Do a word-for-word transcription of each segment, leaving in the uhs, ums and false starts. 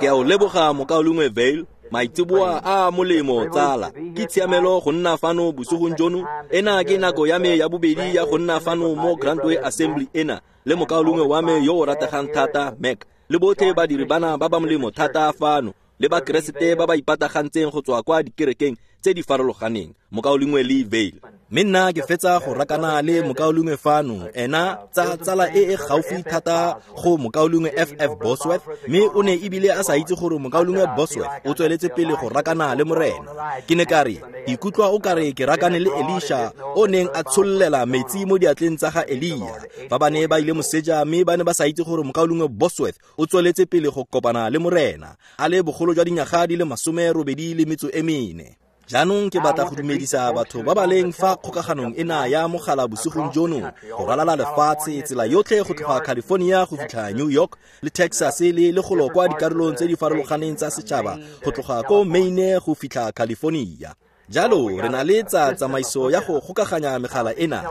Ke a o leboga mokaulengwe Vail, maitseboa a molemo tsala. Ke tshiamelo go nna fano bosigong jono. Ena ke nako ya me ya bobedi ya go nna fano mo Grantway Assembly ena le mokaulengwe wa me yo o rategang thata Mac, le botlhe badiri bana ba ba molemo thata fano, le bakeresete ba ba ipatagantseng go tswa kwa dikerekeng tse di farologaneng, mokaulengwe Lee Vail. Mme nna ke fetsa go rakana le mokaulengwe fano, ena tsa tsala e e gaufi thata go mokaulengwe F F Bosworth, mme o ne ebile a sa itse gore mokaulengwe Bosworth o tsweletse pele go rakana le morena. Ke ne ka re, ke ikutlwa o kare ke rakane le Elisha o neng a tshollela metsi mo diatleng tsa ga Elia, fa ba ne ba ile moseja mme ba ne ba sa itse gore mokaulengwe Bosworth o tsweletse pele go kopana le morena, a le bogolo jwa dinyaga di le masome robedi le metso e mene. Jaanong ke batla go dumedisa batho ba ba leng fa kgokaganong ena ya mogala bosigong jono go ralala lefatshe, tsela yotlhe go tloga California go fitlha New York le Texas le le golo kwa dikarolong tse di farologaneng tsa setšhaba go tloga ko Maine go fitlha California. Jalo re na le tsa tsamaiso ya go gokaganya megala ena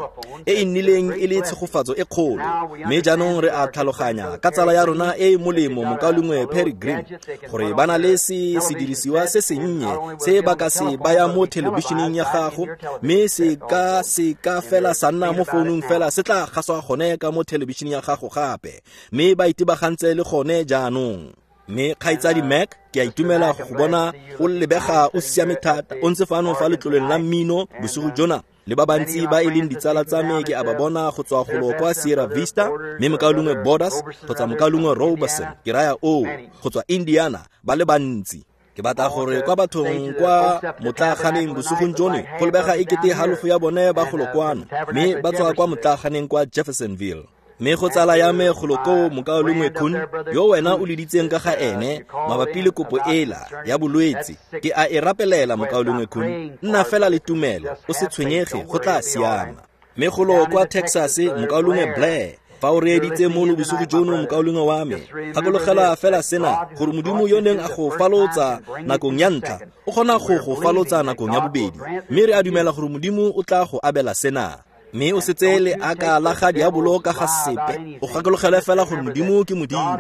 e e nnileng e le tshegofatso e kgolo, mme jaanong re a tlhaloganya ka tsala ya rona e e molemo mokaulengwe Perry Green gore ba na le se sedirisiwa se sennye se ba ka se baya mo thelebišeneng ya gago, mme se ka se ka fela sa nna mo founung fela se tla gaswa gone ka mo thelebišeneng ya gago gape, mme ba itebagantse le gone jaanong. Mme kgaitsadi Mac, ke a itumela go bona o lebega o siame thata, o ntse fano fa letloleng la mmino bosigo jona le ba bantsi ba e leng ditsala tsa me ke a ba bona go tswa golo kwa Sierra Vista, mme mokaulengwe Borders kgotsa mokaulengwe Robertson, ke raya oo, go tswa Indiana, ba le bantsi. Ke batla gore kwa bathong kwa motlaaganeng bosigong jono go lebega e kete halofo ya bone ba golo kwano, mme ba tswa kwa motlaaganeng kwa Jeffersonville. Mme go tsala ya me golo koo mokaulengwe Kuhn, yo wena o leditseng ka ga ene mabapi le kopo ela ya bolwetse, ke a e rapelela mokaulengwe Kuhn, nna fela le tumelo, o se tshwenyege, go tla siama. Mme golo kwa Texas mokaulengwe Blair, fa o reeditse mono bosigo jono mokaulengwe wa me, gakologelwa fela sena gore Modimo yo neng a go falotsa nakong ya ntlha o kgona go go falotsa nakong ya bobedi, mme re a dumela gore Modimo o tla go abela sena. Mme o setse le aka la ga diabolo ka ga sepe, o gakologelwe fela gore Modimo ke Modimo,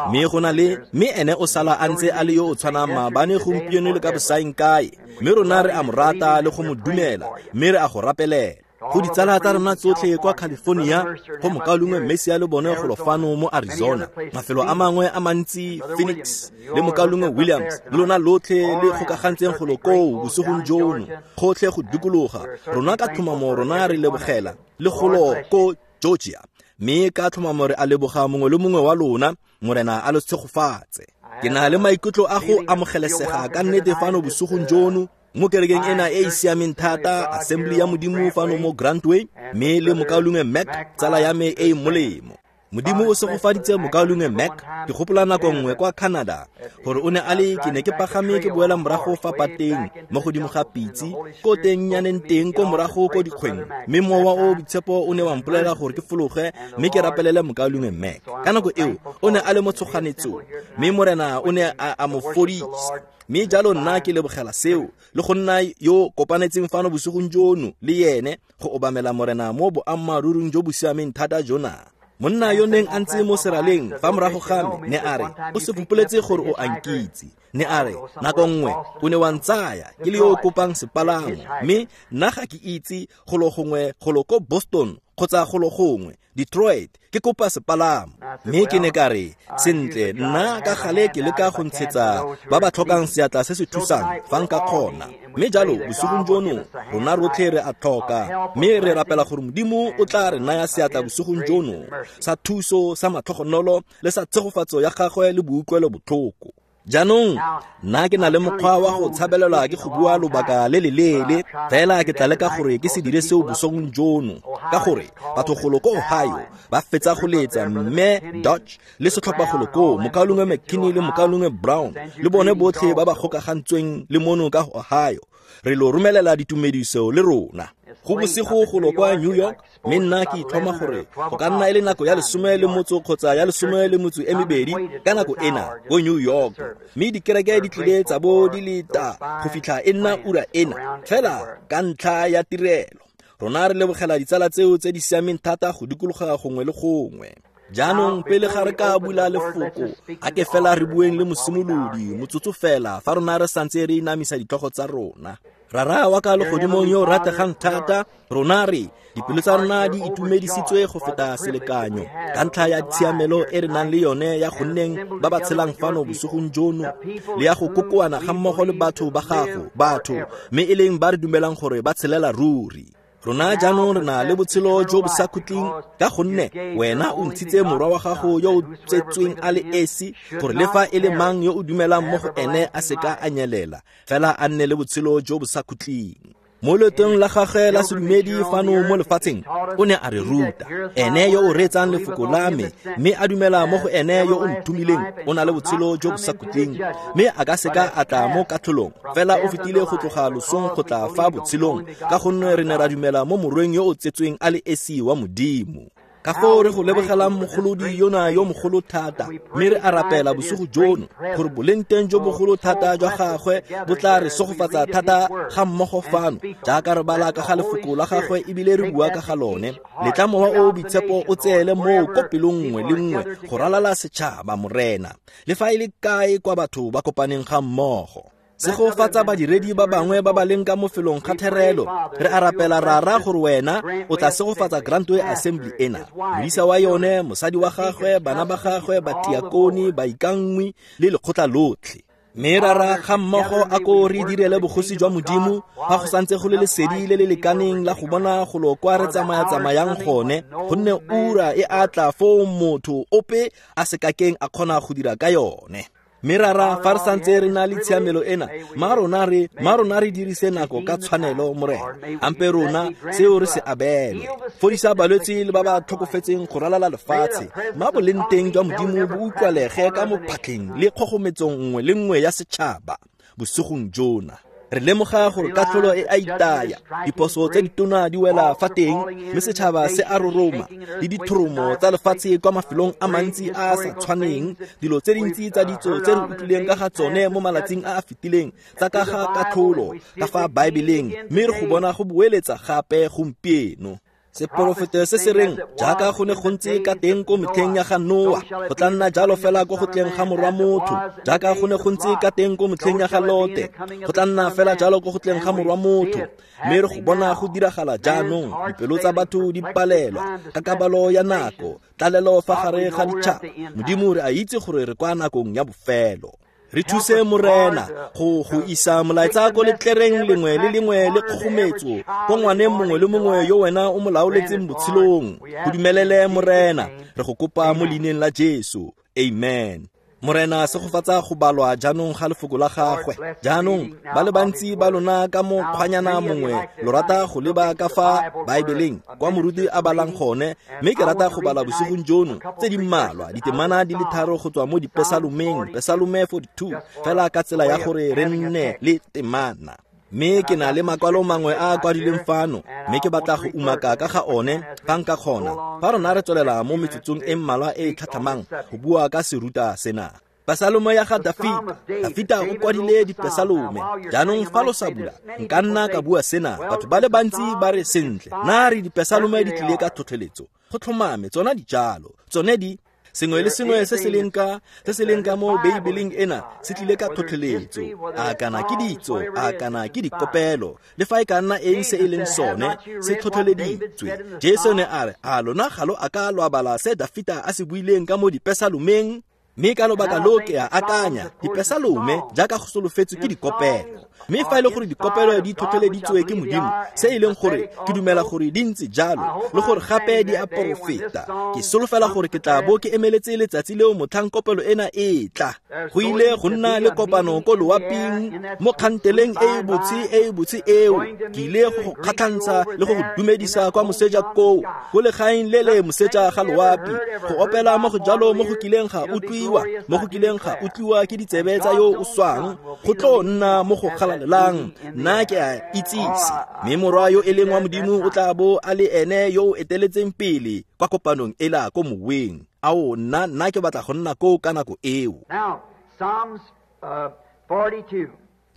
mme go na le mme ene o sala a ntse a le yo o tshwanang maabane gompieno le ka bosaeng kae, mme rona re a mo rata le go mo dumela, mme re a go rapelela. Go ditsala tsa rona tsotlhe kwa California, go mokaulengwe Messi le bone golo fano mo Arizona, mafelo a mangwe a mantsi, Phoenix le mokaulengwe Williams, le lona lotlhe le gokagantseng golo koo bosigong jono, gotlhe go dikologa rona ka tlhomamo rona re lebogela le golo ko Georgia, mme ka tlhomamo re a leboga mongwe le mongwe wa lona, morena a lo tshegofatse. Ke na le maikutlo a go amogelesega ka nnete fano bosigong jono mo kerekeng ena e e siameng thata, Assembly ya Modimo fano mo Grantway, mme le mokaulengwe Mac, tsala ya me e e molemo. Modimo o segofaditse mokaulengwe Mac. Ke gopola nako nngwe kwa Canada gore o ne a le ke ne ke pagame ke boela morago fa pateng mo godimo ga pitse ko tennyaneng teng ko morago ko dikgweng, mme mowa o boitshepo o ne wa mpolelela gore ke fologe mme ke rapelele mokaulengwe Mac. Ka nako eo o ne a le mo tshoganetsong, mme morena o ne a, a mo fodisa. Mme jalo nna ke lebogela seo le go nna yo kopanetseng fano bosigong jono le yene go obamela morena mo boammaaruring jo bo siameng thata jona. Monna yo neng a ntse mo seraleng fa morago ga me ne a re, o se fopoletse gore o a nkitse. Ne a re, nako nngwe o ne wa ntsaya ke le yo o kopang sepalamo, mme nna ga ke itse golo gongwe golo ko Boston kgotsa golo gongwe Detroit ke kopa sepalamo. Mme ke ne ka re, sentle nna ka gale ke leka go ntshetsa ba ba tlhokang seatla se se thusang fa nka kgona. Mme jalo bosigong jono rona rotlhe re a tlhoka, mme re rapela gore Modimo o tla re naya seatla bosigong jono sa thuso sa matlhogonolo le sa tshegofatso ya gagwe le boutlwelo botlhoko. Jaanong nna ke na le mokgwa wa go tshabelelwa ke go bua lobaka le le leele, fela ke tla leka gore ke se dire seo bosong jono, ka gore batho golo ko Ohio ba fetsa go letsa mme Dodge le setlhopha golo koo, mokaulengwe McKinney le mokaulengwe Brown le bone botlhe ba ba gokagantsweng le mono ka Ohio, re lo romelela ditumediso le rona. Go bosigo golo kwa New York, mme nna ke itlhoma gore go ka nna e le nako ya lesome le motso kgotsa ya lesome le motso e mebedi ka nako ena ko New York, mme dikereke di tlile tsa bo di leta go fitlha e nna ura ena fela ka ntlha ya tirelo. Rona re lebogela ditsala tseo tse di siameng thata go dikologa gongwe le gongwe. Jaanong pele ga re ka bula lefoko, a ke fela re bueng le mosimolodi motsotso fela fa rona re santse re inamisa ditlhogo tsa rona. Rara wa ka legodimong yo o rategang thata, rona re dipelo tsa rona di itumedisitswe go feta selekanyo ka ntlha ya tshiamelo e re nang le yone ya go nneng ba ba tshelang fano bosigong jono le ya go kokoana ga mmogo le batho ba gago, batho mme e leng ba re dumelang gore ba tshelela ruri. Rona jaanong re na le botshelo jo bo sa khutleng ka gonne wena o ntshitse morwa wa gago yo o tsetsweng a le esi gore le fa e le mang yo o dumelang mo go ene a seka a nyelela, fela a nne le botshelo jo bo sa khutleng. Mo leetong la gagwe la sedumedi fano mo lefatsheng, o ne a re ruta, ene yo o reetsang lefoko la me mme a dumela mo go ene yo o nthomileng o na le botshelo jo bo sa khutleng, mme a ka seka a tla mo katlholong, fela o fetile go tloga losong go tla fa botshelong, ka gonne re ne ra dumela mo morweng yo o tsetsweng a le esi wa Modimo. Ka foo re go lebogelang mogolodi yona yo mogolo thata, mme re a rapela bosigo jono gore boleng teng jo bogolo thata jwa gagwe bo tla re segofatsa thata ga mmogo fano jaaka re bala ka ga lefoko la gagwe ebile re bua ka ga lone. Letla mowa o o boitshepo o tseele moo ko pelong nngwe le nngwe go ralala setšhaba, Morena, le fa e le kae kwa batho ba kopaneng ga mmogo. Segofatsa badiredi ba bangwe ba ba leng ka mo felong ga therelo. Re a rapela rara gore wena o tla segofatsa Grantway Assembly ena, modisa wa yone, mosadi wa gagwe, bana ba gagwe, batiakoni, baikanngwi le lekgotla lotlhe. Mme rara ga mmogo a ko re direle bogosi jwa Modimo fa go santse go le lesedi le le lekaneng la go bona golo kwa re tsamaya-tsamayang gone, gonne ura e a tla foo motho ope a se kakeng a kgona go dira ka yone. Mme rara fa re santse re na le tshiamelo ena, ma rona re ma rona re dirise nako ka tshwanelo, Morena. Ampe rona seo re se abele. Fodisa balwetse le ba ba tlhokofetseng go ralala lefatshe, ma boleng teng jwa Modimo bo utlwalege ka mo phatlheng le kgogometsong nngwe le nngwe ya setšhaba bosigong jona. Re lemoga gore katlholo e a itaya, diphoso tse ditona di wela fa teng, mme setšhaba se a roroma le dithoromo tsa lefatshe kwa mafelong a mantsi a a sa tshwaneng, dilo tse dintsi tsa ditso tse re utlwileng ka ga tsone mo malatsing a a fetileng tsa ka ga katlholo ka fa Baebeleng, mme re go bona go boeletsa gape gompieno. Seporofeto se se reng jaaka go ne go ntse ka teng ko metlheng ya ga Noa, go tla nna jalo fela ko go tleng ga morwa motho, jaaka go ne go ntse ka teng ko metlheng ya ga Lote, go tla nna fela jalo ko go tleng ga morwa motho. Mme re go bona go diragala jaanong, dipelo tsa batho di palelwa ka kabalo ya nako, tlalelo fa gare ga ditšhaba. Modimo re a itse gore re kwa nakong ya bofelo. Re thuse Morena go go isa molaetsa ko letlereng lengwe le lengwe le kgogometso ko ngwaneng mongwe le mongwe yo wena o mo laoletseng botshelong. Go dumelele Morena, re go kopa mo leineng la Jesu. Amen. Morena segofatsa go balwa jaanong ga lefoko la gagwe. Jaanong ba le bantsi ba lona ka mo kgwanyana mongwe lo rata go leba ka fa Baebeleng kwa moruti a balang gone, mme ke rata go bala bosigong jono tse di mmalwa ditemana di le tharo go tswa mo dipesalomeng, Pesalome forty-two, fela ka tsela ya gore re nne le temana. Mme ke na le makwalo mangwe a a kwadilweng fano, mme ke batla go umaka ka ga one fa nka kgona, fa rona re tswelela mo metsotsong e mmalwa e e tlhatlhamang go bua ka seruta sena. Pesalome ya ga Dafita. Dafita o kwadile dipesalome. Jaanong fa lo sa bula, nka nna ka bua sena. Batho ba le bantsi ba re sentle, na re dipesalome di tlile ka tlhotlheletso. Go tlhomame, tsona di jalo. Tsone di sengwe le sengwe se se leng ka se se leng ka mo Beibeleng ena se tlile ka tlhotlheletso, a kana ke ditso, a kana ke dikopelo, le fa e ka nna eng se e leng sone se tlhotlheleditswe. Jesu ne a re, a lona ga lo a ka lo bala se Dafita a se buileng ka mo dipesalomeng? Mme ka lobaka lo ke a akanya dipesalome jaaka go solofetswe ke dikopelo. Mme fa e le gore dikopelo di tlhotlheleditswe ke Modimo, se e leng gore ke dumela gore di ntse jalo le gore gape di a porofeta, ke solofela gore ke tla bo ke emeletse letsatsi leo motlhang kopelo ena e tla. Go ile go nna le kopano ko loaping mo kganteleng e e botse e e botse eo. Ke ile go go kgatlhantsha le go go dumedisa kwa moseja koo, ko legaeng le le moseja ga loapi, go opela mo go jalo mo go kileng ga utlwiwa, mo go kileng ga utlwiwa ke ditsebe tsa yo o swang, go tlo nna mo go galalelang. Nna ke a itsise, mme morwa yo e leng wa Modimo o tla bo a le ene yo o eteletseng pele kwa kopanong ela ko moweng. Ao, nna nna ke batla go nna koo ka nako eo. Now, Psalms uh, forty-two.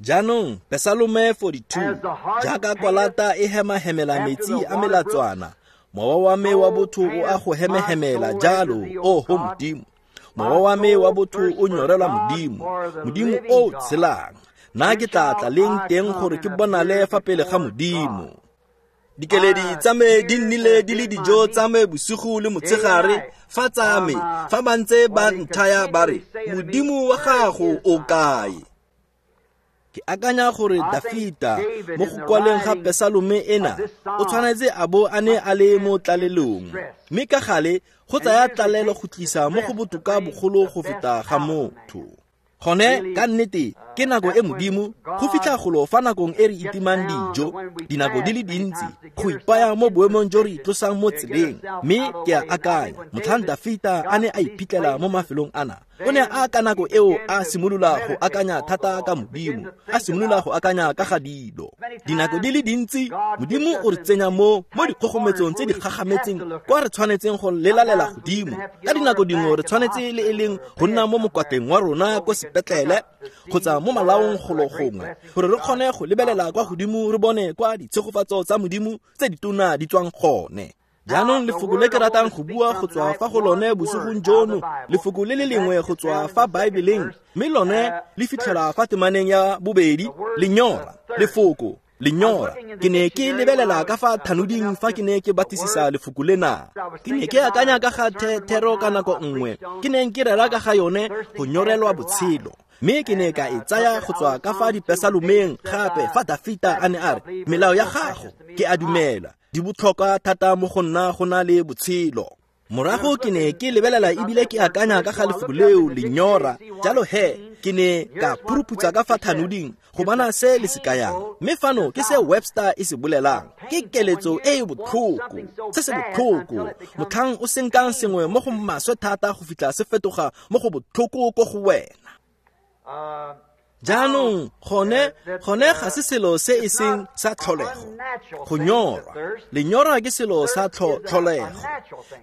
Jaanong Pesalome forty-two, jaaka kwalata e hema-hemela metsi a melatswana, Mowa wa me wa botho o a go hemehemela jalo, oho Modimo. Mowa wa me wa botho o nyorelwa Modimo, Modimo o o tshelang. Nna ke tla tla leng teng gore ke bonale fa pele ga Modimo. Dikeledi tsa me di nnile di le dijo tsa me bosigo le motshegare, fa tsa me, fa ba ntse ba nthaya ba re, Modimo wa gago o kae? Ke akanya gore Dafita mo go kwaleng ga Pesalome ena o tshwanetse a bo a ne a le mo tlalelong, mme ka gale go tsaya tlalelo go tlisa mo go botoka bogolo go feta ga motho. Gone ka nnete ke nako e Modimo go fitlha golo fa nakong e re itimang dijo, dinako di le dintsi go ipaya mo boemong jo re itlosang mo tseleng. Mme ke a akanya motlhang Dafita a ne a iphitlhela mo mafelong ana, o ne a ka nako eo a simolola go akanya thata ka Modimo, a simolola go akanya ka ga dilo. Dinako di le dintsi Modimo o re tsenya mo mo dikgogometsong tse di gagametseng kwa re tshwanetseng go lelalela godimo. Ka dinako dingwe re tshwanetse le e leng go nna mo mokwatleng wa rona ko sepetlele kgotsa mo malaong golo gongwe gore re kgone go lebelela kwa godimo re bone kwa ditshegofatso tsa Modimo tse ditona di tswang gone. Jaanong lefoko le ke ratang go bua go tswa fa go lone bosigong jono, lefoko le le lengwe go tswa fa Baebeleng, mme lone le fitlhela fa temaneng ya bobedi, lenyora. Lefoko lenyora. Ke ne ke lebelela ka fa thanoding fa ke ne ke batlisisa lefoko lena. Ke ne ke akanya ka ga thero ka nako nngwe, ke neng ke rera ka ga yone go nyorelwa botshelo. Mme ke ne ka e tsaya go tswa ka fa dipesalomeng gape fa Dafita a ne a re, melao ya gago ke a dumela, di botlhokwa thata mo go nna go na le botshelo. Morago ke ne ke lebelela ebile ke akanya ka ga lefoko leo lenyora. Jalo he ke ne ka phuruputsa ka fa thanoding go bona se le se kayang. Mme fano ke se Webster e se bolelang, ke keletso e e botlhoko, se se botlhoko, motlhang o senkang sengwe mo go maswe thata go fitlha se fetoga mo go botlhoko ko go wena. Jaanong gone gone ga se selo se e seng sa tlholego go nyorwa. Lenyora ke selo sa tlholego,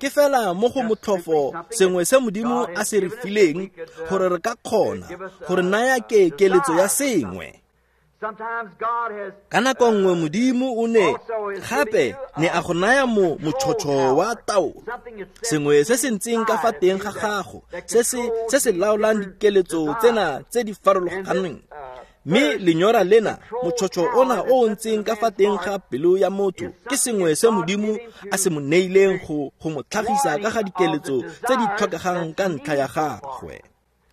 ke fela mo go motlhofo sengwe se Modimo a se re fileng gore re ka kgona gore naya ke keletso ya sengwe. Ka nako nngwe Modimo o ne gape ne a go naya mo motšhotšho wa taolo, sengwe se se ntseng ka fa teng ga gago se se se se laolang dikeletso tsena tse di farologaneng. Mme lenyora lena, motšhotšho ona o o ntseng ka fa teng ga pelo ya motho, ke sengwe se Modimo a se mo neileng go go mo tlhagisa ka ga dikeletso tse di tlhokegang ka ntlha ya gagwe.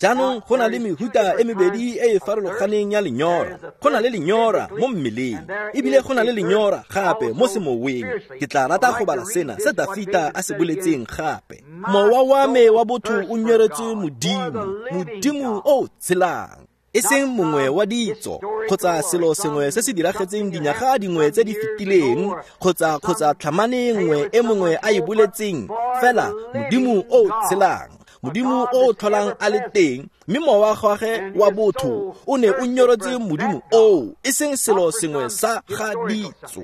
Jaanong go na le mehuta e mebedi e e farologaneng ya lenyora. Go na le lenyora mo mmeleng, ebile go na le lenyora gape mo semoweng. Ke tla rata go bala sena se Dafita a se boletseng gape. Mowa wa me wa botho o nyoretse Modimo, Modimo o tshelang, e seng mongwe wa ditso kgotsa selo sengwe se se diragetseng dinyaga dingwe tse di fetileng kgotsa kgotsa tlhamane nngwe e mongwe a e boletseng, fela Modimo o tshelang, Modimo o tlholang a le teng. Mme mowa gagwe wa botho o ne o nyoretse Modimo oo, e seng selo sengwe sa ga ditso.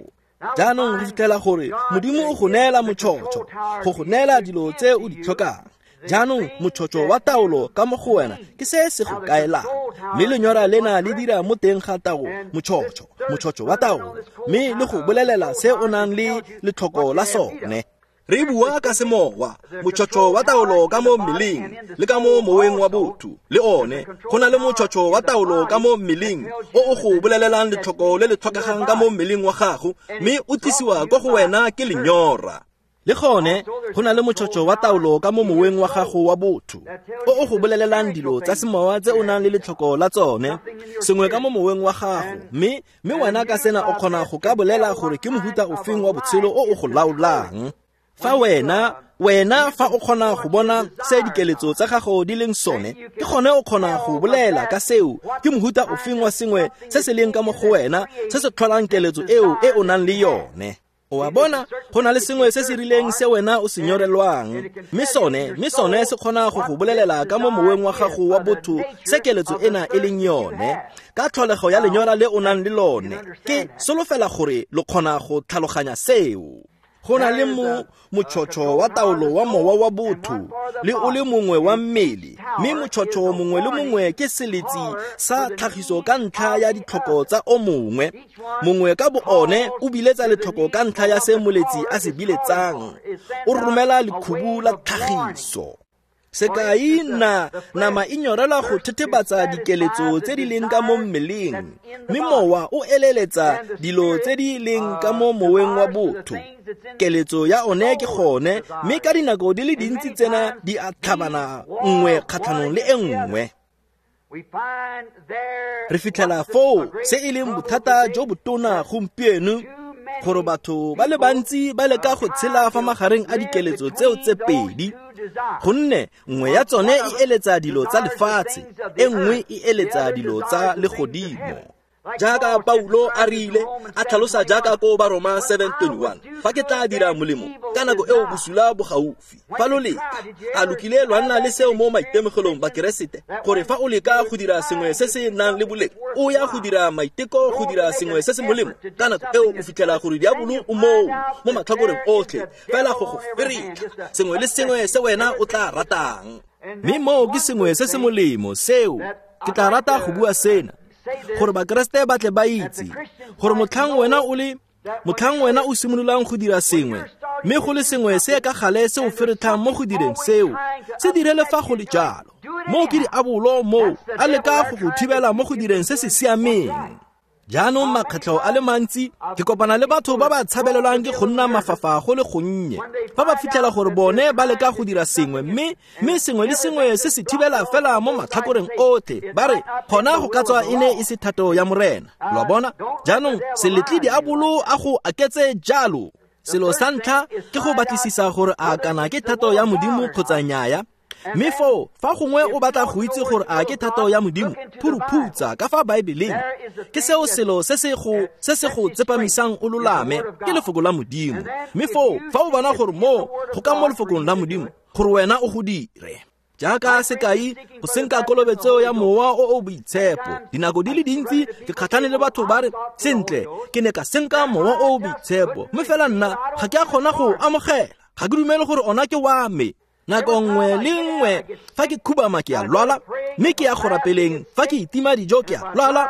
Jaanong re fitlhela gore Modimo o go neela motšhotšho, go go neela dilo tse o di tlhokang. Jaanong motšhotšho wa taolo ka mo go wena ke se se go kaelang, mme lenyora lena le dira mo teng ga tao motšhotšho, motšhotšho wa taolo, mme le go bolelela se o nang le letlhoko la sone. Re bua ka semowa, motšhotšho wa taolo ka mo mmeleng le ka mo moweng wa botho le one. Go na le motšhotšho wa taolo ka mo mmeleng o o go bolelelang letlhoko le le tlhokegang ka mo mmeleng wa gago, mme o tlisiwa kwa go wena ke lenyora. Le gone go na le motšhotšho wa taolo ka mo moweng wa gago wa botho o o go bolelelang dilo tsa semowa tse o nang le letlhoko la tsone, sengwe ka mo moweng wa gago, mme mme wena ka sena o kgona go ka bolela gore ke mohuta ofeng wa botshelo o o go laolang. Fa wena wena fa o kgona go bona se dikeletso tsa gago di leng sone, ke gone o kgona go bolela ka seo ke mohuta ofeng wa sengwe se se leng ka mo go wena se se tlholang keletso eo e o nang le yone. O a bona, go na le sengwe se se rileng se wena o se nyorelwang, mme sone mme sone se kgona go go bolelela ka mo moweng wa gago wa botho se keletso ena e leng yone, ka tlholego ya lenyora le o nang le lone. Ke solofela gore lo kgona go tlhaloganya seo. Go na le mo motšhotšho wa taolo wa mowa wa botho le o le mongwe wa mmele, mme motšhotšho mongwe le mongwe ke seletsi sa tlhagiso ka ntlha ya ditlhoko tsa o mongwe. Mongwe ka bo one o biletsa letlhoko ka ntlha ya se moletsi a se biletsang, o romela lekhubu la tlhagiso. Sekai na nama e nyorelwa go thethebatsa dikeletso tse di leng ka mo mmeleng, mme mowa o eleletsa dilo tse di leng ka mo moweng wa botho. Keletso ya one ke gone, mme ka dinako di le dintsi tsena di a tlhabana nngwe kgatlhanong le e nngwe. Re fitlhela foo se e leng bothata jo botona gompieno, gore batho ba le bantsi ba leka go tshela fa magareng a dikeletso tseo tse pedi, gonne nngwe ya tsone e eletsa dilo tsa lefatshe, e nngwe e eletsa dilo tsa legodimo. Jaaka Paulo a rile a tlhalosa jaaka ko Baroma seven twenty-one, fa ke tla dira molemo ka nako eo bosula bo gaufi. Fa lo leka, a lo kile lwa nna le seo mo maitemogelong Bakeresete, gore fa o leka go dira sengwe se se nang le boleng, o ya go dira maiteko go dira sengwe se se molemo, ka nako eo o fitlhela gore diabolo o moo mo matlhakoreng otlhe fela go go feretlha sengwe le sengwe se wena o tla ratang. Mme moo ke sengwe se se molemo seo ke tla rata go bua sena, gore Bakeresete ba tle ba itse gore motlhang wena o le motlhang wena o simololang go dira sengwe, mme go le sengwe se ka gale se o feretlhang mo go direng seo, se direle fa go le jalo. Moo ke diabolo moo a leka go go thibela mo go direng se se siameng. Jaanong makgetlho a le mantsi ke kopana le batho ba ba tshabelelwang ke go nna mafafa go le gonnye, fa ba fitlhela gore bone ba leka go dira sengwe, mme mme sengwe le sengwe se se thibela fela mo matlhakoreng otlhe, ba re gona go ka tswa e ne e se thato ya Morena. Lo bona? Jaanong se letle diabolo a go aketse jalo. Selo sa ntlha ke go batlisisa gore a kana ke thato ya Modimo kgotsa nnyaya. Mme foo fa gongwe o batla go itse gore a ke thato ya Modimo, phuruphutsa ka fa Baebeleng. Ke seo selo se se go se se go tsepamisang o lolame, ke lefoko la Modimo. Mme foo fa o bona gore moo go ka mo lefokong la Modimo, gore wena o go dire. Jaaka sekai, go senka kolobetso ya mowa o o boitshepo. Dinako di le dintsi ke kgatlhane le batho ba re, sentle, ke ne ka senka mowa o o boitshepo, mme fela nna ga ke a kgona go amogela, ga ke dumele gore ona ke wa me. Nako nngwe le nngwe fa ke khubama ke a lwala, mme ke ya go rapeleng, fa ke itima dijo ke a lwala,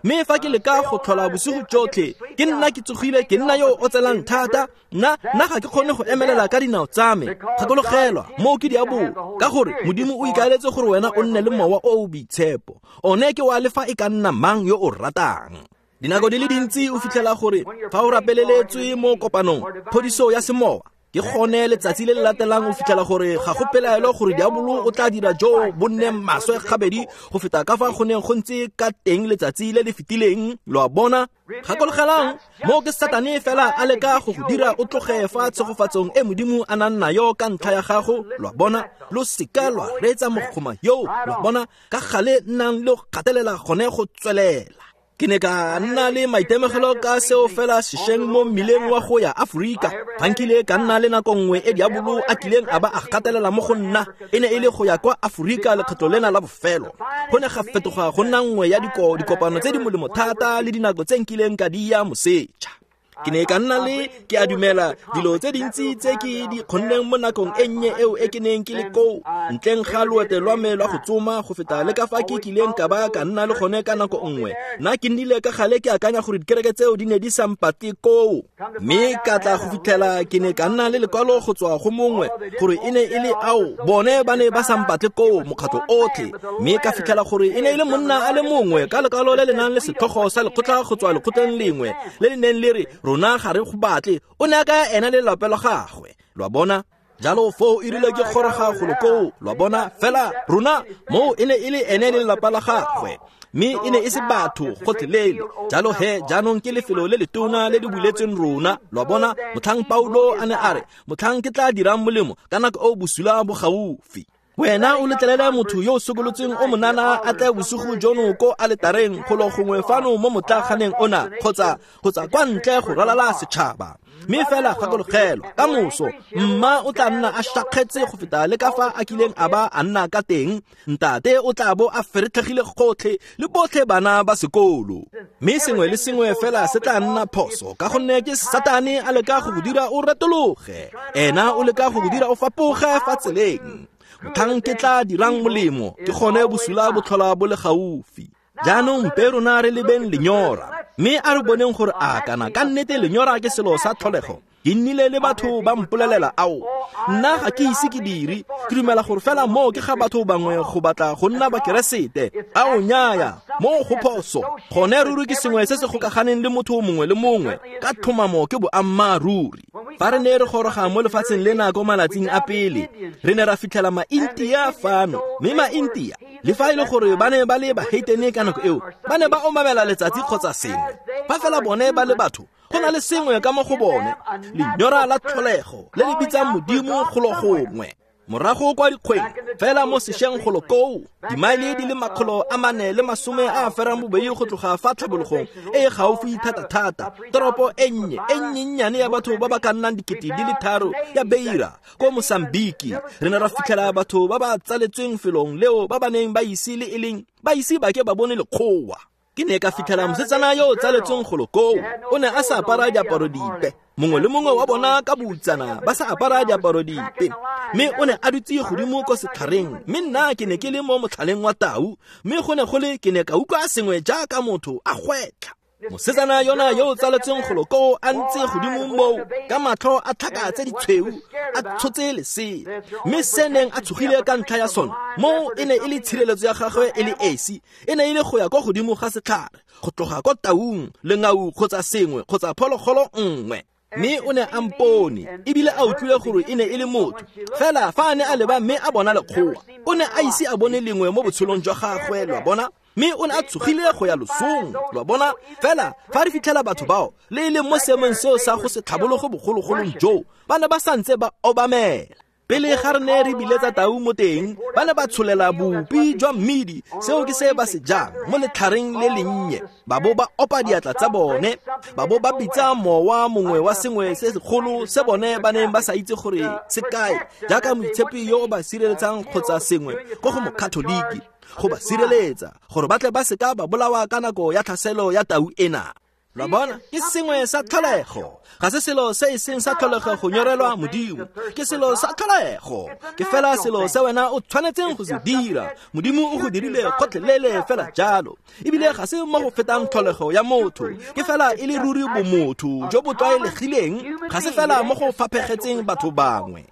mme fa ke leka go tlhola bosigo jotlhe ke nna ke tsogile, ke nna yo o tselang thata, nna nna ga ke kgone go emelela ka dinao tsa me. Gakologelwa, moo ke diabolo, ka gore Modimo o ikaeletse gore wena o nne le mowa o o boitshepo. One ke wa le fa e ka nna mang yo o ratang. Dinako di le dintsi o fitlhela gore fa o rapeleletswe mo kopanong phodiso ya semowa, ke gone letsatsi le le latelang o fitlhela gore ga go pelaelo gore diabolo o tla dira jo bo nne maswe gabedi go feta ka fa go neng go ntse ka teng letsatsi le le fetileng. Lo a bona? Gakologelang, moo ke Satane fela a leka go go dira o tloge fa tshegofatsong e Modimo a nang nayo ka ntlha ya gago. Lo a bona? Lo seka lwa reetsa mogoma yo. Lo a bona? Ka gale nnang le go gatelela gone go tswelela. Ke ne ka nna le maitemogelo ka seo fela sešweng mo mmileng wa go ya Aforika. Fa nkile ka nna le nako nngwe e diabolo a kileng a ba a gatelela mo go nna, e ne e le go ya kwa Aforika lekgetlo lena la bofelo. Go ne ga fetoga go nna nngwe ya dikopano tse di molemo thata le dinako tse nkileng ka di ya moseja. Ke ne ka nna le, ke a dumela, dilo tse dintsi tse ke di kgonneng mo nakong e nnye eo e ke neng ke le koo, ntleng ga loeto lwa me lwa go tsoma go feta le ka fa ke kileng ka ba ka nna le gone ka nako nngwe. Nna ke nnile ka gale ke akanya gore dikereke tseo di ne di sa mpatle koo, mme ka tla go fitlhela ke ne ka nna le lekwalo go tswa go mongwe gore e ne e le ao bone ba ne ba sa mpatle koo mokgatlho otlhe, mme ka fitlhela gore e ne e le monna a le mongwe ka lekwalo le le nang le setlhogo sa lekgotla go tswa lekgotleng lengwe le le neng le re rona ga re go batle, o ne a ka ena le lelapa la gagwe. Lo a bona? Jalo foo e rile ke goroga golo koo, lo a bona? Fela rona moo e ne e le ene le lelapa la gagwe, mme e ne e se batho gotlhelele. Jalo he jaanong ke lefelo le letona le le buletsweng rona. Lo a bona? Motlhang Paulo a ne a re, motlhang ke tla dirang molemo ka nako o bosula bo gaufi. Wena o letlelele motho yo o sokolotseng o monana a tle bosigo jono ko aletareng golo gongwe fano mo motlaaganeng ona kgotsa kgotsa kwa ntle go ralala setšhaba. Mme fela gakologelwa, ka moso mma o tla nna a šakgetse go feta le ka fa a kileng a ba a nna ka teng. Ntate o tla bo a feretlhegile gotlhe le botlhe bana ba sekolo. Mme sengwe le sengwe fela se tla nna phoso ka gonne ke Satane a leka go go dira o retologe. Ena o leka go go dira o fapoge fa tseleng. Motlhang ke tla dirang molemo, ke gone bosula bo tlhola bo le gaufi. Jaanong mpe rona re lebeng lenyora, mme a re boneng gore a kana ka nnete lenyora ke selo sa tlholego. Ke nnile le batho ba mpolelela ao, nna ga ke ise ke dire, ke dumela gore fela moo ke ga batho bangwe go batla go nna bakeresete. Ao nnyaya, moo go phoso. Gone ruri ke sengwe se se gokaganeng le motho mongwe le mongwe, ka tlhomamo ke boammaaruri. Fa re ne re goroga mo lefatsheng lena ko malatsing a pele, re ne ra fitlhela ma-India fano, mme ma-India le fa e le gore ba ne ba le baheitene ka nako eo, ba ne ba omamela letsatsi kgotsa sengwe. Fa fela bone ba le batho, go na le sengwe ka mo go bone, lenyora la tlholego le le bitsang Modimo golo gongwe. Morago kwa dikgweng, fela mo sešweng golo koo, dimaele di le makgolo a mane le masome a a ferang bobedi go tloga fa tlhabologong e e gaufi thata-thata, toropo e nnye e nnyennyane ya batho ba ba ka nnang dikete di le tharo ya Beira ko Mosambiki, re ne ra fitlhela batho ba ba tsaletsweng felong leo ba ba neng ba ise le e leng ba ise ba ke ba bone lekgowa. Ke ne ka fitlhela mosetsana yo o tsaletsweng golo koo, o ne a sa apara diaparo dipe. Mongwe le mongwe wa bona ka boutsana ba sa apara diaparo dipe. Mme o ne a dutse godimo ko setlhareng, mme nna ke ne ke le mo motlhaleng wa tau, mme go ne go le ke ne ka utlwa sengwe jaaka motho a gwetlha. Mosetsana yona yo o tsaletsweng golo koo a ntse godimo moo ka matlho a tlhaka tse ditshweu, a tshotse lesea. Mme se neng a tshogile ka ntlha ya sone, moo e ne e le tshireletso ya gagwe e le esi, e ne e le go ya kwa godimo ga setlhare, go tloga kwa taung, lengau kgotsa sengwe kgotsa phologolo nngwe. Mme o ne a mpone, ebile a utlwile gore e ne e le motho. Fela fa a ne a leba mme a bona lekgowa, o ne a ise a bone lengwe mo botshelong jwa gagwe, lwa bona. Mme o ne a tshogile go ya losong, lwa bona. Fela fa re fitlhela batho bao le e leng mo seemong seo sa go se tlhabologo bogologolong joo, ba ne ba santse ba obamela. Pele ga re ne re biletsa tau mo teng, ba ne ba tsholela bopi jwa mmidi, seo ke se ba se jang mo letlhareng le lennye. Ba bo ba opa diatla tsa bone, ba bo ba bitsa mowa mongwe wa sengwe se segolo se bone ba neng ba sa itse gore se kae, jaaka moitshepi yo o ba sireletsang kgotsa sengwe ko go mokatholiki, go ba sireletsa gore ba tle ba seka ba bolawa ka nako ya tlhaselo ya tau ena. Lwa bona, ke sengwe sa tlholego. Ga se selo se e seng sa tlholego go nyorelwa Modimo, ke selo sa tlholego. Ke fela selo se wena o tshwanetseng go se dira. Modimo o go dirile gotlhelele fela jalo. Ebile ga se mo go fetang tlholego ya motho, ke fela e le ruri bomotho jo bo tlwaelegileng, ga se fela mo go faphegetseng batho bangwe.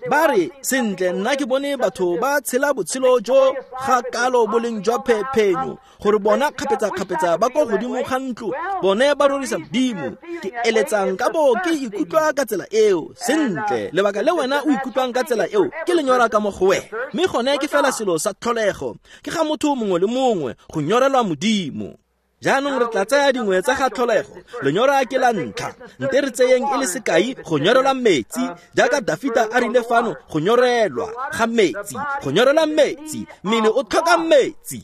Ba re, sentle nna ke bone batho ba tshela botshelo jo ga kalo boleng jwa phephenyo, gore bona kgapetsa-kgapetsa ba ko godimo ga ntlo, bone ba rorisa Modimo. Ke eletsang ka bo ke ikutlwa ka tsela eo. Sentle, lebaka le wena o ikutlwang ka tsela eo ke lenyora ka mo go wena. Mme gone ke fela selo sa tlholego, ke ga motho mongwe le mongwe go nyorelwa Modimo. Jaanong re tla tsaya dingwe tsa ga tlholego. Lenyora ke la ntlha. Nte re tseyeng e le sekai go nyorelwa metsi, jaaka Dafita a rile fano, go nyorelwa ga metsi, go nyorelwa metsi, mmele o tlhoka metsi.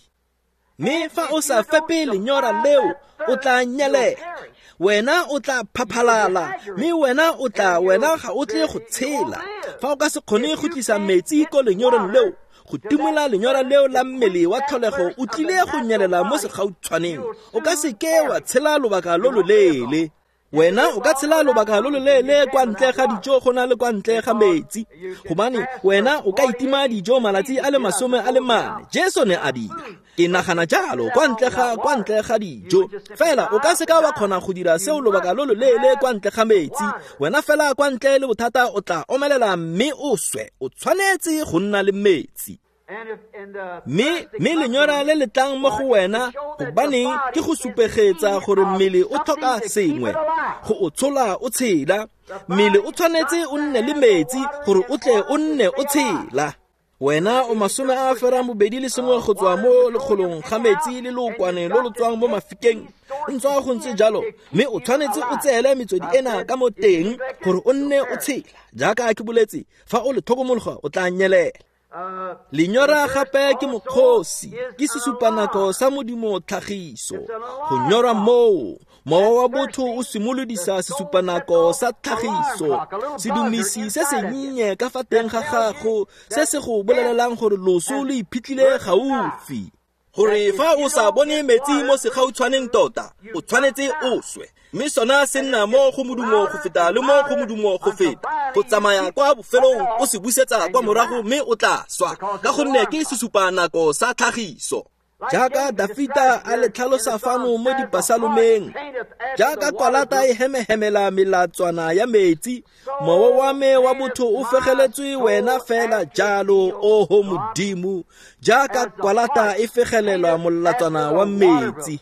Mme fa o sa fepe lenyora leo, o tla nyelela. Wena o tla phaphalala, mme wena o tla wena ga o tle go tshela. Fa o ka se kgone go tlisa metsi ko lenyoreng leo, go timola lenyora leo la mmele wa tlholego, o tlile go nyelela mo segautshwaneng. O ka se ke wa tshela lobaka lo loleele. Wena o ka tshela lobaka lo loleele kwa ntle ga dijo go na le kwa ntle ga metsi, gobane wena o ka itima dijo malatsi a le masome a le mane. Jesu ne a dira. Ke nagana jalo, kwa ntle ga kwa ntle ga dijo. Fela o ka se ka wa kgona go dira seo lobaka lo loleele kwa ntle ga metsi. Wena fela kwa ntle le bothata o tla omelela mme o swe. O tshwanetse go nna le metsi. Mme mme lenyora le le tlang mo go wena, gobaneng ke go supegetsa gore mmele o tlhoka sengwe go o tshola o tshela. Mmele o tshwanetse o nne le metsi gore o tle o nne o tshela. Wena o masome a ferang bobedi le sengwe go tswa mo lekgolong ga metsi le lookwane lo lo tswang mo mafikeng. Ntswa go ntse jalo, mme o tshwanetse o tseele metswedi ena ka mo teng gore o nne o tshela. Jaaka ke boletse, fa o le tlhokomologa o tla nyelela. Lenyora gape ke mokgosi, ke sesupanako sa Modimo tlhagiso. Go nyora moo, mowa wa botho o simolodisa sesupanako sa tlhagiso, sedumisi se sennye ka fa teng ga gago se se go bolelelang gore loso lo iphitlhile gaufi. Gore fa o sa bone metsi mo segautshwaneng tota, o tshwanetse o swe. Mme sona se nna mo go modumo go feta le mo go modumo go feta, go tsamaya kwa bofelong o se busetsa kwa morago mme o tla swa, ka gonne ke sesupanako sa tlhagiso. Jaaka Dafita a le tlhalosa fano mo dipasalomeng, jaaka kwalata e hemehemela melatswana ya metsi, mowa wa me wa botho o fegeletswe wena fela jalo, oho Modimo, jaaka kwalata e fegelelwa molatswana wa metsi.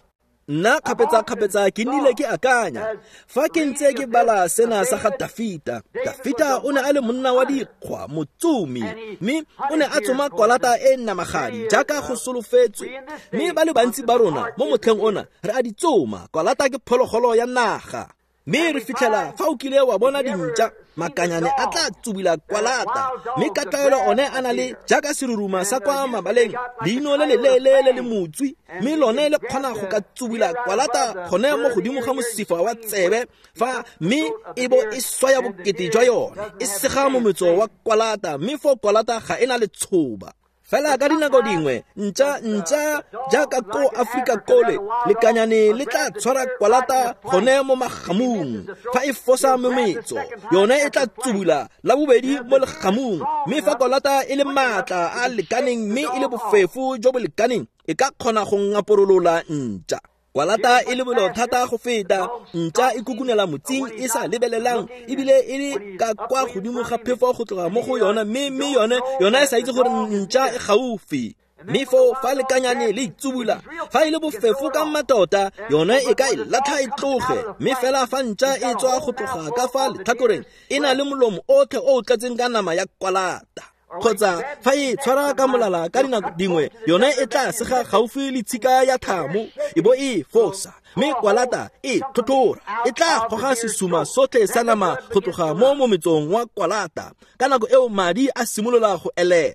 Nna kgapetsa-kgapetsa ke nnile ke akanya fa ke ntse ke bala sena sa ga Dafita. Dafita o ne a le monna wa dikgwa, motsomi, mme o ne a tsoma kwalata e namagadi jaaka go solofetswe. Mme ba le bantsi ba rona mo motlheng ona re a di tsoma. Kwalata ke phologolo ya naga. Mme re fitlhela fa o kile wa bona dintša, makanyane a tla tsubila kwalata, mme ka tlwaelo one a na le jaaka seruruma sa kwa mabaleng, leino le leleele le le motswi, mme lone le kgona go ka tsubila kwalata gone mo godimo ga mosifa wa tsebe fa, mme e bo e swaya bokete jwa yone, e sega mometso wa kwalata, mme fo kwalata ga e na letshoba. Fela ka dinako dingwe, ntša ntša jaaka ko Afrika kole, lekanyane le tla tshwara kwalata gone mo magamung. Fa e fosa mometso, yone e tla tsubula la bobedi mo legamung. Mme fa kwalata e le maatla a lekaneng mme e le bofefo jo bo lekaneng, e ka kgona go ngaporolola ntša. Kwalata e lebelo thata go feta, ntša e kukunela motsing e sa lebelelang, ebile e le ka kwa godimo ga phefo go tloga mo go yona, mme mme yone yona e sa itse gore ntša e gaufi. Mme foo fa lekanyane le itsubula, fa e le bofefo ka mmatota, yone e ka e latlha e tloge. Mme fela fa ntša e tswa go tloga ka fa letlhakoreng, e na le molomo otlhe o o tletseng ka nama ya kwalata. Kgotsa fa e tshwara ka molala ka dinako dingwe, yone e tla sega gaufi le tshika ya thamo, e bo e fosa, mme kwalata e tlhotlhora, e tla goga sesuma sotlhe sa nama go tloga mo mometsong wa kwalata. Ka nako eo madi a simolola go elela.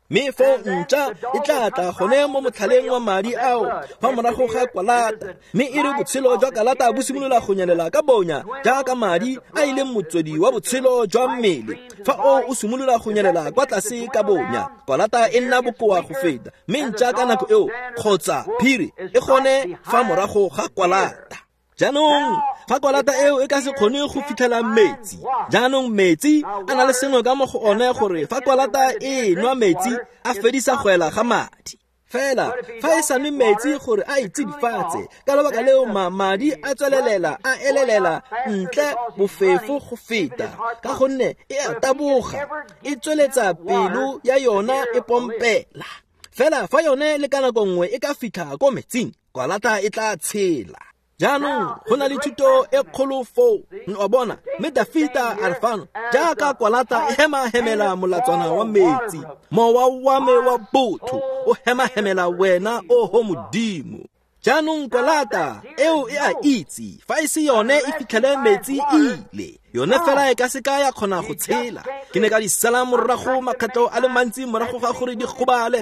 Mme fo ntša e tla tla gone mo motlhaleng wa madi ao fa morago ga kwalata, mme e re botshelo jwa kalata bo simolola go nyelela ka bonya jaaka madi a e leng motswedi wa botshelo jwa mmele. Fa o o simolola go nyelela kwa tlase ka bonya, kwalata e nna bokoa go feta, mme ntša ka nako eo kgotsa phiri e gone fa morago ga kwalata. Jaanong fa kwalata eo e ka se kgone go fitlhela metsi, jaanong metsi a na le sengwe ka mo go one gore fa kwalata e nwa metsi a fedisa go ela ga madi. Fela fa e sa nwe metsi gore a itsidifatse, ka lebaka leo ma madi a tswelelela a elelela ntle bofefo go feta, ka gonne e a taboga, e tsweletsa pelo ya yona e pompela. Fela fa yone le ka nako nngwe e ka fitlha ko metsing, kwalata e tla tshela. Jaanong go na le thuto e kgolo foo, wa bona. Mme Dafita a re fano, jaaka kwalata e hemahemela molatswana wa metsi, mowa wa me wa botho o hemahemela wena, oho Modimo. Jaanong kwalata eo e a itse, fa e se yone e fitlhele metsi ile, yone fela e ka se ka ya kgona go tshela. Ke ne ka di sala morago makgetlo a le mantsi morago ga gore di gobale.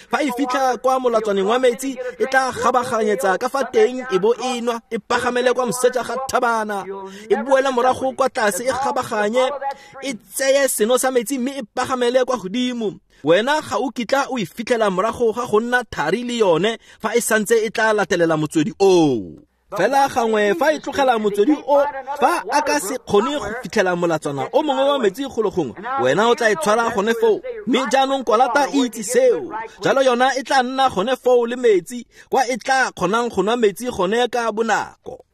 Fa e fitlha kwa molatswaneng wa metsi, e tla gabaganyetsa ka fa teng e bo e nwa, e pagamele kwa moseja ga thabana, e boele morago kwa tlase e gabaganye, e tseye seno sa metsi mme e pagamele kwa godimo. Wena ga o kitla o e fitlhela morago ga go nna thari le yone fa e santse e tla latelela motswedi oo. Fela gangwe fa e tlogela motswedi o, fa a ka se kgone go fitlhela molatswana o mongwe wa metsi golo gongwe, wena o tla e tshwara gone foo. Mme jaanong kwalata e itse seo, jalo yona e tla nna gone foo le metsi, kwa e tla kgonang go nwa metsi gone ka bonako.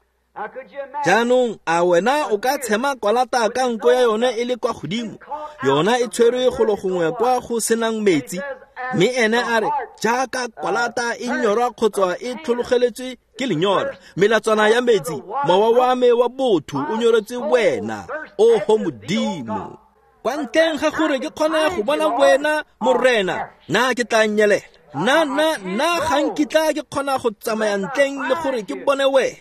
Jaanong a wena o ka tshema kwalata ka nko ya yone e le kwa godimo, yona e tshwerwe golo gongwe kwa go senang metsi. Mme ene a re, jaaka kwalata e nyorwa kgotsa e tlhologeletswe ke lenyora, melatswana ya metsi, mowa wa me wa botho o nyoretse wena, oho Modimo. Kwa ntleng ga gore ke kgone go bona wena, Morena, nna ke tla nyelela. Nna nna nna ga nkitla ke kgona go tsamaya ntleng le gore ke bone wena.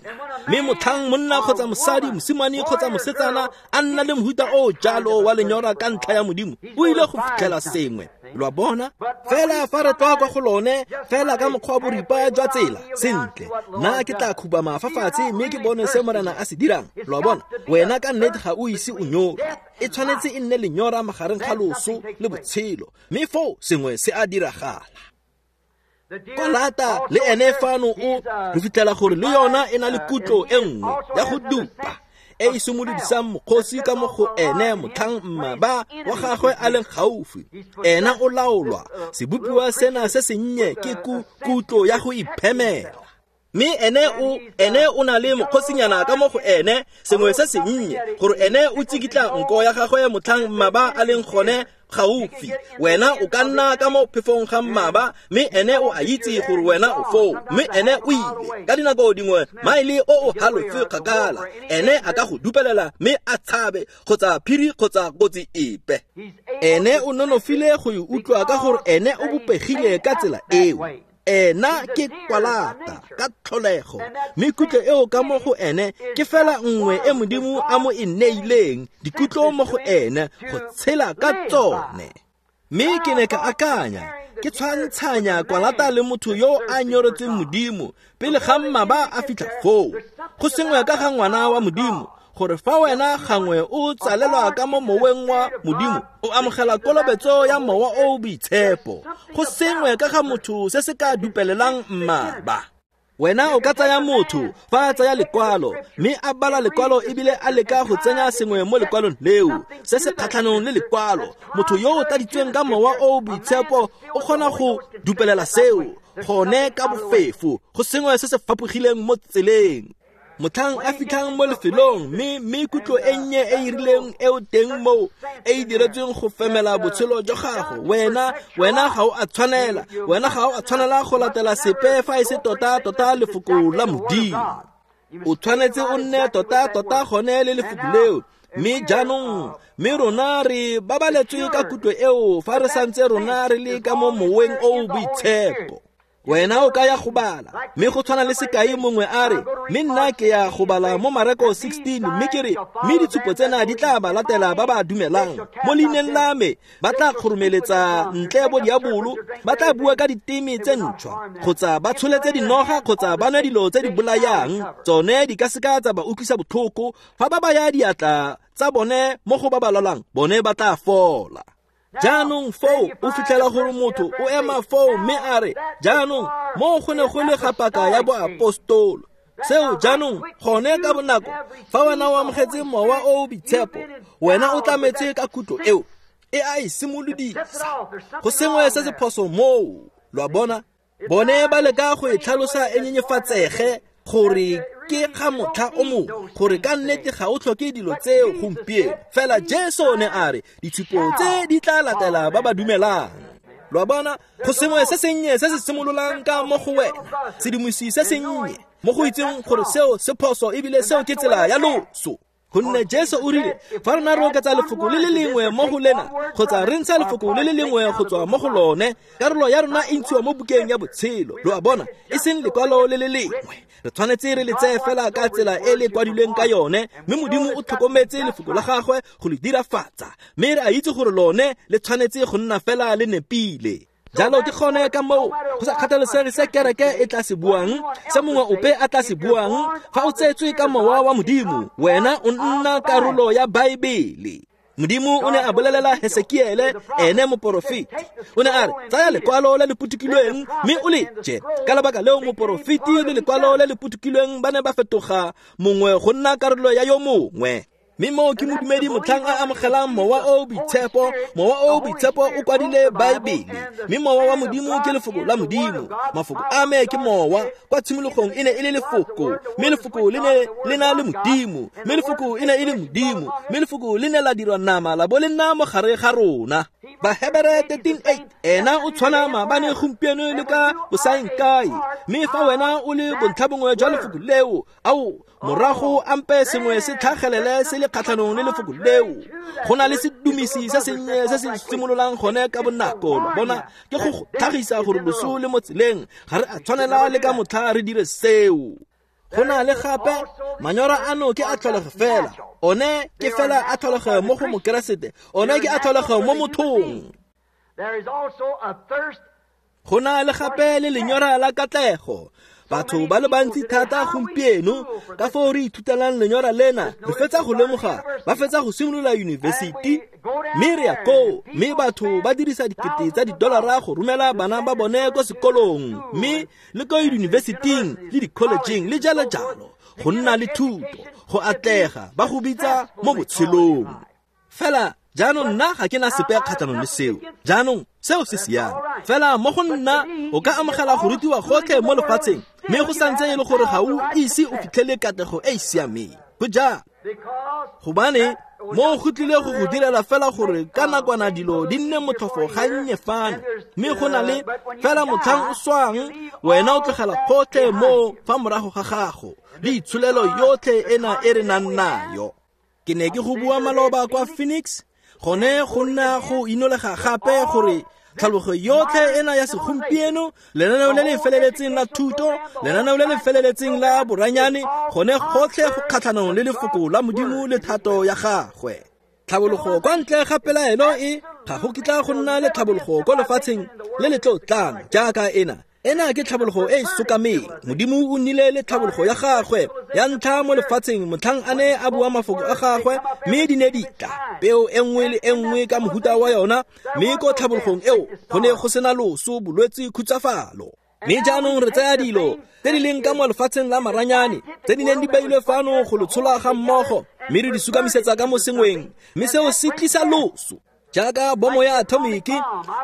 Mme motlhang monna kgotsa mosadi, mosimane kgotsa mosetsana a nna le mohuta o jalo wa lenyora ka ntlha ya Modimo, o ile go fitlhela sengwe. Lo a bona? Fela fa re tloga kwa go lone, fela ka mokgwa wa boripa jwa tsela, sentle, nna ke tla khubama fa fatshe mme ke bone se Morena a se dirang. Lo a bona? Wena ka nnete ga o ise o nyore. E tshwanetse e nne lenyora magareng ga loso le botshelo, mme foo sengwe se a diragala. Kwalata le ene fano o re fitlhela gore le yona e na le kutlo e nngwe ya go dupa e e simolodisang mokgosi ka mo go ene motlhang mmaba wa gagwe a leng gaufi. Ena o laolwa sebopiwa sena se sennye ke kutlo ya go iphemela. Mme ene o ene o na le mokgosinyana ka mo go ene, sengwe se sennye, gore ene o tsikitla nko ya gagwe motlhang mmaba a leng gone gaufi. Wena o ka nna ka mo phefong ga mmaba, mme ene o a itse gore wena o foo, mme ene o ile. Ka dinako dingwe maele o o halofo kgakala, ene a ka go dupelela mme a tshabe kgotsa phiri kgotsa kotsi epe. Ene o nonofile go e utlwa ka gore ene o bopegile ka tsela eo. Ena ke kwalata ka tlholego, mme kutlo eo ka mo go ene ke fela nngwe e Modimo a mo e neileng, dikutlo mo go ene go tshela ka tsone. Mme ke ne ka akanya, ke tshwantshanya kwalata le motho yo a nyoretseng Modimo pele ga mmaba a fitlha foo. Go sengwe ka ga ngwana wa Modimo, gore fa wena gangwe o tsalelwa ka mo moweng wa Modimo, o amogela kolobetso ya Mowa o o Boitshepo. Go sengwe ka ga motho se se ka dupelelang mmaba. Wena o ka tsaya motho fa a tsaya lekwalo, mme a bala lekwalo ebile a leka go tsenya sengwe mo lekwalong leo se se kgatlhanong le lekwalo. Motho yo o tladitsweng ka Mowa o o Boitshepo o kgona go dupelela seo gone ka bofefo. Go sengwe se se fapogileng mo tseleng. Motlhang a fitlhang mo lefelong, mme mme kutlo e nnye e e rileng eo teng moo e e diretsweng go femela botshelo jwa gago, wena wena ga o a tshwanela, wena ga o a tshwanela go latela sepe fa e se tota tota lefoko la Modimo. O tshwanetse o nne tota tota gone le lefoko leo. Mme jaanong, mme rona re babaletswe ka kutlo eo fa re santse rona re le ka mo moweng o o boitshepo. Wena o ka ya go bala, mme go tshwana le sekai mongwe a re, mme nna ke ya go bala mo Mareko sixteen, mme ke re, mme ditshupo tsena di tla ba latela ba ba dumelang mo leineng la me, ba tla kgoromeletsa ntle bo diabolo, ba tla bua ka diteme tse ntšhwa, kgotsa ba tsholetse dinoga, kgotsa ba nwe dilo tse di bolayang, tsone di ka seka tsa ba utlwisa botlhoko. Fa ba baya diatla tsa bone mo go ba ba lwalang, bone ba tla fola. Jaanong foo o fitlhela gore motho o ema foo mme a re, jaanong mo go ne go le ga paka ya boapostolo. Seo jaanong gone ka bonako, fa wena o amogetse Mowa o o Boitshepo, wena o tlametse ka kutlo eo e a e simolodisa. Go sengwe se se phoso moo. Lo a bona? Bone ba leka go e tlhalosa e nyenyefatsege gore ke ga motlha o mongwe, gore ka nnete ga o tlhoke dilo tseo gompieno. Fela Jesu ne a re ditshupo tse di tla latela ba ba dumelang. Lo a bona? Go sengwe se sennye se se simololang ka mo go wena, sedimosi se sennye mo go itseng gore seo se phoso ebile seo ke tsela ya loso. Gonne Jesu o rile, fa rona re oketsa lefoko le le lengwe mo go lena, kgotsa re ntsha lefoko le le lengwe go tswa mo go lone, karolo ya rona e ntshiwa mo bukeng ya botshelo. Lo a bona? E seng lekwalo le le lengwe. Re tshwanetse re le tseye fela ka tsela e le kwadilweng ka yone, mme Modimo o tlhokometse lefoko la gagwe go le dirafatsa, mme re a itse gore lone le tshwanetse go nna fela le nepile. Jalo ke gone ka moo go sa kgathalesege se kereke e tla se buang, se mongwe ope a tla se buang, fa o tsetswe ka Mowa wa Modimo, wena o nna karolo ya Baebele. Modimo o ne a bolelela Hesekiele, ene moporofeti. O ne a re, tsaya lekwalo le le putukilweng mme o le je. Ka lebaka leo moporofeti le lekwalo le le putukilweng ba ne ba fetoga mongwe go nna karolo ya yo mongwe. Mme moo ke modumedi motlhang a amogelang Mowa o o Boitshepo. Mowa o o Boitshepo o kwadile Baebele, mme Mowa wa Modimo ke lefoko la Modimo. Mafoko a me ke Mowa. Kwa tshimologong e ne e le lefoko, mme lefoko le ne le na le Modimo, mme lefoko e ne e le Modimo, mme lefoko le ne la dirwa nama la bo le nna mo gare ga rona. Bahebere thirteen eight, ena o tshwana maabane gompieno le ka bosaengkae. Mme fa wena o le bontlhabongwe jwa lefoko leo, ao morago ampe sengwe se tlhagelele se le kgatlhanong le lefoko leo. Go na le sedumisi se sennye se se simololang gone ka bonako. Lo bona, ke go go tlhagisa gore loso le mo tseleng, ga re a tshwanela le ka motlha re dire seo. Go na le gape manyora ano ke a tlholego fela, one ke fela a tlholego mo go Mokeresete, one ke a tlholego mo mothong. Go na le gape le lenyora la katlego. Batho ba le bantsi thata gompieno ka foo re ithutelang lenyora lena, re fetsa go lemoga, ba fetsa go simolola yunibesithi, mme re ya koo, mme batho ba dirisa dikete tsa didolara go romela bana ba bone ko sekolong, mme le ko yunibesithing le di-collegeng le jalo jalo, go nna le thuto, go atlega, ba go bitsa mo botshelong. Fela jaanong nna ga ke na sepe kgatlhanong le seo. Jaanong seo se siame. Fela mo go nna o ka amogela go rutiwa gotlhe mo lefatsheng, mme go santse e le gore ga o ise o fitlhele katlego e e siameng. Go jalo gobane mo go tlile go go direla fela gore ka nakwana dilo di nne motlhofo gannye fano, mme go na le fela motlhang o swang, wena o tlogela gotlhe mo fa morago ga gago le itsholelo yotlhe ena e re nang nayo. Ke ne ke go bua maloba kwa Phoenix, gone go nna go inolega gape gore tlhalogo yotlhe ena ya segompieno, lenaneo le le feleletseng la thuto, lenaneo le le feleletseng la boranyane, gone gotlhe go kgatlhanong le lefoko la Modimo le thato ya gagwe. Tlhabologo kwa ntle ga pelaelo e ga go kitla go nna le tlhabologo ko lefatsheng le le tlo tlang jaaka ena. Ena ke tlhabologo e e sokameng. Modimo o nnile le tlhabologo ya gagwe ya ntlha mo lefatsheng motlhang a ne a bua mafoko a gagwe, mme di ne di tla peo e nngwe le e nngwe ka mohuta wa yona, mme ko tlhabologong eo go ne go sena loso, bolwetse, khutsafalo. Mme jaanong re tsaya dilo tse di leng ka mo lefatsheng la maranyane, tse di neng di beilwe fano go lo tshola ga mmogo, mme re di sukamisetsa ka mo sengweng, mme seo se tlisa loso. Jaaka bomo ya atomiki,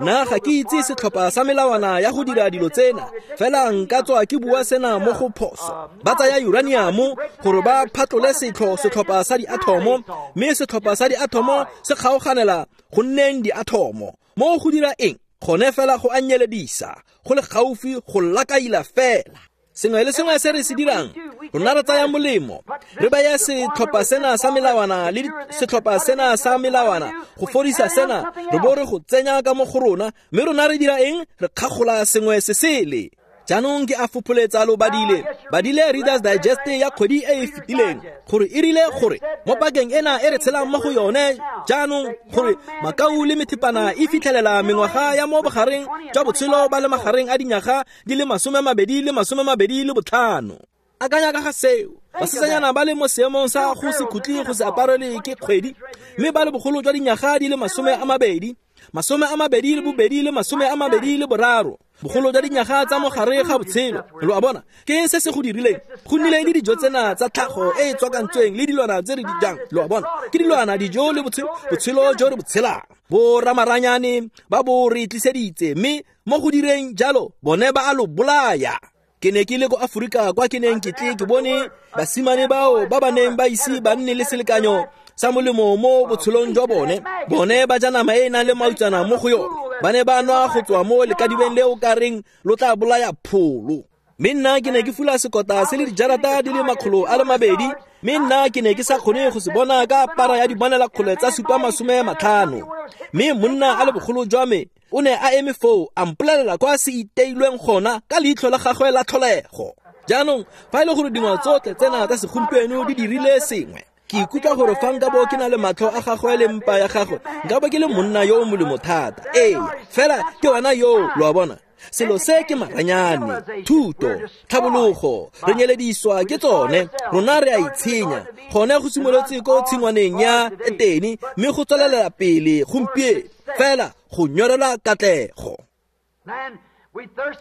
nna ga ke itse setlhopha sa melawana ya go dira dilo tsena, fela nka tswa ke bua sena mo go phoso. Ba tsaya uranium gore ba phatlole setlho setlhopha sa diathomo, mme setlhopha sa diathomo se kgaoganela go nneng diathomo. Mo go dira eng? Gone fela go anyeledisa, go le gaufi go lakaila fela. Sengwe le sengwe se re se dirang, rona re tsaya molemo, re baya setlhopha sena sa melawana le setlhopha sena sa melawana go fodisa sena, re bo re go tsenya ka mo go rona, mme rona re dira eng? Re kgagola sengwe se sele. Jaanong ke a fopholetsa lo badile, badile Reader's Digest ya kgwedi e e fetileng, gore e rile gore mo pakeng ena e re tshelang mo go yone jaanong, gore makau le methepana e fitlhelela mengwaga ya mo bogareng jwa botshelo ba le magareng a dinyaga di le masome mabedi le masome mabedi le botlhano. Akanya ka ga seo, basetsanyana ba le mo seemong sa go se khutle go se aparelwe ke kgwedi, mme ba le bogolo jwa dinyaga di le masome a mabedi, masome a mabedi le bobedi le masome a mabedi le boraro, bogolo jwa dinyaga tsa mogare ga botshelo. Lo a bona, ke se se go dirileng? Go nnile le dijo tsena tsa tlhago e e tswakantsweng le dilwana tse re di jang. Lo a bona, ke dilwana, dijo le botshelo, botshelo jo re bo tshelang. Bo ramaranyane ba bo re tliseditse, mme mo go direng jalo bone ba a lo bolaya. Ke ne ke le ko Aforika kwa ke neng ke tle ke bone basimane bao ba ba neng ba ise ba nne le selekanyo sa molemo mo botshelong jwa bone. Bone ba ja nama e e nang le mautsana mo go yone, ba ne ba nwa go tswa mo lekadibeng leo ka reng lo tla bolaya pholo. Mme nna ke ne ke fula sekota se le dijarata di le makgolo a le mabedi, mme nna ke ne ke sa kgone go se bona ka para ya dibonelakgole tsa supa masome matlhano. Mme monna a le bogolo jwa me o ne a eme foo a mpolelela kwa se iteilweng gona ka leitlho la gagwe la tlholego. Jaanong fa e le gore dingwao tsotlhe tsena tsa segompieno di dirile sengwe, ke ikutlwa gore fa nka bo ke na le matlho a gagwe le mpa ya gagwe, nka bo ke le monna yo o molemo thata. Ee, fela ke wena yo, lo a bona. Selo se ke maranyane, thuto, tlhabologo, re nyelediswa ke tsone, rona re a itshenya. Gone go simolotse ko tshingwaneng ya Etene, mme go tswelela pele gompieno, fela go nyorela katlego.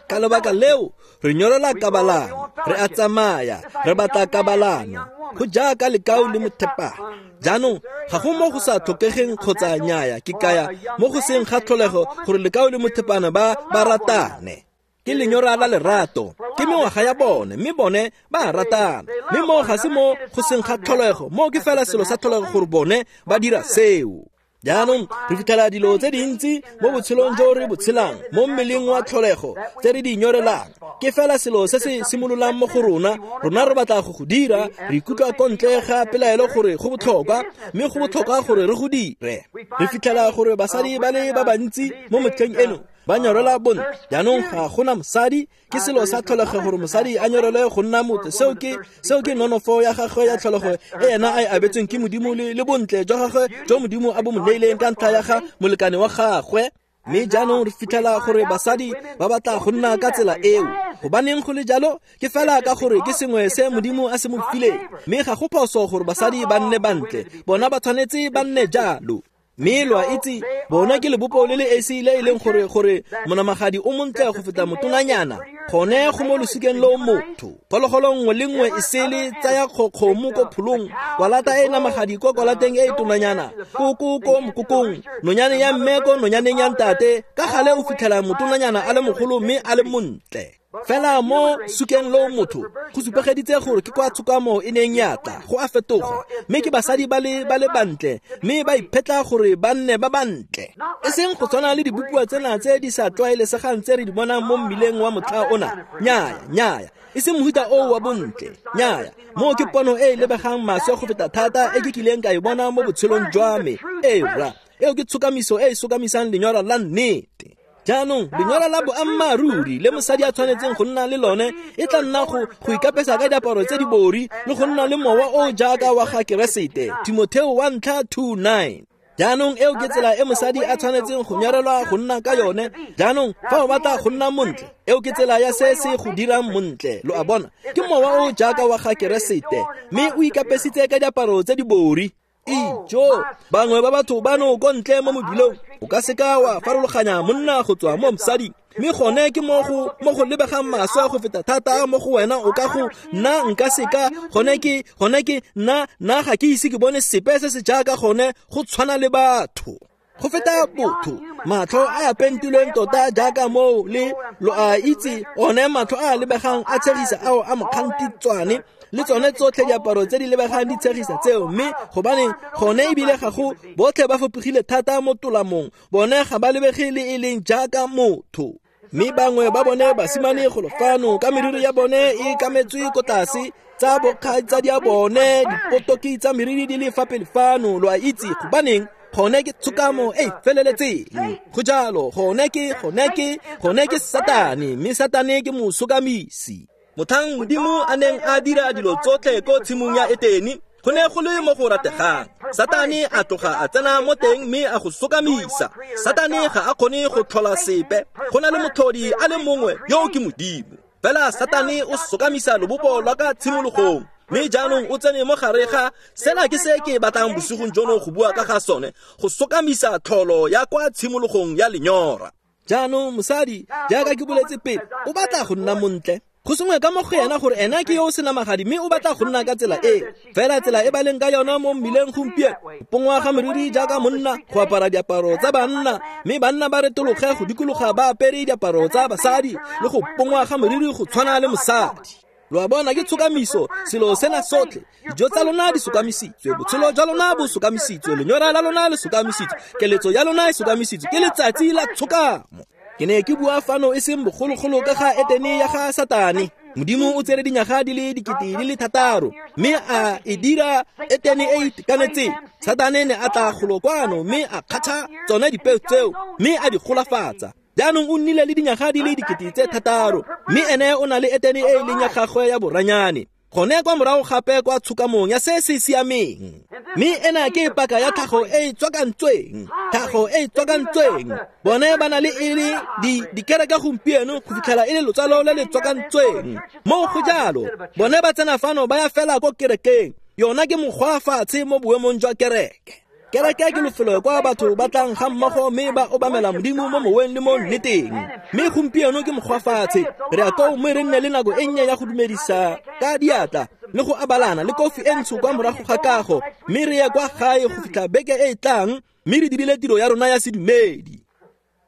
Ka lebaka leo, re nyorela kabalano, re a tsamaya, re batla kabalano, go jaaka lekau le mothepana. Jaanong ga go mo go sa tlhokegeng kgotsa nnyaya, ke kaya mo go seng ga tlholego gore lekau le mothepana ba ba ratane. Ke lenyora la lerato, ke mengwaga ya bone, mme bone ba ratana. Mme mo ga se mo go seng ga tlholego, mo ke fela selo sa tlholego gore bone ba dira seo. Jaanong re fitlhela dilo tse dintsi mo botshelong jo re bo tshelang mo mmeleng wa tlholego tse re di nyorelang. Ke fela selo se se simololang mo go rona, rona re batla go go dira, re ikutlwa ko ntle ga pelaelo gore go botlhokwa, mme go botlhokwa gore re go dire. Re fitlhela gore basadi ba le ba bantsi mo motlheng eno ba nyorela bontle. Jaanong ga gona mosadi, ke selo sa tlholego gore mosadi a nyorele go nna motho. Seo ke seo ke nonofo ya gagwe ya tlholego e ena a e abetsweng ke Modimo le, le bontle jwa gagwe jo Modimo a bo mo neileng ka ntlha ya ga molekane wa gagwe. Mme jaanong re fitlhela gore basadi ba batla go nna ka tsela eo. Gobaneng go le jalo? Ke fela ka gore ke sengwe se Modimo a se mo fileng. Mme ga go phoso gore basadi ba nne bantle, bona ba tshwanetse ba nne jalo. Mme lo a itse, bona ke lebopo le le esi le e leng gore gore monamagadi o montle go feta motonanyana. Gone go mo losikeng lo motho. Phologolo nngwe le nngwe e sele tsaya kgomo ko pholong, kwalata e namagadi ko kwalateng e tonanyana, koko ko mokokong, nonyane ya mme ko nonyaneng ya ntate. Ka gale o fitlhela motonanyana a le mogolo mme a le montle. Fela mo sukeng lo motho go supegeditse gore ke kwa tshokamo e neng ya tla go a fetoga, mme ke basadi ba le ba le bantle, mme ba iphetla gore ba nne ba bantle, e seng go tshwana le dibopiwa tsena tse di sa tlwaelesegang tse re di bonang mo mmileng wa motlha ona. Nnyaya, nnyaya, e seng mohuta oo wa bontle. Nnyaya, moo ke pono e e lebegang maswe go feta thata e ke kileng ka e bona mo botshelong jwa me. Ee rra, eo ke tshokamiso e e sokamisang lenyora la nnete. Jaanong lenyora la boammaaruri le mosadi a tshwanetseng go nna le lone e tla nna go go ikapesa ka diaparo tse di bori le go nna le mowa o jaaka wa ga Keresete. Timotheo wa ntlha two nine. Jaanong eo ke tsela e mosadi a tshwanetseng go nyorelwa go nna ka yone. Jaanong fa o batla go nna montle, eo ke tsela ya se se go dirang montle. Lo a bona, ke mowa o jaaka wa ga Keresete, mme o ikapesitse ka diaparo tse di bori. Ijo, bangwe ba batho bano ko ntle mo mobilong, o ka seka wa farologanya monna go tswa mo mosading. Mme gone ke mo go mo go lebegang maswe go feta thata mo go wena. O ka go nna nka seka gone ke gone ke nna nna ga ke ise ke bone sepe se se jaaka gone go tshwana le batho. Go feta botho, matlho a a pentilweng tota jaaka moo le lo a itse, one matlho a a lebegang a tshegisa ao a mokgantitswane le tsone tsotlhe diaparo tse di lebegang di tshegisa tseo. Mme gobaneng gone ebile ga go botlhe ba fapogile thata mo tolamong, bone ga ba lebege le e leng jaaka motho. Mme bangwe ba bone basimane golo fano ka meriri ya bone e kametswe ko tlase, tsa bokgaitsadi ya bone dipotoki tsa meriri di le fa pele fano. Lo a itse gobaneng gone ke tshokamo e feleletseng. Go jalo, gone ke gone ke gone ke Satane, mme Satane ke mosokamisi. Mothang Modimo a neng a dira dilo tsotlhe ko tshimong ya Etene, go ne go le mo go rategang. Satane a tloga a tsena mo teng mme a go sokamisa. Satane ga a kgone go tlhola sepe, go na le motlhodi a le mongwe yo ke Modimo. Fela Satane o sokamisa lobopo lwa ka tshimologong, mme jaanong o tsene mo gare ga sena. Ke se ke batlang bosigong jono go bua ka ga sone, go sokamisa tlholo ya kwa tshimologong ya lenyora. Jaanong mosadi, jaaka ke boletse pele, o batla go nna montle. Go sengwe ka mo go yena gore ena ke yo o senamagadi, mme o batla go nna ka tsela e. Fela tsela e ba leng ka yona mo mmileng gompieno, go pongwa ga meriri jaaka monna, go apara diaparo tsa banna, mme banna ba retologe go dikologa ba apere diaparo tsa basadi, le go pongwa ga meriri go tshwana le mosadi. Lo a bona, ke tshokamiso selo sena sotlhe. Dijo tsa lona di sokamisitswe, botshelo jwa lona bo sokamisitswe, lenyora la lona le sokamisitswe, keletso ya lona e sokamisitswe. Ke letsatsi la tshokamo. Ke ne ke bua fano e seng bogologolo ka ga Etene ya ga Satane. Modimo o tsere dinyaga di le dikete di le thataro, mme a e dira Etene e itekanetseng. Satane ne a tla golo kwano mme a kgatha tsone dipeo tseo mme a di golafatsa. Jaanong o nnile le dinyaga di le dikete tse thataro, mme ene o na le Etene e e leng ya gagwe ya boranyane. Gone kwa morago gape kwa tshokamong ya se se siameng. Mme ena ke paka ya tlhago e e tswakantsweng, tlhago e e tswakantsweng. Bone ba na le e le di dikereke gompieno go fitlhela e le lotsalo le le tswakantsweng. Mo go jalo, bone ba tsena fano ba ya fela ko kerekeng. Yona ke mokgwa fatshe mo boemong jwa kereke. Kereke ke lefelo kwa batho ba tlang ga mmogo mme ba obamela Modimo mo moweng le mo nneteng. Mme gompieno ke mokgwa fatshe, re ya koo mme re nne le nako e nnye ya go dumedisa ka diatla le go abalana le kofi e ntsho kwa morago ga kago, mme re ye kwa gae go fitlha beke e e tlang, mme re dirile tiro ya rona ya sedumedi.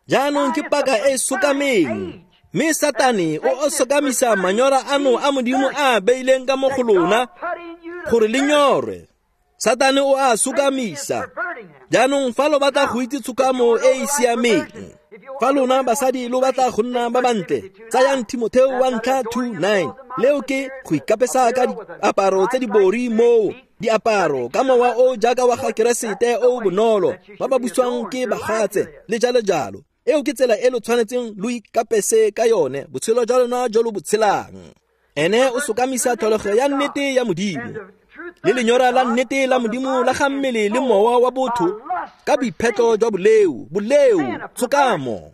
Jaanong ke paka e e sokameng, mme Satane o o sokamisa manyora ano a Modimo a beileng ka mo go lona gore le nyorwe. Satane o a sokamisa. Jaanong fa lo batla go itse tshokamo e e siameng, fa lona basadi lo batla go nna ba bantle, tsayang Timotheo wa ntlha two nine. Leo ke go ikapesa ka diaparo tse di bori moo, diaparo ka mowa o jaaka wa ga Keresete o bonolo, ba ba buswang ke bagatse le jalo jalo. Eo ke tsela e lo tshwanetseng lo ikapese ka yone, botshelo jwa lona jo lo bo tshelang. Ene o sokamisa tlholego ya nnete ya Modimo le lenyora la nnete la Modimo la ga mmele le mowa wa botho ka boiphetlo jwa boleo, boleo, tshokamo.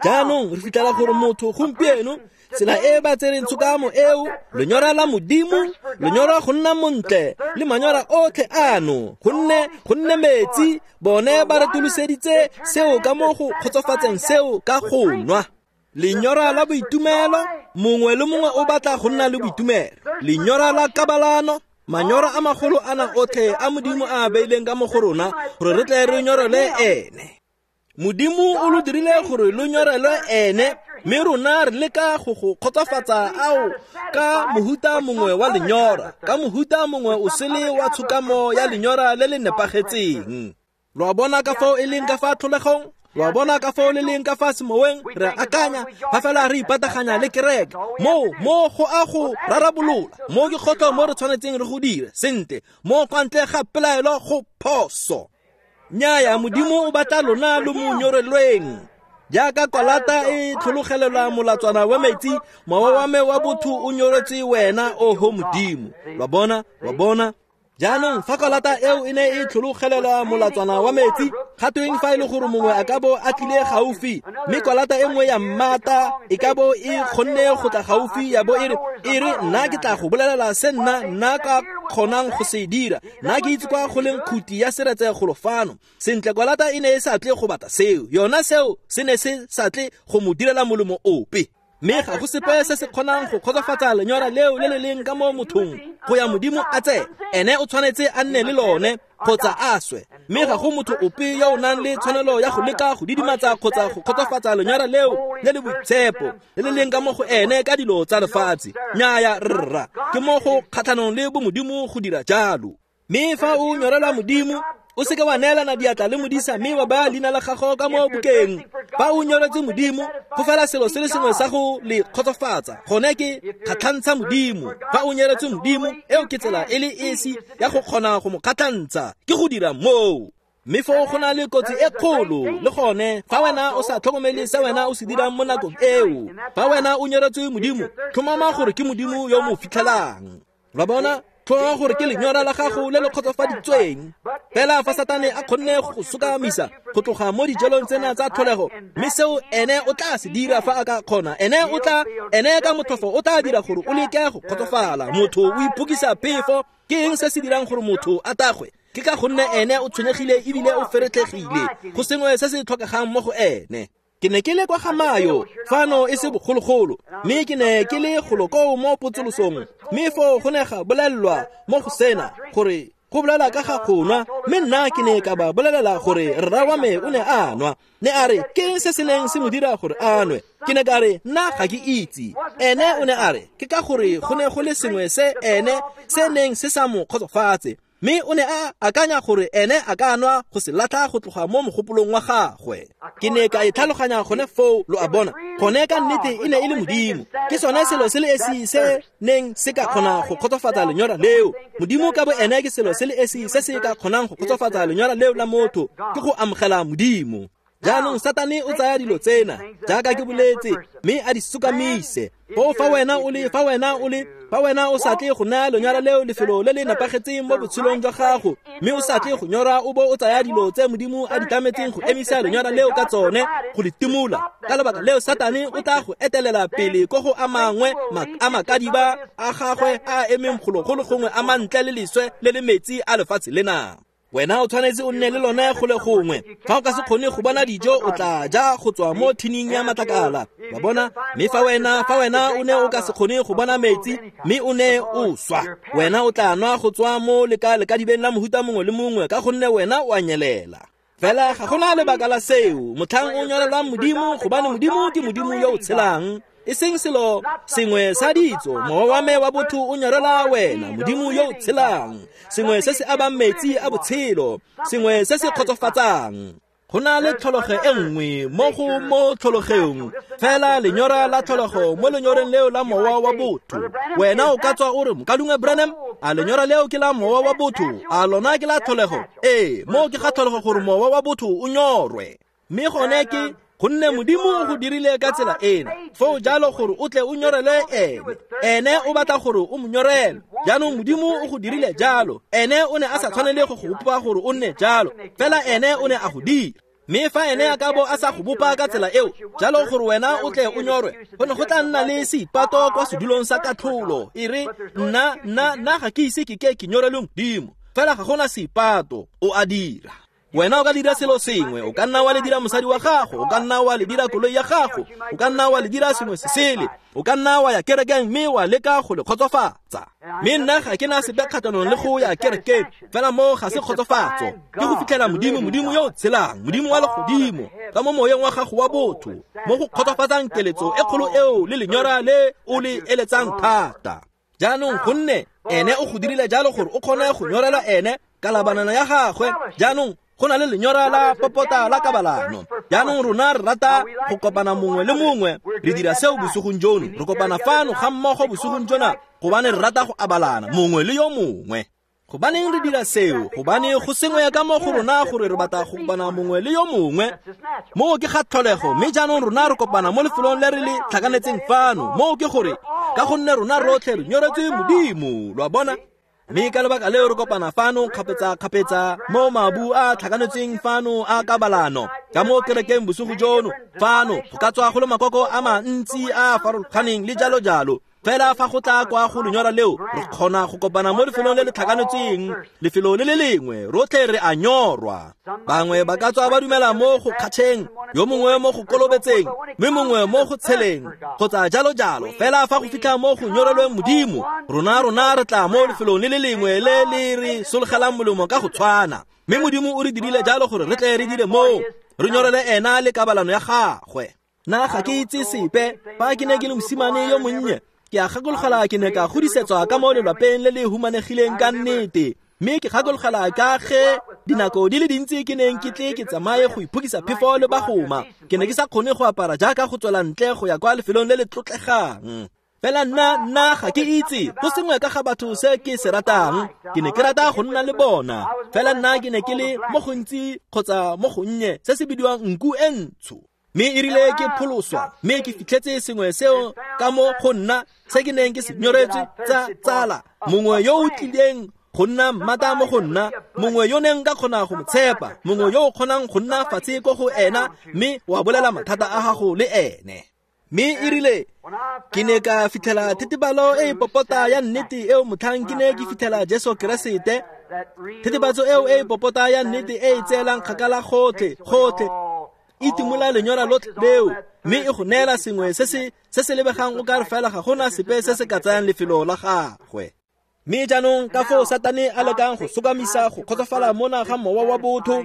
Jaanong re fitlhela gore motho gompieno, tsela e ba tsereng tshokamo eo, lenyora la Modimo, lenyora go nna montle le manyora otlhe ano, gonne gonne metsi, bone ba retoloseditse seo ka mo go kgotsofatseng seo ka go nwa. Lenyora la boitumelo, mongwe le mongwe o batla go nna le boitumelo. Lenyora la kabalano, manyora a magolo ana otlhe a Modimo a beileng ka mo go rona gore re tle re nyorele ene. Modimo o lo dirile gore lo nyorele ene, mme rona re leka go go kgotsofatsa ao ka mohuta mongwe wa lenyora, ka mohuta mongwe o sele wa tshokamo ya lenyora le le nepagetseng. Lo a bona ka fao e leng ka fa tlholegong? Lo a bona ka fao le leng ka fa semoweng? Re akanya fa fela re ipataganya le kereke, moo mo go a go rarabolola, mo ke kgotlo mo re tshwanetseng re go dire sentle, mo kwa ntle ga pelaelo go phoso. Nnyaya, Modimo o batla lona lo mo nyorelweng. Jaaka kwalata e tlhologelelwa molatswana wa metsi, mowa wa me wa botho o nyoretswe wena, oho Modimo. Lo a bona, lo a bona. Jaanong fa kwalata eo e ne e tlhologelelwa molatswana wa metsi, ga tweng fa e le gore mongwe a ka bo a tlile gaufi, mme kwalata e nngwe ya mmata e ka bo e kgonne go tla gaufi ya bo e re, e re nna ke tla go bolelela se nna nna ka kgonang go se dira, nna ke itse kwa go leng khuti ya seretse golo fano. Sentle, kwalata e ne e sa tle go batla seo, yona seo se ne se sa tle go mo direla molemo ope. Mme ga go sepe se se kgonang go kgotsofatsa lenyora leo le le leng ka mo mothong go ya Modimo a tsene. Ene o tshwanetse a nne le lone kgotsa a swe. Mme ga go motho ope yo o nang le tshwanelo ya go leka go didimatsa kgotsa go kgotsofatsa lenyora leo le le boitshepo le le leng ka mo go ene ka dilo tsa lefatshe. Nnyaya rra, ke mo go kgatlhanong le bomodimo go dira jalo. Mme fa o nyorelwa Modimo, o seke wa neelana diatla le modisa mme wa baya leina la gago ka mo bukeng. Fa o nyoretse Modimo, go fela selo se le sengwe sa go le kgotsofatsa, gone ke kgatlhantsha Modimo. Fa o nyoretse Modimo, eo ke tsela e le esi ya go kgona go mo kgatlhantsha, ke go dira moo. Mme foo go na le kotsi e kgolo le gone fa wena o sa tlhokomele se wena o se dirang mo nakong eo. Fa wena o nyoretswe Modimo, tlhomama gore ke Modimo yo mo fitlhelang. Lo bona? Tlhomama gore ke lenyora la gago le le kgotsofaditsweng. Fela fa Satane a kgonne go sokamisa go tloga mo dijalong tsena tsa tlholego, mme seo ene o tla se dira fa a ka kgona, ene o tla, ene ka motlhofo o tla dira gore o leke go kgotsofala. Motho o iphokisa phefo. Ke eng se se dirang gore motho a tagwe? Ke ka gonne ene o tshwenyegile ebile o feretlhegile, go sengwe se se tlhokegang mo go ene. Ke ne ke le kwa ga Mayo fano e se bogologolo, mme ke ne ke le golo koo mo potsolosong, mme foo go ne ga bolelelwa mo go sena gore go bolela ka ga go nwa, mme nna ke ne ka ba bolelela gore rra wa me o ne a nwa. Ne a re ke eng se se neng se mo dira gore a nwe? Ke ne ka re nna ga ke itse. Ene o ne a re ke ka gore go ne go le sengwe se ene se neng se sa mo kgotsofatse, mme o ne a akanya gore ene a ka nwa go se latlha go tloga mo mogopolong wa gagwe. Ke ne ka e tlhaloganya gone foo, lo a bona. Gone ka nnete e ne e le Modimo. Ke sone selo se le esi se neng se ka kgona go kgotsofatsa lenyora leo. Modimo ka bo ene ke selo se le esi se se ka kgonang go kgotsofatsa lenyora leo la motho, ke go amogela Modimo. Jaanong Satane o tsaya dilo tsena, jaaka ke boletse, mme a di sokamise. Foo fa wena o le, fa wena o le, fa wena o sa tle go naya lenyora leo lefelo le le nepagetseng mo botshelong jwa gago, mme o sa tle go nyora o bo o tsaya dilo tse Modimo a di tlametseng go emisa lenyora leo ka tsone go le timola. Ka lebaka leo Satane o tla go etelela pele ko go a mangwe a makadiba a gagwe a emeng golo go le gongwe a mantle le leswe le le metsi a lefatshe lena. Wena o tshwanetse o nne le lone go le gongwe. Fa o ka se kgone go bona dijo, o tla ja go tswa mo thining ya matlakala. Wa bona? Mme fa wena, fa wena o ne o ka se kgone go bona metsi, mme o ne o swa, wena o tla nwa go tswa mo leka lekadibeng la mohuta mongwe le mongwe, ka gonne wena o a nyelela. Fela ga gona lebaka la seo. Motlhang o nyorelwang Modimo, gobane Modimo ke Modimo yo o tshelang. E seng selo sengwe sa ditso, mowa wa me wa botho o nyorela wena, Modimo yo o tshelang, sengwe se se abang metsi a botshelo, sengwe se se kgotsofatsang. Go na le tlhologo e nngwe mo go mo tlhologong, fela lenyora la tlhologo mo lenyoreng leo la mowa wa botho. Wena o ka tswa o re, Mokaulengwe Branham, a lenyora leo ke la mowa wa botho, a lona ke la tlholego? Ee, moo ke ga tlholego gore mowa wa botho o nyorwe. Mme gone ke gonne Modimo o go dirile ka tsela ena, foo jalo gore o tle o nyorele ene. Ene o batla gore o mo nyorele. Jaanong Modimo o go dirile jalo. Ene o ne a sa tshwanele go go bopa gore o nne jalo, fela ene o ne a go dira. Mme fa ene a ka bo a sa go bopa ka tsela eo, jalo gore wena o tle o nyorwe, go ne go tla nna le seipato kwa sedulong sa katlholo. E re, nna, nna, nna ga ke ise ke ke ke nyorelwe Modimo, fela ga gona seipato, o a dira. Wena o ka dira selo sengwe, o ka nna wa le dira mosadi wa gago, o ka nna wa le dira koloi ya gago, o ka nna wa le dira sengwe se sele, o ka nna wa ya kerekeng mme wa leka go le kgotsofatsa. Mme nna ga ke na sepe kgatlhanong le go ya kerekeng, fela moo ga se kgotsofatso. Ke go fitlhela Modimo, Modimo yo o tshelang, Modimo wa legodimo, ka mo moyeng wa gago wa botho, mo go kgotsofatsang keletso e kgolo eo le lenyora le o le eletsang thata. Jaanong gonne ene o go dirile jalo gore o kgone go nyorela ene ka labanana ya gagwe. Jaanong go na le lenyora la popota la kabalano. Jaanong rona re rata go kopana mongwe le mongwe, re dira seo bosigong jono. Re kopana fano ga mmogo bosigong jona gobane re rata go abalana mongwe le yo mongwe. Gobaneng re dira seo? Gobane go sengwe ka mo go rona gore re batla go kopana mongwe le yo mongwe. Moo ke ga tlholego, mme jaanong rona re kopana mo lefelong le re le tlhakanetseng fano. Moo ke gore ka gonne rona rotlhe re nyoretswe Modimo, lo a bona? Mme ka lebaka leo re kopana fano kgapetsa-kgapetsa mo mabu a tlhakanetsweng fano a kabalano. Ka mo kerekeng bosigo jono fano go ka tswa go le makoko a mantsi a a farologaneng le jalo jalo. Fela fa go tla kwa go lenyora leo, re kgona go kopana mo lefelong le le tlhakanetsweng, lefelo le le lengwe, rotlhe re a nyorwa. Bangwe ba ka tswa ba dumela mo go kgatšheng, yo mongwe mo go kolobetseng, mme mongwe mo go tsheleng, kgotsa jalo jalo. Fela fa go fitlha mo go nyorelweng Modimo, rona rona re tla mo lefelong le le lengwe le le re sologelang molemo ka go tshwana. Mme Modimo o re dirile jalo gore re tle re dire moo, re nyorele ena le kabalano ya gagwe. Nna ga ke itse sepe, fa ke ne ke le mosimane yo monnye, ke a gakologela ke ne ka godisetswa ka mo lelwapeng le le humanegileng ka nnete. Mme ke gakologela ka ge dinako di le dintsi ke neng ke tle ke tsamaye go iphokisa phefo le bagoma. Ke ne ke sa kgone go apara jaaka go tswela ntle go ya kwa lefelong le le tlotlegang. Fela nna nna ga ke itse go sengwe ka ga batho se ke se ratang. Ke ne ke rata go nna le bona. Fela nna ke ne ke le mo gontsi kgotsa mo gonnye se se bidiwang nku e ntsho. Mme e rile ke pholoswa, mme ke fitlhetse sengwe seo ka mo go nna se ke neng ke se nyoretswe tsa tsala. Mongwe yo o tlileng go nna mmata mo go nna, mongwe yo neng ka kgona go mo tshepa, mongwe yo o kgonang go nna fatshe ko go ena mme wa bolela mathata a gago le ene. Mme e rile ke ne ka fitlhela thetebalo e e popota ya nnete eo motlhang ke ne ke fitlhela Jesu Keresete. Thetebatso eo e e popota ya nnete e e tseelang kgakala gotlhe gotlhe, e timola lenyora lotlhe leo, mme e go neela sengwe se se se se lebegang o ka re fela ga gona sepe se se ka tsayang lefelo la gagwe. Mme jaanong ka foo Satane a lekang go sokamisa go kgotsofala mona ga mowa wa botho,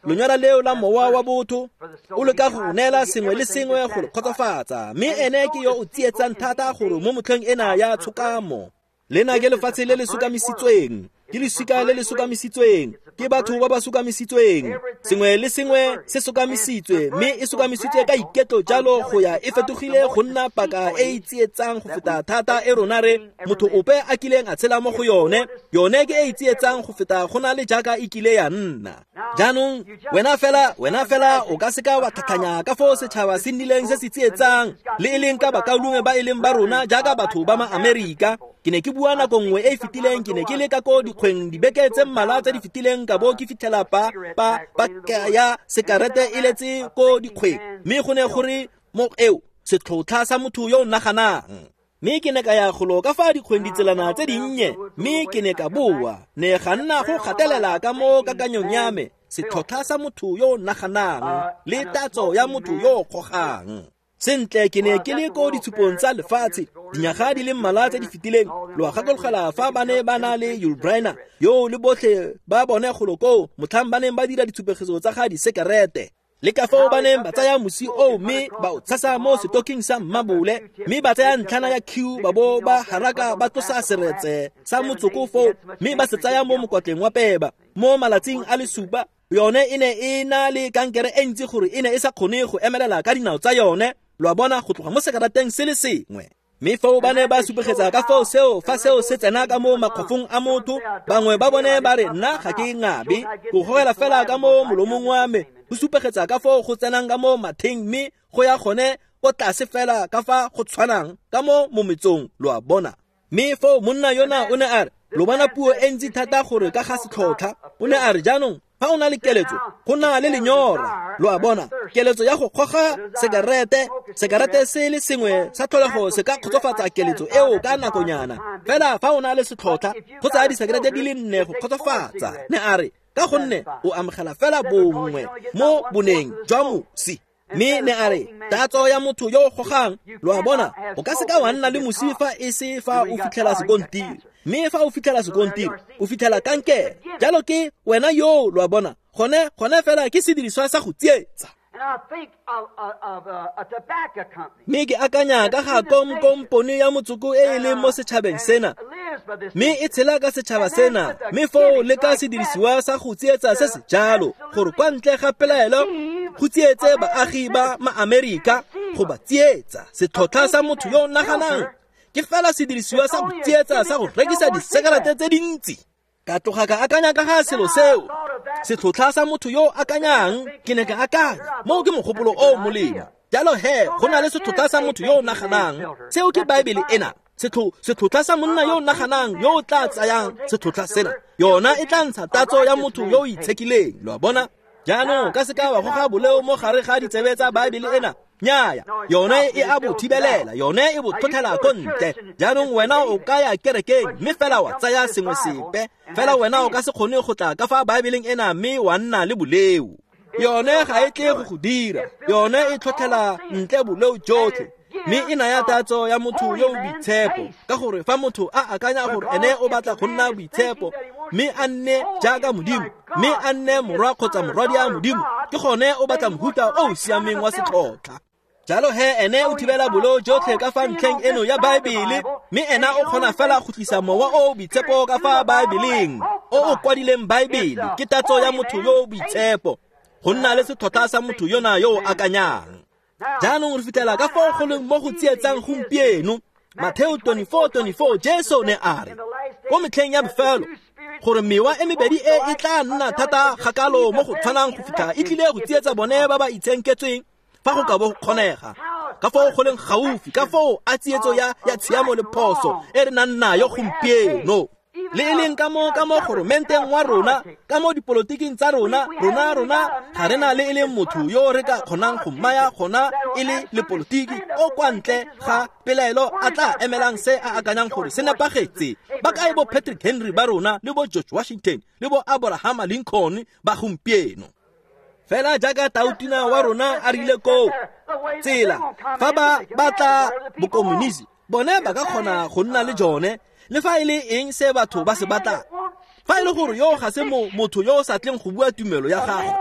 lenyora leo la mowa wa botho, o leka go neela sengwe le sengwe go le kgotsofatsa. Mme ene ke yo o tsietsang thata gore mo motlheng ena ya tshokamo. Lena ke lefatshe le le sokamisitsweng, ke lesika le le sokamisitsweng, ke batho ba ba sokamisitsweng. Sengwe le sengwe se sokamisitswe, mme e sokamisitswe ka iketlo jalo go ya e fetogile go nna paka e e tsietsang go feta thata e rona re motho ope a kileng a tshela mo go yone. Yone ke e e tsietsang go feta go na le jaaka e kile ya nna. Jaanong wena fela, wena fela o ka seka wa tlhatlhanya ka foo setšhaba se nnileng se se tsietsang, le e leng ka bakaulengwe ba e leng ba rona jaaka batho ba ma-Amerika. Ke ne ke bua nako nngwe e e fetileng, ke ne ke le ka ko dikgweng dibeke tse mmalwa tse di fetileng, ka bo ke fitlhela pa pa paka ya sekarete e letse ko dikgweng, mme go ne gore mo eo setlhotlha sa motho yo o naganang. Mme ke ne ka ya golo ka fa dikgweng ditselana tse dinnye, mme ke ne ka boa, ne ga nna go gatelela ka mo kakanyong ya me setlhotlha sa motho yo o naganang le tatso ya motho yo o kgogang. Sentle ke ne ke le ko ditshupong tsa lefatshe dinyaga di le mmalwa tse di fetileng. Lo a gakologela fa ba ne ba na le Yul Brynner yo le botlhe ba bone golo koo motlhang ba neng ba dira ditshupegetso tsa ga disekerete. Le ka fao ba neng ba tsaya mosi oo mme ba o tshasa mo setoking sa mmabole, mme ba tsaya ntlhana ya Q ba bo ba haraka ba tlosa seretse sa motsoko foo, mme ba se tsaya mo mokwatleng wa peba mo malatsing a le supa. Yone e ne e na le kankere e ntsi gore e ne e sa kgone go emelela ka dinao tsa yone, lo a bona, go tloga mo sekarateng se le sengwe. Mme foo ba ne ba supegetsa ka foo seo fa seo se tsena ka mo makgwafong a motho, bangwe ba bone ba re nna ga ke ngabe, go gogela fela ka mo molomong wa me, go supegetsa ka foo go tsenang ka mo matheng mme go ya gone ko tlase fela ka fa go tshwanang ka mo mometsong, lo a bona. Mme foo monna yona o ne a re, lo bona puo e ntsi thata gore ka ga setlhotlha. O ne a re jaanong fa o na le keletso, go na le lenyora, lo a bona, keletso ya go goga sekarete, sekarete se le sengwe sa tlholego se ka kgotsofatsa keletso eo ka nakonyana, fela fa o na le setlhotlha, go tsaya disekerete di le nne go kgotsofatsa. Ne a re ka gonne o amogela fela bongwe mo boneng jwa mosi. Mme ne a re tatso ya motho yo o gogang, lo a bona, o ka seka wa nna le mosi fa e se fa o fitlhela sekontiri, mme fa o fitlhela sekontiri o fitlhela kankere. Jalo ke wena yo, lo a bona, gone gone fela ke sediriswa sa go tsietsa. Mme ke akanya ka ga kompone ya motsoko e e leng mo setšhabeng sena, mme e tshela ka setšhaba sena, mme foo le ka sedirisiwa sa go tsietsa se se jalo, gore kwa ntle ga pelaelo go tsietse baagi ba maAmerika, go ba tsietsa. Setlhotlha sa motho yo o naganang ke fela sedirisiwa sa go tsietsa sa go rekisa disekerete tse dintsi. Ka tloga ka akanya ka ga selo seo, setlhotlha sa motho yo o akanyang, ke ne ka akanya moo ke mogopolo o molemo. Jalo he, go na le setlhotlha sa motho yo o naganang, seo ke Baebele ena. Setlhotlha sa monna yo o naganang yo o tla tsayang setlhotlha sena, yona e tla ntsha tatso ya motho yo o itshekileng, lo a bona. Jaanong ka seka wa goga boleo mo gare ga ditsebe tsa Baebele ena, nnyaya, yone e a bo thibelela, yone e bo tlhotlhela ko ntle. Jaanong wena o ka ya kerekeng mme fela wa tsaya sengwe sepe, fela wena o ka se kgone go tla ka fa Baebeleng ena mme wa nna le boleo. Yone ga e tle go go dira, yone e tlhotlhela ntle boleo jotlhe, mme e naya tatso ya motho yo o boitshepo. Ka gore fa motho a akanya gore ene o batla go nna boitshepo, mme a nne jaaka Modimo, mme a nne morwa kgotsa morwadi a Modimo, ke gone o batla mohuta o o siameng wa setlhotlha. Jalo he ene o thibela boleo jotlhe ka fa ntlheng eno ya Baebele, mme ena o kgona fela go tlisa mowa o o boitshepo ka fa Baebeleng, o o kwadileng Baebele. Ke tatso ya motho yo o boitshepo, go nna le setlhotlha sa motho yona yo o akanyang. Jaanong re fitlhela ka foo go leng mo go tsietsang gompieno. Mateo twenty-four twenty-four, Jesu ne a re ko metlheng ya bofelo gore mewa e mebedi e e tla nna thata gakalo mo go tshwanang go fitlha e tlile go tsietsa bone ba ba itshenketsweng fa go ka bo go kgonega. Ka foo go leng gaufi, ka foo a tsietso ya ya tshiamo le phoso e re nang nayo gompieno, le e leng ka mo ka mo goromenteng wa rona, ka mo dipolotiking tsa rona, rona rona ga re na le e leng motho yo re ka kgonang go mmaya gona e le lepolotiki o kwa ntle ga pelaelo a tla emelang se a akanyang gore se nepagetse. Ba kae bo Patrick Henry ba rona, le bo George Washington, le bo Abraham Lincoln ba gompieno? Fela jaaka tautina wa rona a rile koo tsela, fa ba batla bokomonisi, bone ba ka kgona go nna le jone, le fa e le eng se batho ba se batlang. Fa e le gore yo ga se motho yo o sa tleng go bua tumelo ya gagwe,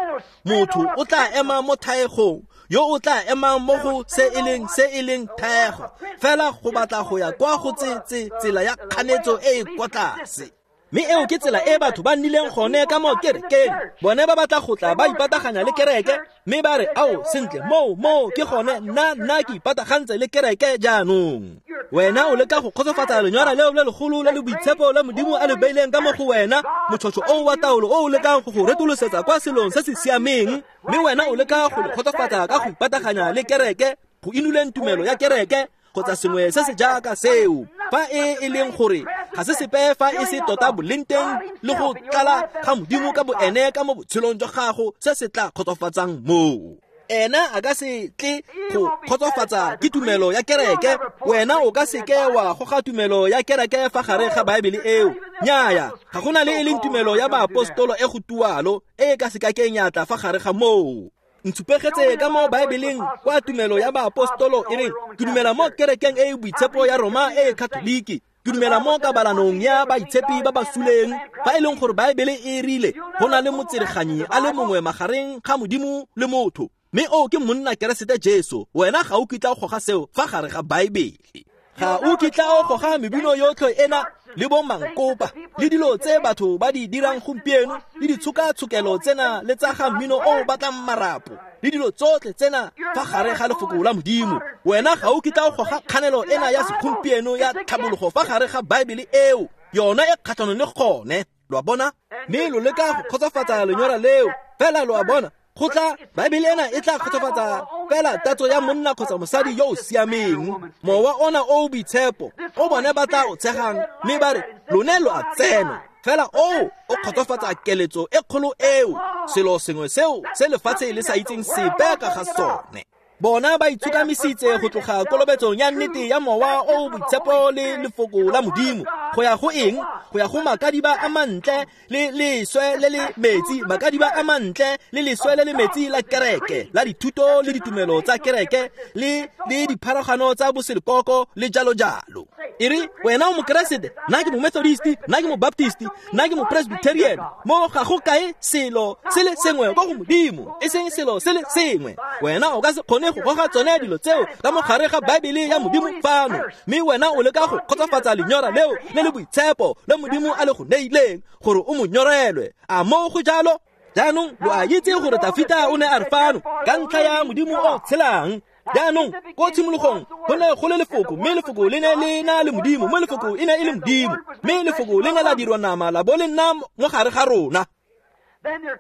motho o tla ema mo thaegong, yo o tla emang mo go se e leng se e leng thaego, fela go batla go ya kwa go tse tsela ya kganetso e e kwa tlase. Mme eo ke tsela e batho ba nnileng gone ka mo kerekeng. Bone ba batla go tla ba ipataganya le kereke, mme ba re ao sentle moo moo ke gone nna nna ke ipatagantse le kereke jaanong. Wena o leka go kgotsofatsa lenyora leo le legolo le le boitshepo la Modimo a le beileng ka mo go wena, motšhotšho o wa taolo o o lekang go go retolosetsa kwa selong se se siameng, mme wena o leka go le kgotsofatsa ka go ipataganya le kereke, go inuleng tumelo ya kereke kgotsa sengwe se se jaaka seo. Fa e e leng gore ga se sepe fa e se tota boleng teng le go tlala ga Modimo ka boene ka mo botshelong jwa gago se se tla kgotsofatsang moo. Ena a ka se tle go kgotsofatsa ke tumelo ya kereke. Wena o ka seke wa goga tumelo ya kereke fa gare ga Baebele eo. Nnyaya, ga gona le e leng tumelo ya baapostolo e go tualo e ka se kakeng ya tla fa gare ga moo. Ntshupegetse ka mo Baebeleng kwa tumelo ya baapostolo e reng ke dumela mo kerekeng e e boitshepo ya Roma e e Katoliki. Ke dumela mo kabalanong ya baitshepi ba ba suleng, fa e leng gore Baebele e rile go na le motsereganyi a le mongwe magareng ga Modimo le motho, mme o ke monna Keresete Jesu. Wena ga o kitla o goga seo fa gare ga Baebele. Ga o kitla o goga mebino yotlhe ena le bo mankopa le dilo tse batho ba di dirang gompieno le ditshokatshokelo tsena le tsa ga mmino o o batlang marapo le dilo tsotlhe tsena fa gare ga lefoko la Modimo. Wena ga o kitla o goga kganelo ena ya segompieno ya tlhabologo fa gare ga Baebele eo, yona e kgatlhanong le gone. Lo a bona? Mme lo leka go kgotsofatsa lenyora leo fela, lo a bona, go tla Baebele ena e tla kgotsofatsa fela tatso ya monna kgotsa mosadi yo o siameng, mowa ona o o boitshepo o bone ba tla o tshegang mme ba re lone lo a tsena. Fela o o kgotsofatsa keletso e kgolo eo, selo sengwe seo se lefatshe le sa itseng sepe ka ga sone. Bona ba itshokamisitse go tloga kolobetsong ya nnete ya mowa o o boitshepo le lefoko la Modimo go ya go eng? Go ya go makadiba a mantle le leswe le le metsi, makadiba a mantle le leswe le le metsi la kereke, la dithuto le ditumelo tsa kereke le le dipharagano tsa boselekoko le jalo jalo. E re wena o mokeresete, nna ke mo-Methodist, nna ke mo-Baptist, nna ke mo-Presbyterian, mo ga go kae selo se le sengwe kwa go Modimo, e seng selo se le sengwe. Wena o ka se kgone go goga tsone dilo tseo ka mo gare ga Baebele ya Modimo fano, mme wena o leka go kgotsofatsa lenyora leo le le boitshepo le Modimo a le go neileng gore o mo nyorelwe. A mo go jalo? Jaanong lo a itse gore Tafita o ne a re fano ka ntlha ya Modimo o tshelang. Jaanong ko tshimologong go ne go le lefoko, mme lefoko le ne le na le Modimo, mme lefoko e ne e le Modimo, mme lefoko le ne la dirwa nama la bo le nna mo gare ga rona.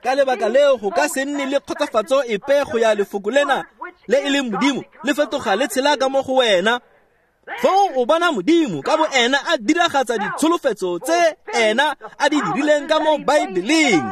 Ka lebaka leo go ka se nne le kgotsofatso epe go ya lefoko lena le e leng Modimo le fetoga le tshela ka mo go wena. Foo o bona Modimo ka bo ena a diragatsa ditsholofetso tse ena a di dirileng ka mo Baebeleng.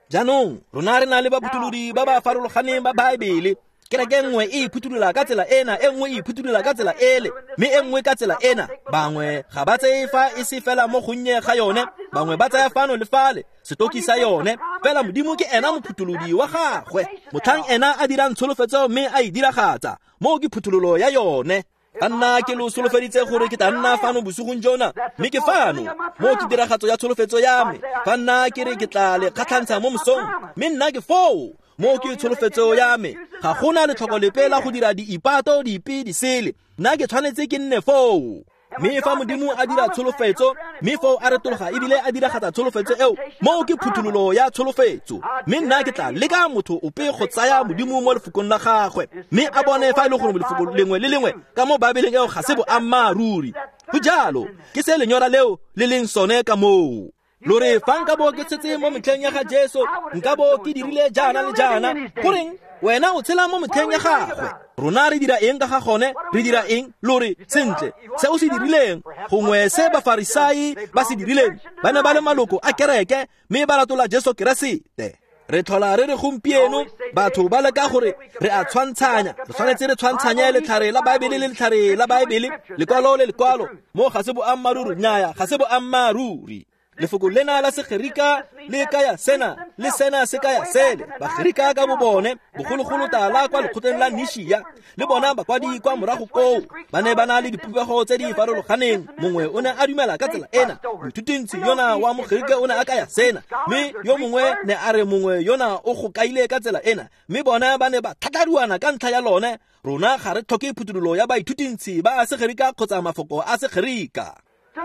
Jaanong rona re na le baphutholodi ba ba farologaneng ba Baebele. Kereke nngwe e iphuthulola ka tsela ena, e nngwe e iphuthulola ka tsela ele, mme e nngwe ka tsela ena. Bangwe ga ba tseye fa e se fela mo gonnye ga yone, bangwe ba tsaya fano le fale setoki sa yone. Fela Modimo ke ena mophutholodi wa gagwe, motlhang ena a dirang tsholofetso mme a e diragatsa, moo ke phuthololo ya yone. Ka nna ke lo solofeditse gore ke tla nna fano bosigong jona, mme ke fano, moo ke tiragatso ya tsholofetso ya me. Fa nna ke re ke tla le kgatlhantsha mo mosong, mme nna ke foo, moo ke tsholofetso ya me. Ga gona letlhoko lepe la go dira diipato dipe disele, nna ke tshwanetse ke nne foo. Mme fa Modimo a dira tsholofetso, mme foo a retologa ebile a diragatsa tsholofetso eo, moo ke phuthololo ya tsholofetso. Mme nna ke tla leka motho ope go tsaya Modimo mo lefokong la gagwe, mme a bone fa e le gore lefoko lengwe le lengwe ka mo Baebeleng eo ga se boammaaruri. Go jalo, ke se lenyora leo le leng sone ka moo. Lo re fa nka bo ke tshetse mo metlheng ya ga Jesu, nka bo ke dirile jaana le jaana. Goreng wena o tshela mo metlheng ya gagwe? Rona re dira eng ka ga gone? Re dira eng? Lo re sentle se o se dirileng, gongwe se Bafarisai ba se dirileng, ba ne ba le maloko a kereke mme ba latola Jesu Keresete. Re tlhola re re gompieno batho ba leka gore re a tshwantshanya, re tshwanetse re tshwantshanye letlhare la Baebele le letlhare la Baebele, lekwalo le lekwalo. Mo ga se boammaaruri, nnyaya, ga se boammaaruri. Lefoko lena la Segerika le kaya sena, le sena se kaya sele. Bagerika ka bo bone bogologolo tala kwa lekgotleng la Nishia, le bona bakwadi kwa morago koo ba ne ba na le dipopego tse di farologaneng. Mongwe o ne a dumela ka tsela ena, moithutintsi yona wa Mogerika o ne a kaya sena, mme yo mongwe ne a re mongwe yona o go kaile ka tsela ena, mme bona ba ne ba tlhatlharuana ka ntlha ya lone. Rona ga re tlhoke phuthololo ya baithutintsi ba Segerika kgotsa mafoko a Segerika.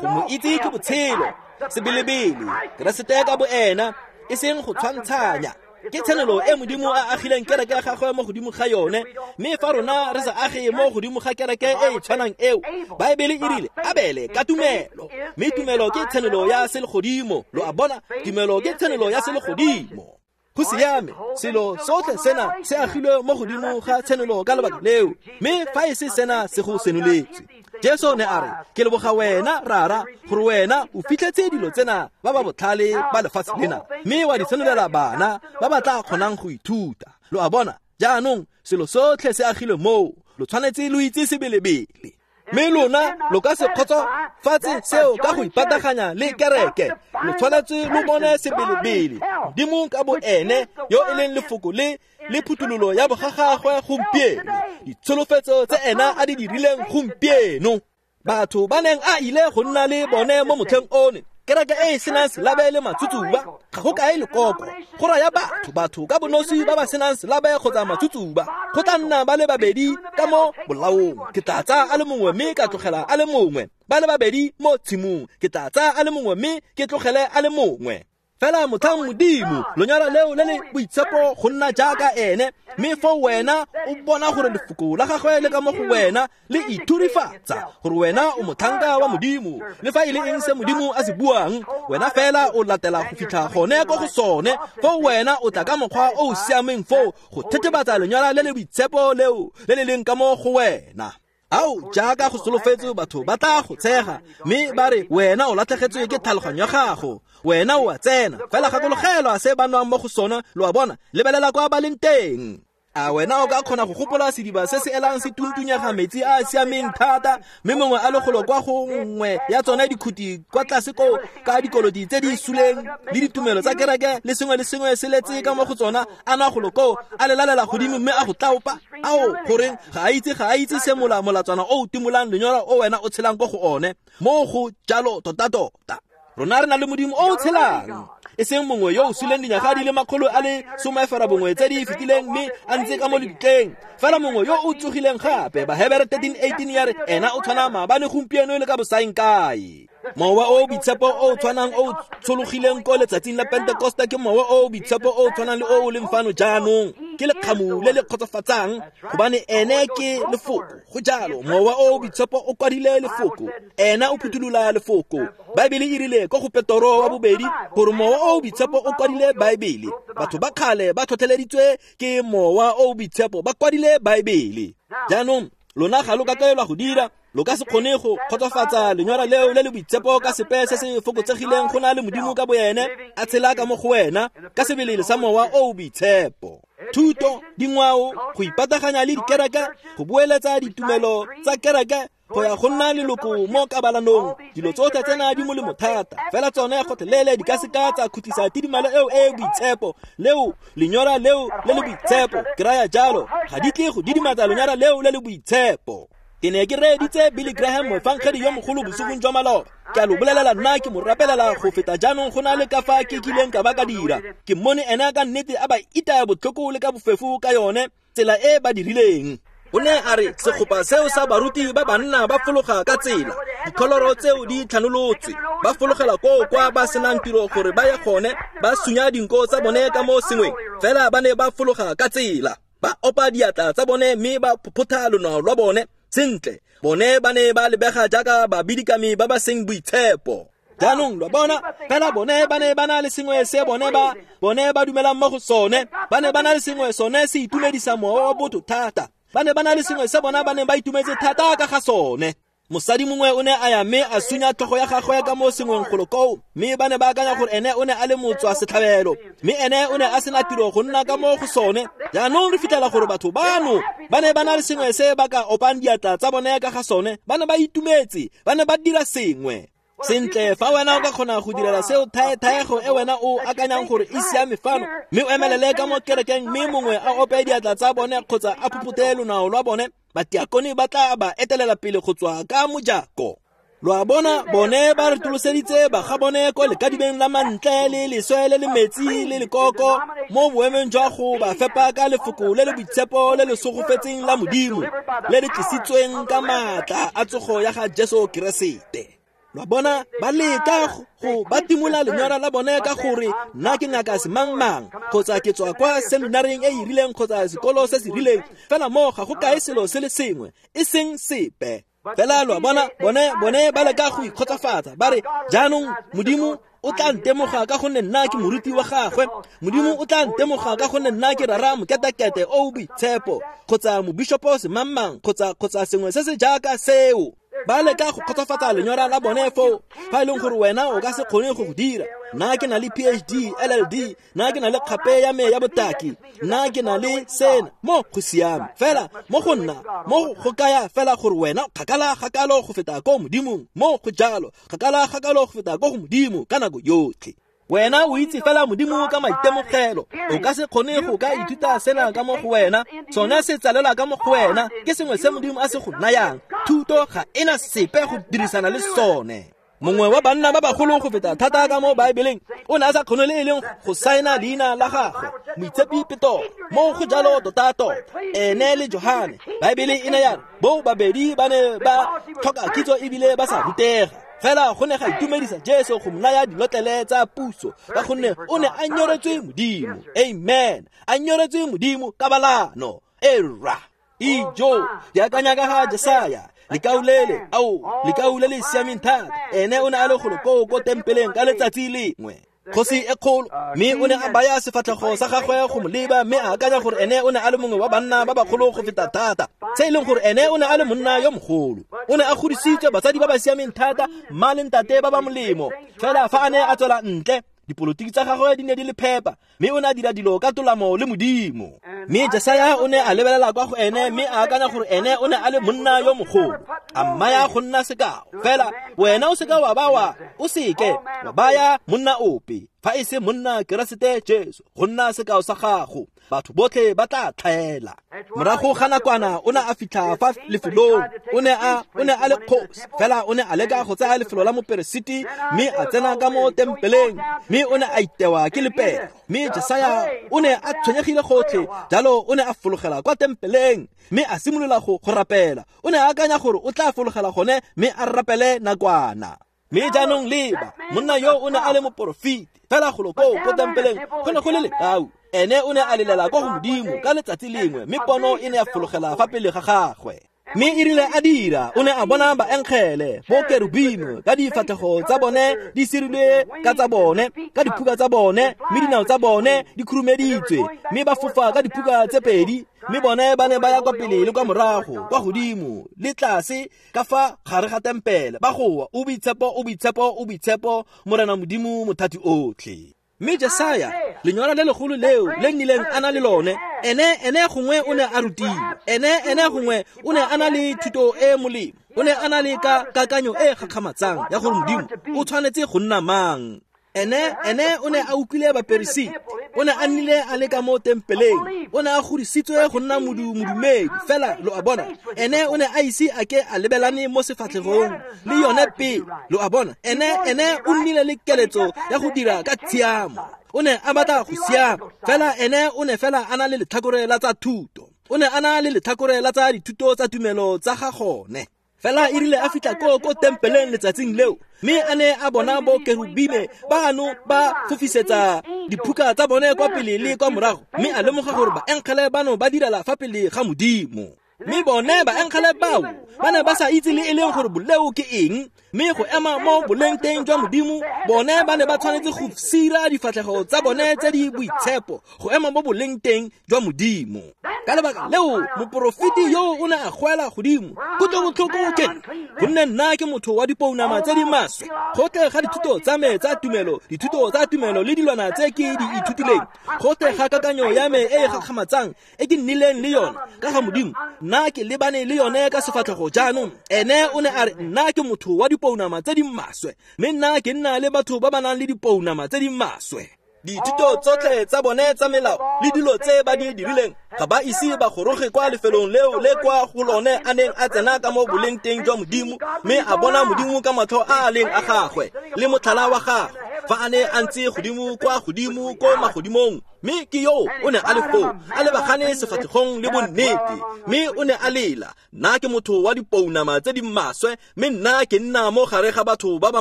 Go mo itse ke botshelo, sebelebele, Keresete ka bo ena, e seng go tshwantshanya. Ke tshenolo e Modimo a agileng kereke ya gagwe mo godimo ga yone, mme fa rona re sa age mo godimo ga kereke e e tshwanang eo, Baebele e rile Abele ka tumelo, mme tumelo ke tshenolo ya selegodimo. Lo a bona, tumelo ke tshenolo ya selegodimo. Go siame, selo sotlhe sena se agilwe mo godimo ga tshenolo ka lebaka leo, mme fa e se sena se go senoletswe. Jesu ne a re, ke leboga wena Rara gore wena o fitlhetse dilo tsena ba ba botlhale ba lefatshe lena, mme wa di senolela bana ba ba tla kgonang go ithuta. Lo a bona, jaanong selo sotlhe se agilwe moo, lo tshwanetse lo itse sebelebele. Mme lona lo ka se kgotsofatse seo ka go ipataganya le kereke, lo tshwanetse lo bone sebelebele Modimo ka bo ene yo e leng lefoko le le phuthololo ya bogagagwe gompieno, ditsholofetso tse ena a di dirileng gompieno. Batho ba neng a ile go nna le bone mo motlheng one. Kereke e e senang selabe le matsutsuba ga go kae lekoko. Go raya batho, batho ka bonosi ba ba senang selabe kgotsa matsutsuba. Go tla nna ba le babedi ka mo bolaong. Ke tla tsaya a le mongwe mme ka tlogela a le mongwe. Ba le babedi mo tshimong. Ke tla tsaya a le mongwe mme ke tlogele a le mongwe. Fela motlhang Modimo, lenyora leo le le boitshepo go nna jaaka ene, mme foo wena o bona gore lefoko la gagwe le ka mo go wena le ithurifatsa gore wena o motlhanka wa Modimo. Le fa e le eng se Modimo a se buang, wena fela o latela go fitlha gone ko go sone. Foo wena o tla ka mokgwa o o siameng foo go thethebatsa lenyora le le boitshepo leo le le leng ka mo go wena. Ao, jaaka go solofetse batho ba tla go tshega mme ba re wena o latlhegetswe ke tlhaloganyo ya gago, wena o a tsena. Fela gakologelwa se ba nwang mo go sona, lo a bona, lebelela kwa ba leng teng. A wena o ka kgona go gopola sediba se se elang se tuntunyega metsi a a siameng thata, mme mongwe a le golo kwa go nngwe ya tsone dikhuti kwa tlase koo ka dikoloti tse di suleng le ditumelo tsa kereke le sengwe le sengwe se letse ka mo go tsona, a nwa golo koo a lelalela godimo mme a go tlaopa. Ao, goreng ga a itse ga a itse se mola molatswana o o timolang lenyora o wena o tshelang ko go one. Mo go jalo tota-tota. Rona re na le Modimo o o tshelang, e seng mongwe yo o suleng dinyaga di le makgolo a le some ferabongwe tse di fetileng mme a ntse ka mo lebitleng. Fela mongwe yo o tsogileng gape. Bahebere thirteen eighteen ya re ena o tshwana maabane, gompieno le ka bosaeng kae. Mowa o o boitshepo o o tshwanang o o tshologileng ko letsatsing la Pentekoste ke mowa o o boitshepo o o tshwanang le o o leng fano jaanong. Ke lekgamu le le kgotsofatsang gobane ene ke lefoko. Go jalo, mowa o o boitshepo o kwadile lefoko, ena o phuthulola lefoko. Baebele e rile ko go Petoro wa bobedi gore mowa o o boitshepo o kwadile Baebele. Batho ba kgale ba tlhotlheleditswe ke mowa o o boitshepo, ba kwadile Baebele. Jaanong lona ga lo ka kaelwa go dira, lo ka se kgone go kgotsofatsa lenyora leo le le boitshepo ka sepe se se fokotsegileng go na le Modimo ka boene a tshela ka mo go wena ka sebele sa mowa o o boitshepo. Thuto, dingwao, go ipataganya le dikereke, go boeletsa ditumelo tsa kereke, go ya go nna leloko mo kabalanong, dilo tsotlhe tsena di molemo thata. Fela tsone gotlhelele di ka seka tsa khutlisa tidimalo eo e e boitshepo leo, lenyora leo le le boitshepo. Ke raya jalo, ga di tle go didimatsa lenyora leo le le boitshepo. Ke ne ke reeditse Billy Graham, moefangedi yo mogolo bosigong jwa maloba. Ke a lo bolelela, nna ke mo rapelela go feta jaanong go na le ka fa ke kileng ka ba ka dira. Ke mmone ene ka nnete a ba itaya botlhoko le ka bofefo ka yone tsela e ba dirileng. O ne a re segopa seo sa baruti ba banna ba fologa ka tsela, dikholoro tseo di tlhanolotswe, ba fologela koo kwa ba senang tiro gore ba ye gone, ba sunya dinko tsa bone ka mo sengweng. Fela ba ne ba fologa ka tsela, ba opa diatla tsa bone mme ba phophotha lonao lwa bone. Sentle, bone ba ne ba lebega jaaka babidikami ba ba seng boitshepo. Jaanong lo bona, fela bone ba ne ba na le sengwe se bone ba bone ba dumelang mo go sone. Ba ne ba na le sengwe sone se itumedisa mowa wa botho thata. Ba ne ba na le sengwe se bona ba neng ba itumetse thata ka ga sone. Mosadi mongwe o ne a ya mme a sunya tlhogo ya gagwe ka mo sengweng golo koo, mme ba ne ba akanya gore ene o ne a le motswa setlhabelo, mme ene o ne a sena tiro go nna ka mo go sone. Jaanong re fitlhela gore batho bano ba ne ba na le sengwe se ba ka opang diatla tsa bone ka ga sone. Ba ne ba itumetse, ba ne ba dira sengwe. Sentle, fa wena o ka kgona go direla seo thaethaego e wena o akanyang gore e siame fano, mme o emelele ka mo kerekeng mme mongwe a ope diatla tsa bone kgotsa a phuphuthe lonao lwa bone, batiakone ba tla ba etelela pele go tswa ka mojako. Lo a bona, bone ba retoloseditse ba ga bone ko lekadibeng la mantle le leswe le le metsi le lekoko, mo boemong jwa go ba fepa ka lefoko le le boitshepo le le sogofetseng la Modimo le le tlisitsweng ka maatla a tsogo ya ga Jesu Keresete. Lo bona, ba leka go ba timola lenyora la bone ka gore nna ke ngaka semangmang, kgotsa ke tswa kwa seminareng e e rileng kgotsa sekolo se se rileng. Fela mo ga go kae selo se le sengwe, e seng sepe. Fela lo bona, bone bone ba leka go ikgotsofatsa, ba re jaanong Modimo o tla ntemoga ka gonne nna ke moruti wa gagwe, Modimo o tla ntemoga ka gonne nna ke rara moketekete o o boitshepo, kgotsa mobishopo semangmang, kgotsa kgotsa sengwe se se jaaka seo. Ba leka go kgotsofatsa lenyora la bone foo, fa e leng gore wena o ka se kgone go go dira. Nna ke na le P H D, L L D, nna ke na le kgape ya me ya botaki, nna ke na le sena. Mo go siame fela mo go nna, mo go kaya fela gore wena kgakala gakalo go feta ko Modimong. Mo go jalo, kgakala gakalo go feta ko go Modimo ka nako yotlhe. Wena o itse fela Modimo ka maitemogelo. O ka se kgone go ka ithuta sena ka mo go wena. Sone se tsalelwa ka mo go wena. Ke sengwe se Modimo a se go nayang. Thuto ga ena sepe go dirisana le sone. Mongwe wa banna ba bagolo go feta thata ka mo Baebeleng o ne a sa kgone le e leng go saena leina la gagwe, Moitshepi Petoro. Mo go jalo tota-tota, ene le Johane. Baebele e ne ya re bo babedi ba ne ba tlhoka kitso ebile ba sa rutega. Fela go ne ga itumedisa Jesu go mo naya dilotlele tsa puso ka gonne o ne a nyoretswe Modimo. Amen. A nyoretswe Modimo ka balano. Era. Ijo, di akanya ka ga Jesaya. Lekau lele, ao, lekau le le siameng thata. Ene o ne a le golo koo ko tempeleng ka letsatsi lengwe. Kgosi e kgolo, mme o ne a baya sefatlhego sa gagwe go mo leba, mme a akanya gore ene o ne a le mongwe wa banna ba bagolo go feta thata. Se e leng gore ene o ne a le monna yo mogolo. O ne a godisitswe batsadi ba ba siameng thata, mma le ntate ba ba molemo. Fela fa a ne a tswela ntle, dipolotiki tsa gagwe di ne di le phepa, mme o ne a dira dilo ka tolamo le Modimo. Mme Jesaya o ne a lebelela kwa go ene, mme a akanya gore ene o ne a le monna yo mogolo. A mmaya go nna sekao. Fela wena o seka wa ba wa o seke wa baya monna ope fa e se monna Keresete Jesu go nna sekao sa gago. Batho botlhe ba tla tlhaela. Morago ga nakwana o ne a fitlha fa lefelong. O ne a o ne a le kgosi, fela o ne a leka go tsaya lefelo la moperesiti, mme a tsena ka mo tempeleng, mme o ne a itewa ke lepero. Mme Jesaya o ne a tshwenyegile gotlhe, jalo o ne a fologela kwa tempeleng, mme a simolola go go rapela. O ne a akanya gore o tla fologela gone mme a rapele nakwana. Mme jaanong leba, monna yo o ne a le moporofeti, fela golo koo ko tempeleng go ne go le lekau. Ene o ne a lelela kwa go Modimo ka letsatsi lengwe, mme pono e ne ya fologela fa pele ga gagwe. Mme e rile a dira, o ne a bona baengele bo kerubimo ka difatlhego tsa bone di sirilwe ka tsa bone, ka diphuka tsa bone, mme dinao tsa bone di khurumeditswe, mme ba fofa ka diphuka tse pedi, mme bone ba ne ba ya kwa pele le kwa morago, kwa godimo le tlase ka fa gare ga tempele, ba goa, o boitshepo, o boitshepo, o boitshepo, Morena Modimo mothati otlhe. Mme Jesaya, lenyora le legolo leo le nnileng a na le lone, ene ene gongwe o ne a rutiwa, ene ene gongwe o ne a na le thuto e molemo, o ne a na le ka kakanyo e gakgamatsang ya gore Modimo o tshwanetse go nna mang. Ene ene o ne a utlwile baperesiti, o ne a nnile a le ka mo tempeleng, o ne a godisitswe go nna modumedi. Fela lo a bona, ene o ne a ise a ke a lebelane mo sefatlhegong le yone pele. Lo a bona, ene ene o nnile le keletso ya go dira ka tshiamo, o ne a batla go siama. Fela ene o ne fela a na le letlhakore la tsa thuto, o ne a na le letlhakore la tsa dithuto tsa tumelo tsa ga gone. Fela e rile a fitlha ko ko tempeleng letsatsing leo, mme a ne a bona bo kerubime bano ba fofisetsa diphuka tsa bone kwa pele le kwa morago, mme a lemoga gore baengele bano ba direla fa pele ga Modimo. Mme bone baengele bao ba ne ba sa itse le e leng gore boleo ke eng, mme go ema mo boleng teng jwa Modimo, bone ba ne ba tshwanetse go sira difatlhego tsa bone tse di boitshepo go ema mo boleng teng jwa Modimo. Ka lebaka leo moporofeti yo o ne a goela godimo, kutlobotlhoko ke nna, gonne nna ke motho wa dipounama tse di maswe. Gotlhe ga dithuto tsa me tsa tumelo, dithuto tsa tumelo le dilwana tse ke di ithutileng, gotlhe ga kakanyo ya me e e gakgamatsang e ke nnileng le yone ka ga Modimo, nna ke lebane le yone ka sefatlhego jaanong. Ene o ne a re, nna ke motho wa dipounama tse di maswe, mme nna ke nna le batho ba ba nang le dipounama tse di maswe. Dithuto tsotlhe tsa bone tsa melao le dilo tse ba di dirileng ga ba ise ba goroge kwa lefelong leo le kwa go lone a neng a tsena ka mo boleng teng jwa Modimo, mme a bona Modimo ka matlho a a leng a gagwe le motlhala wa gagwe fa a ne a ntse godimo kwa godimo ko magodimong. Mme ke yo o ne a le foo, a lebagane sefatlhegong le bonnete, mme o ne a lela, nna ke motho wa dipounama tse di maswe, mme nna ke nna mo gare ga batho ba ba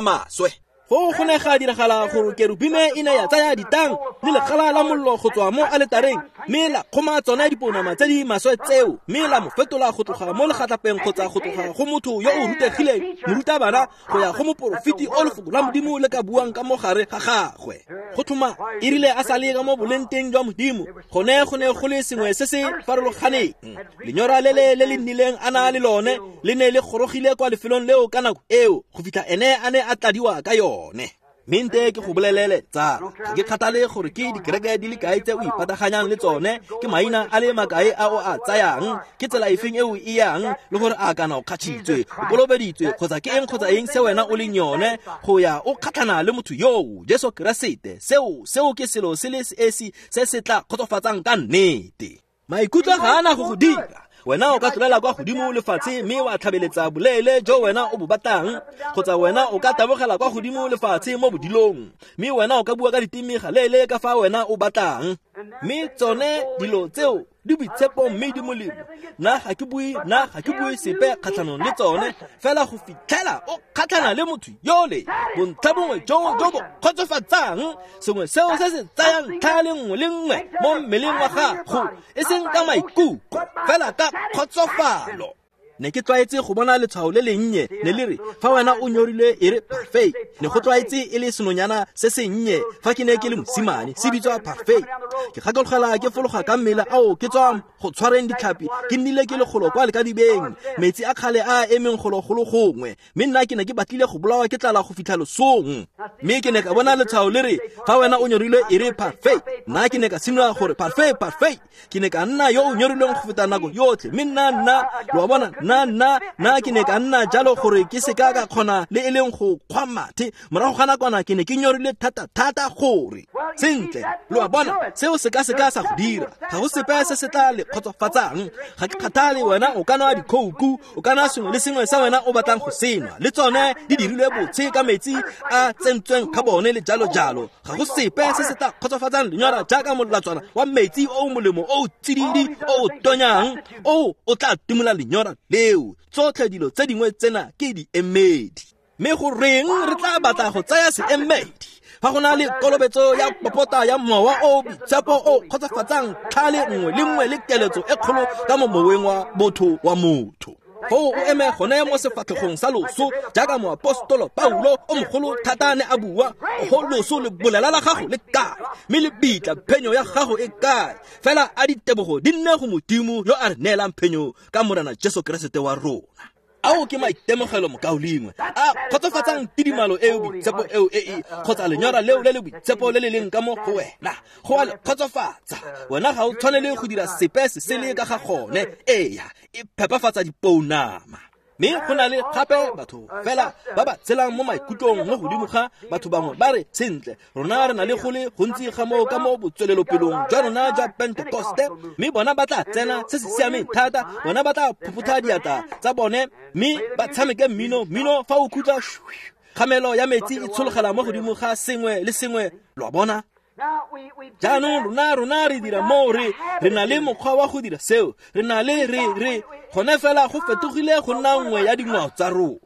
maswe. Foo go ne ga diragala gore kerubime e ne ya tsaya ditang le legala la mollo go tswa mo aletareng, mme la kgoma tsone dipounama tse di maswe tseo, mme la mo fetola go tloga mo legatlapeng kgotsa go tloga go motho yo o rutegileng morutabana go ya go moporofeti o lefoko la Modimo le ka buang ka mo gare ga gagwe. Go tlhoma e rile a sa le ka mo boleng teng jwa Modimo, gone go ne go le sengwe se se farologaneng. Lenyora le le le le nnileng a na le lone le ne le gorogile kwa lefelong leo ka nako eo go fitlha ene a ne a tladiwa ka yone. Mme nte ke go bolelele tsala, ga ke kgathale gore ke dikereke di le kae tse o ipataganyang le tsone, ke maina a le makae a o a tsayang, ke tsela efeng e o e yang, le gore a kana o kgatšhitswe, o kolobeditswe, kgotsa ke eng kgotsa eng se wena o leng yone, go ya o kgatlhana le motho yoo, Jesu Keresete. Seo seo ke selo se le esi se se tla kgotsofatsang ka nnete. Maikutlo ga ana go go dira. Wena o ka tlolela kwa godimo lefatshe mme wa tlhabeletsa boleele jo wena o bo batlang, kgotsa wena o ka tabogela kwa godimo lefatshe mo bodilong, mme wena o ka bua ka diteme galeele ka fa wena o batlang. Mme tsone dilo tseo di boitshepo mme di molemo. Nna ga ke bue, nna ga ke bue sepe kgatlhanong le tsone, fela go fitlhela o kgatlhana le motho yole, bontlha bongwe jo jo bo kgotsofatsang, sengwe seo se se tsayang tlha le nngwe le nngwe mo mmeleng wa gago, e seng ka maikutlo, fela ka kgotsofalo. Ne ke tlwaetse go bona letshwao le lennye ne le re fa wena o nyorilwe e re parfait. Ne go tlwaetse e le senonyana se sennye fa ke ne ke le mosimane, se bitswa parfait. Ke gakologela ke fologa ka mmele ao ke tswa go tshwareng ditlhapi, ke nnile ke le golo kwa lekadibeng, metsi a kgale a emeng golo golo gongwe, mme nna ke ne ke batlile go bolawa ke tlala go fitlha losong. Mme ke ne ka bona letshwao le re fa wena o nyorilwe e re parfait. Nna ke ne ka simolola gore parfait parfait. Ke ne ka nna yo o nyorilweng go feta nako yotlhe, mme nna nna lo a bona, nna nna nna ke ne ka nna jalo gore ke se ka ka kgona le e leng go kgwa mathe. Morago ga nakwana ke ne ke nyorile thata thata gore sentle, lo a bona, seo se ka se ka sa go dira. Ga go sepe se se tla le kgotsofatsang. Ga ke kgathale wena o ka nwa dikhouku, o ka nwa sengwe le sengwe sa wena o batlang go senwa, le tsone di dirilwe botshe ka metsi a tsentsweng ka bone le jalo jalo. Ga go sepe se se tla kgotsofatsang lenyora jaaka molatswana wa metsi o molemo o tsididi o tonyang o o tla timola lenyora leo. Tsotlhe dilo tse dingwe tsena ke di emedi. Mme go reng re tla batla go tsaya seemedi fa go na le kolobetso ya popota ya mowa o boitshepo o kgotsofatsang tlhale nngwe le nngwe le keletso e kgolo ka mo moweng wa botho wa motho? Foo o eme gone mo sefatlhegong sa loso jaaka moapostolo Paulo o mogolo thata ne a bua, oho loso le bolela la gago le kae, mme le bitla phenyo ya gago e kae? Fela a ditebogo di nne go Modimo yo a re neelang phenyo ka Morena Jesu Keresete wa rona. Ao ke maitemogelo mokaulengwe a kgotsofatsang tidimalo eo boitshepo eo e e kgotsa lenyora leo le le boitshepo le le leng ka mo go wena, go a le kgotsofatsa. Wena ga o tshwanele go dira sepe se sele ka ga gone. Eya, e phepafatsa dipounama. Mme go na le gape batho fela ba ba tshelang mo maikutlong mo godimo ga batho bangwe ba re sentle, rona re na le go le gontsi ga moo ka mo botswelelopelong jwa rona jwa Pentekoste, mme bona ba tla tsena se se siameng thata, bona ba tla phuphutha diatla tsa bone mme ba tshameke mmino mmino fa o khutla kgamelo ya metsi e tshologela mo godimo ga sengwe le sengwe, lo a bona. Jaanong rona rona re dira moo, re re na le mokgwa wa go dira seo, re na le re re gone fela go fetogile go nna nngwe ya dingwao tsa rona.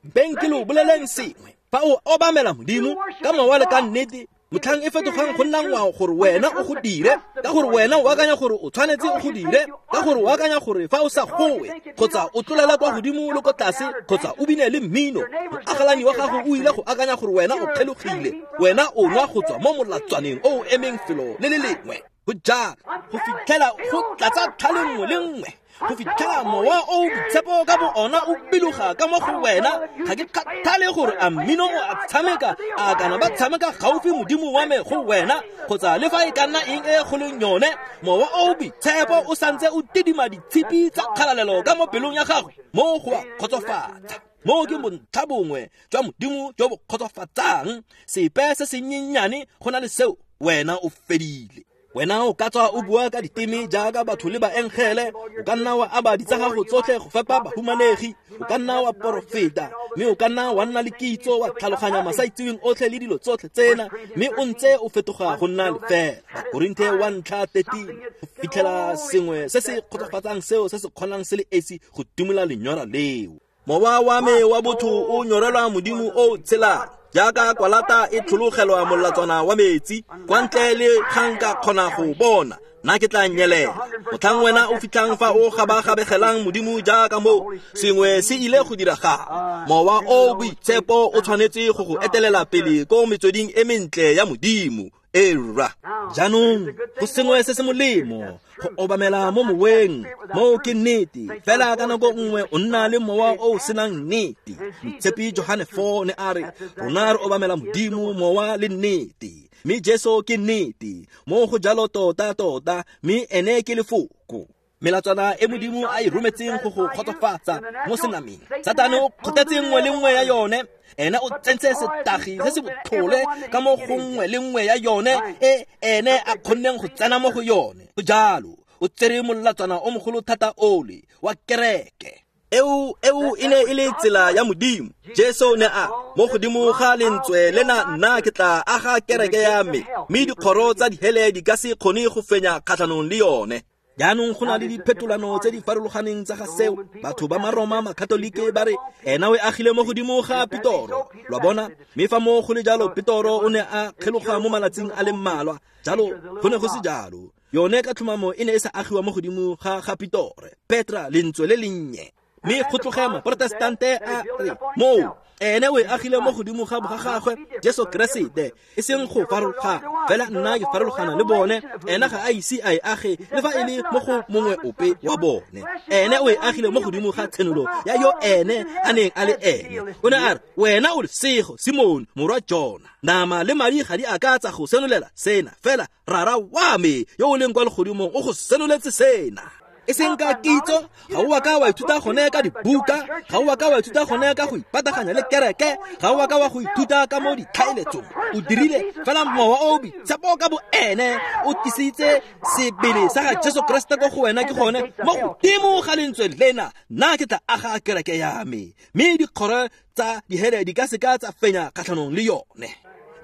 Mpeng ke lo boleleng sengwe, fa o obamela Modimo ka mowa le ka nnete, motlhang e fetogang go nna ngwao gore wena o go dire, ka gore wena o akanya gore o tshwanetse o go dire, ka gore o akanya gore fa o sa gowe kgotsa o tlolela kwa godimo le ko tlase kgotsa o bine le mmino, moagelani wa gago o ile go akanya gore wena o kgelogile, wena o nwa go tswa mo molatswaneng o o emeng felo le le lengwe. Go jalo go fitlhela go tlatsa tlhale nngwe le nngwe, go fitlhela mowa o boitshepo ka bo ona o biloga ka mo go wena. Ga ke kgathale gore a mmino o a tshameka, a kana ba tshameka gaufi Modimo wa me go wena, kgotsa le fa e ka nna eng e go leng yone, mowa o boitshepo o santse o tidima ditshipi tsa kgalalelo ka mo pelong ya gago, mo go a kgotsofatsa. Mo ke bontlha bongwe jwa Modimo jo bo kgotsofatsang. Sepe se senyenyane go na le seo, wena o fedile. Wena o ka tswa o bua ka diteme jaaka batho le baengele, o ka nna wa aba ditsa gago tsotlhe go fepa bahumanegi, o ka nna wa porofeta, mme o ka nna wa nna le kitso wa tlhaloganya masaitseweng otlhe le dilo tsotlhe tsena, mme o ntse o fetoga go nna lefela. Bakorinthe wa ntlha thirteen, go fitlhela sengwe se se kgotsofatsang seo se se kgonang se le esi go timola lenyora leo. Mowa wa me wa botho o nyorelwa Modimo o tshelang, jaaka kwalata e tlhologelwa molatswana wa metsi, kwa ntle le ga nka kgona go bona, nna ke tla nyelela. Motlhang wena o fitlhang fa o gabagabegelang Modimo jaaka moo, sengwe se ile go diragala. Mowa o boitshepo o tshwanetse go go etelela pele ko metsweding e mentle ya Modimo. Era jaanong go sengwe se se molemo go obamela mo moweng mo ke nnete fela ka nako nngwe o nna le mowa o o senang nnete. Moitshepi Johane four ne a re rona re obamela Modimo mowa le nnete, mme Jesu ke nnete mo go jalo tota tota, mme ene ke lefoko. Melatswana e Modimo a e rometseng go go kgotsofatsa mo senameng, Satane o kgothetse nngwe le nngwe ya yone. Ene o tsentse setagi se se botlhole ka mo go nngwe le nngwe ya yone e ene a kgonneng go tsena mo go yone. Go jalo o tsere molatswana o mogolo thata ole wa kereke. Eo eo e ne e le tsela ya Modimo. Jesu ne a mo godimo ga lentswe lena nna ke tla aga kereke ya me, mme dikgoro tsa dihele di ka se kgone go fenya kgatlhanong le yone. Jaanong go na le diphetolano tse di farologaneng tsa ga seo. Batho ba Maroma Makatolike ba re ena o e agile mo godimo ga Petoro, lwa bona, mme fa mo go le jalo Petoro o ne a kgeloga mo malatsing a le mmalwa. Jalo go ne go se jalo, yone ka tlhomamo e ne e sa agiwa mo godimo ga ga Petore, Petra lentswe le lennye. Mme go tloge Maprotestante a re moo ene o e agile mo godimo ga boga gagwe Jesu Keresete, e seng go farologana fela nna ke farologana le bone. Ena ga a ise a e age le fa e le mo go mongwe ope wa bone. Ene o e agile mo godimo ga tshenolo ya yo ene a neng a le ene. O ne a re wena o lesego Simon morwa Jona, nama le madi ga di a ka tsa go senolela sena, fela Rara wa me yo o leng kwa legodimong o go senoletse sena. E seng ka kitso, ga o a ka wa ithuta gone ka dibuka, ga o a ka wa ithuta gone ka go ipataganya le kereke, ga o a ka wa go ithuta ka mo ditlhaeletsong. O dirile fela mowa o boitshepo ka bo ene o tlisitse sebele sa ga Jesu Keresete ko go wena. Ke gone mo godimo ga lentswe lena nna ke tla aga kereke ya me, mme dikgoro tsa dihele di ka se ka tsa fenya kgatlhanong le yone.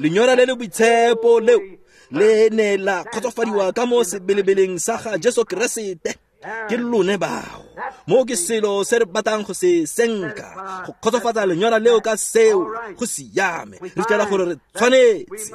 Lenyora le le boitshepo leo le ne la kgotsofadiwa ka mo sebelebeleng sa ga Jesu Keresete. Ke lone bao mo ke selo se re batlang go se senka, go kgotsofatsa lenyora leo ka seo go siame. Re fitlhela gore re tshwanetse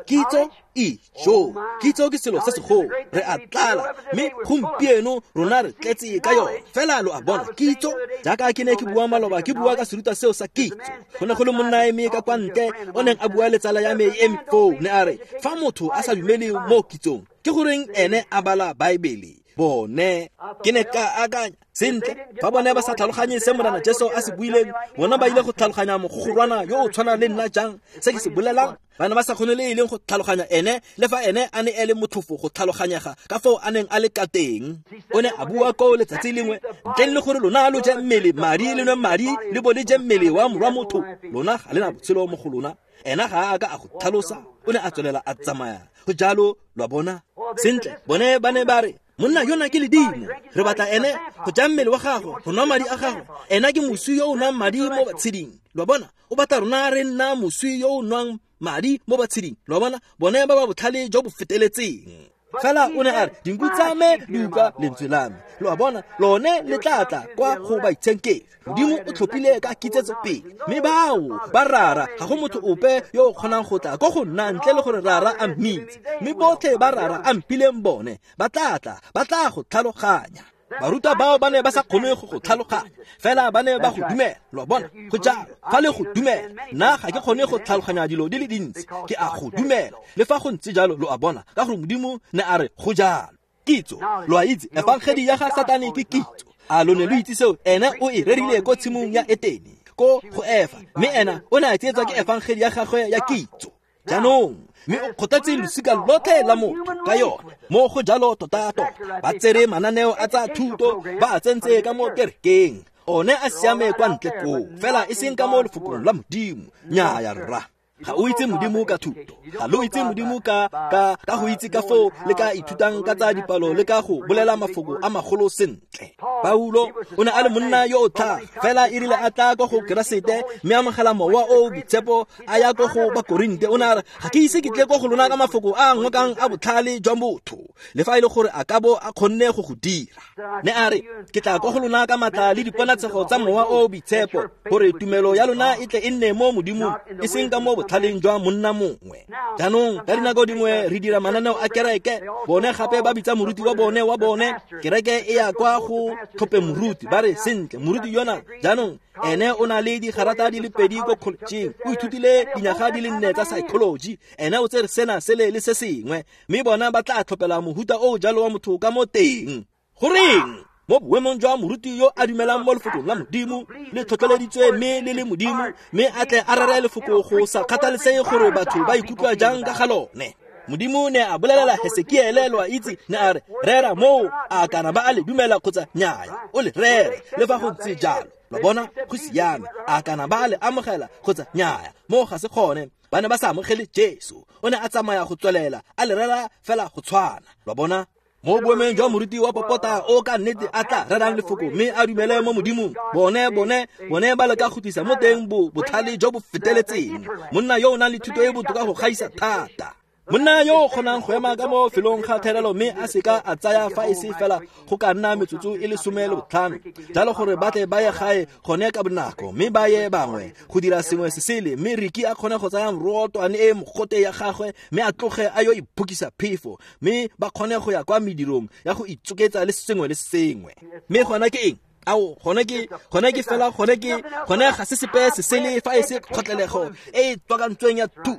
kitso ijo, kitso ke selo se segolo, re a tlala mme gompieno rona re tletse ka yone. Fela lo a bona kitso, jaaka ke ne ke bua maloba ke bua ka serutwa seo sa kitso. Go ne go le monna eme ka kwa ntle o neng a bua le tsala ya me e eme foo, ne a re fa motho a sa dumele mo kitsong ke goreng ene a bala Baebele. Bone ke ne ka akanya sentle, fa bone ba sa tlhaloganye se Morena Jesu a se buileng, bona ba ile go tlhaloganya mogogorwana yo o tshwanang le nna jang se ke se bolelang. Ba ne ba sa kgone le e leng go tlhaloganya ene, le fa ene a ne e le motlhofo go tlhaloganyega ka foo a neng a le ka teng. O ne a bua ko letsatsi lengwe, ntleng le gore lona lo je mmele madi le nwe madi le bo le je mmele wa morwa motho, lona ga le na botshelo mo go lona. Ena ga a ka a go tlhalosa, o ne a tswelela a tsamaya. Go jalo lwa bona sentle, bone ba ne ba re monna yona ke ledimo, re batla ene go ja mmele wa gagwe, go nwa madi a gagwe. Ena ke moswi yo o nwang madi mo batsheding, lwa bona. O batla rona re nna moswi yo o nwang madi mo batsheding, lwa bona. Bone ba ba botlhale jo bo feteletseng. Fela o ne a re dinku tsa me di utlwa lentswe la me, lo a bona, lone le tla tla kwa go baitshenkedi. Modimo o tlhophile ka kitsetso pele, mme bao ba Rara ga go motho ope yo o kgonang go tla ko go nna ntle le gore Rara a mmitse, mme botlhe ba Rara a mphileng bone ba tla tla, ba tla go tlhaloganya. Barutwa bao ba ne ba sa kgone go go tlhaloganya, fela ba ne ba go dumela, lo a bona. Go jalo fa le go dumela, nna ga ke kgone go tlhaloganya dilo di le dintsi, ke a go dumela le fa go ntse jalo, lo a bona, ka gore Modimo ne a re go jalo. Kitso, lo a itse, efangedi ya ga Satane ke kitso. A lo ne lo itse seo? Ene o e rerile ko tshimong ya Etene ko go Efa, mme ena o ne a tsietswa ke efangedi ya gagwe ya kitso. Jaanong mme o kgothatse losika lotlhe la motho ka yone. Mo go jalo tota-tota ba tsere mananeo a tsa thuto ba a tsentse ka mo kerekeng, one a siame kwa ntle koo, fela e seng ka mo lefokong la Modimo. Nnyaya rra, ga o itse Modimo ka thuto, ga lo itse Modimo ka ka ka go itse ka foo le ka ithutang ka tsa dipalo le ka go bolela mafoko a magolo sentle. Paulo o ne a le monna yo o tlhaga, fela e rile a tla ko go Keresete mme a amogela mowa o o boitshepo a ya ko go Bakorinte, o ne a re ga ke ise ke tle ko go lona ka mafoko a ngokang a botlhale jwa motho, le fa e le gore a ka bo a kgonne go go dira. Ne a re ke tla ko go lona ka matla le diponatshego tsa mowa o o boitshepo, gore tumelo ya lona e tle e nne mo Modimong, e seng ka mo botlhaleng jwa monna mongwe. Jaanong ka dinako dingwe re dira mananeo a kereke, bone gape ba bitsa moruti wa bone wa bone, kereke e ya kwa go tlhophe moruti, ba re sentle moruti yona jaanong ene o na le digarata di le pedi ko college, o ithutile dinyaga di le nne tsa psychology, ene o tsere sena sele le se sengwe, mme bona ba tla tlhophela mohuta o jalo wa motho ka mo teng. Goreng? Mo boemong jwa moruti yo a dumelang mo lefokong la Modimo le tlhotlheleditswe mme le le Modimo, mme a tle a rere lefoko go sa kgathalesege gore batho ba ikutlwa jang ka ga lone. Modimo ne a bolelela Hesekiele, lo a itse, ne a re rera moo a kana ba a le dumela kgotsa nnyaya, o le rere le fa go ntse jalo. Lo bona, go siame, a kana ba a le amogela kgotsa nnyaya, moo ga se gone. Ba ne ba sa amogele Jesu, o ne a tsamaya go tswelela a le rera fela go tshwana. Lo bona, mo boemong jwa moruti wa popota o ka nnete a tla rerang lefoko mme a dumele mo Modimong, bone bone bone ba leka go tlisa mo teng bo botlhale jo bo feteletseng, monna yo o nang le thuto e botoka go gaisa thata, monna yo o kgonang go ema ka mo felong ga therelo mme a seka a tsaya fa e se fela go ka nna metsotso e le some le botlhano jalo gore ba tle ba ye gae gone ka bonako mme ba ye bangwe go dira sengwe se sele, mme Riki a kgone go tsaya morootwane e mogote ya gagwe mme a tloge a yo iphokisa phefo, mme ba kgone go ya kwa medirong ya go itsoketsa le sengwe le sengwe. Mme gona ke eng? Ao, gone ke gone ke fela gone ke gone ga se sepe se sele fa e se kgotlelego e e tswakantsweng ya thuto.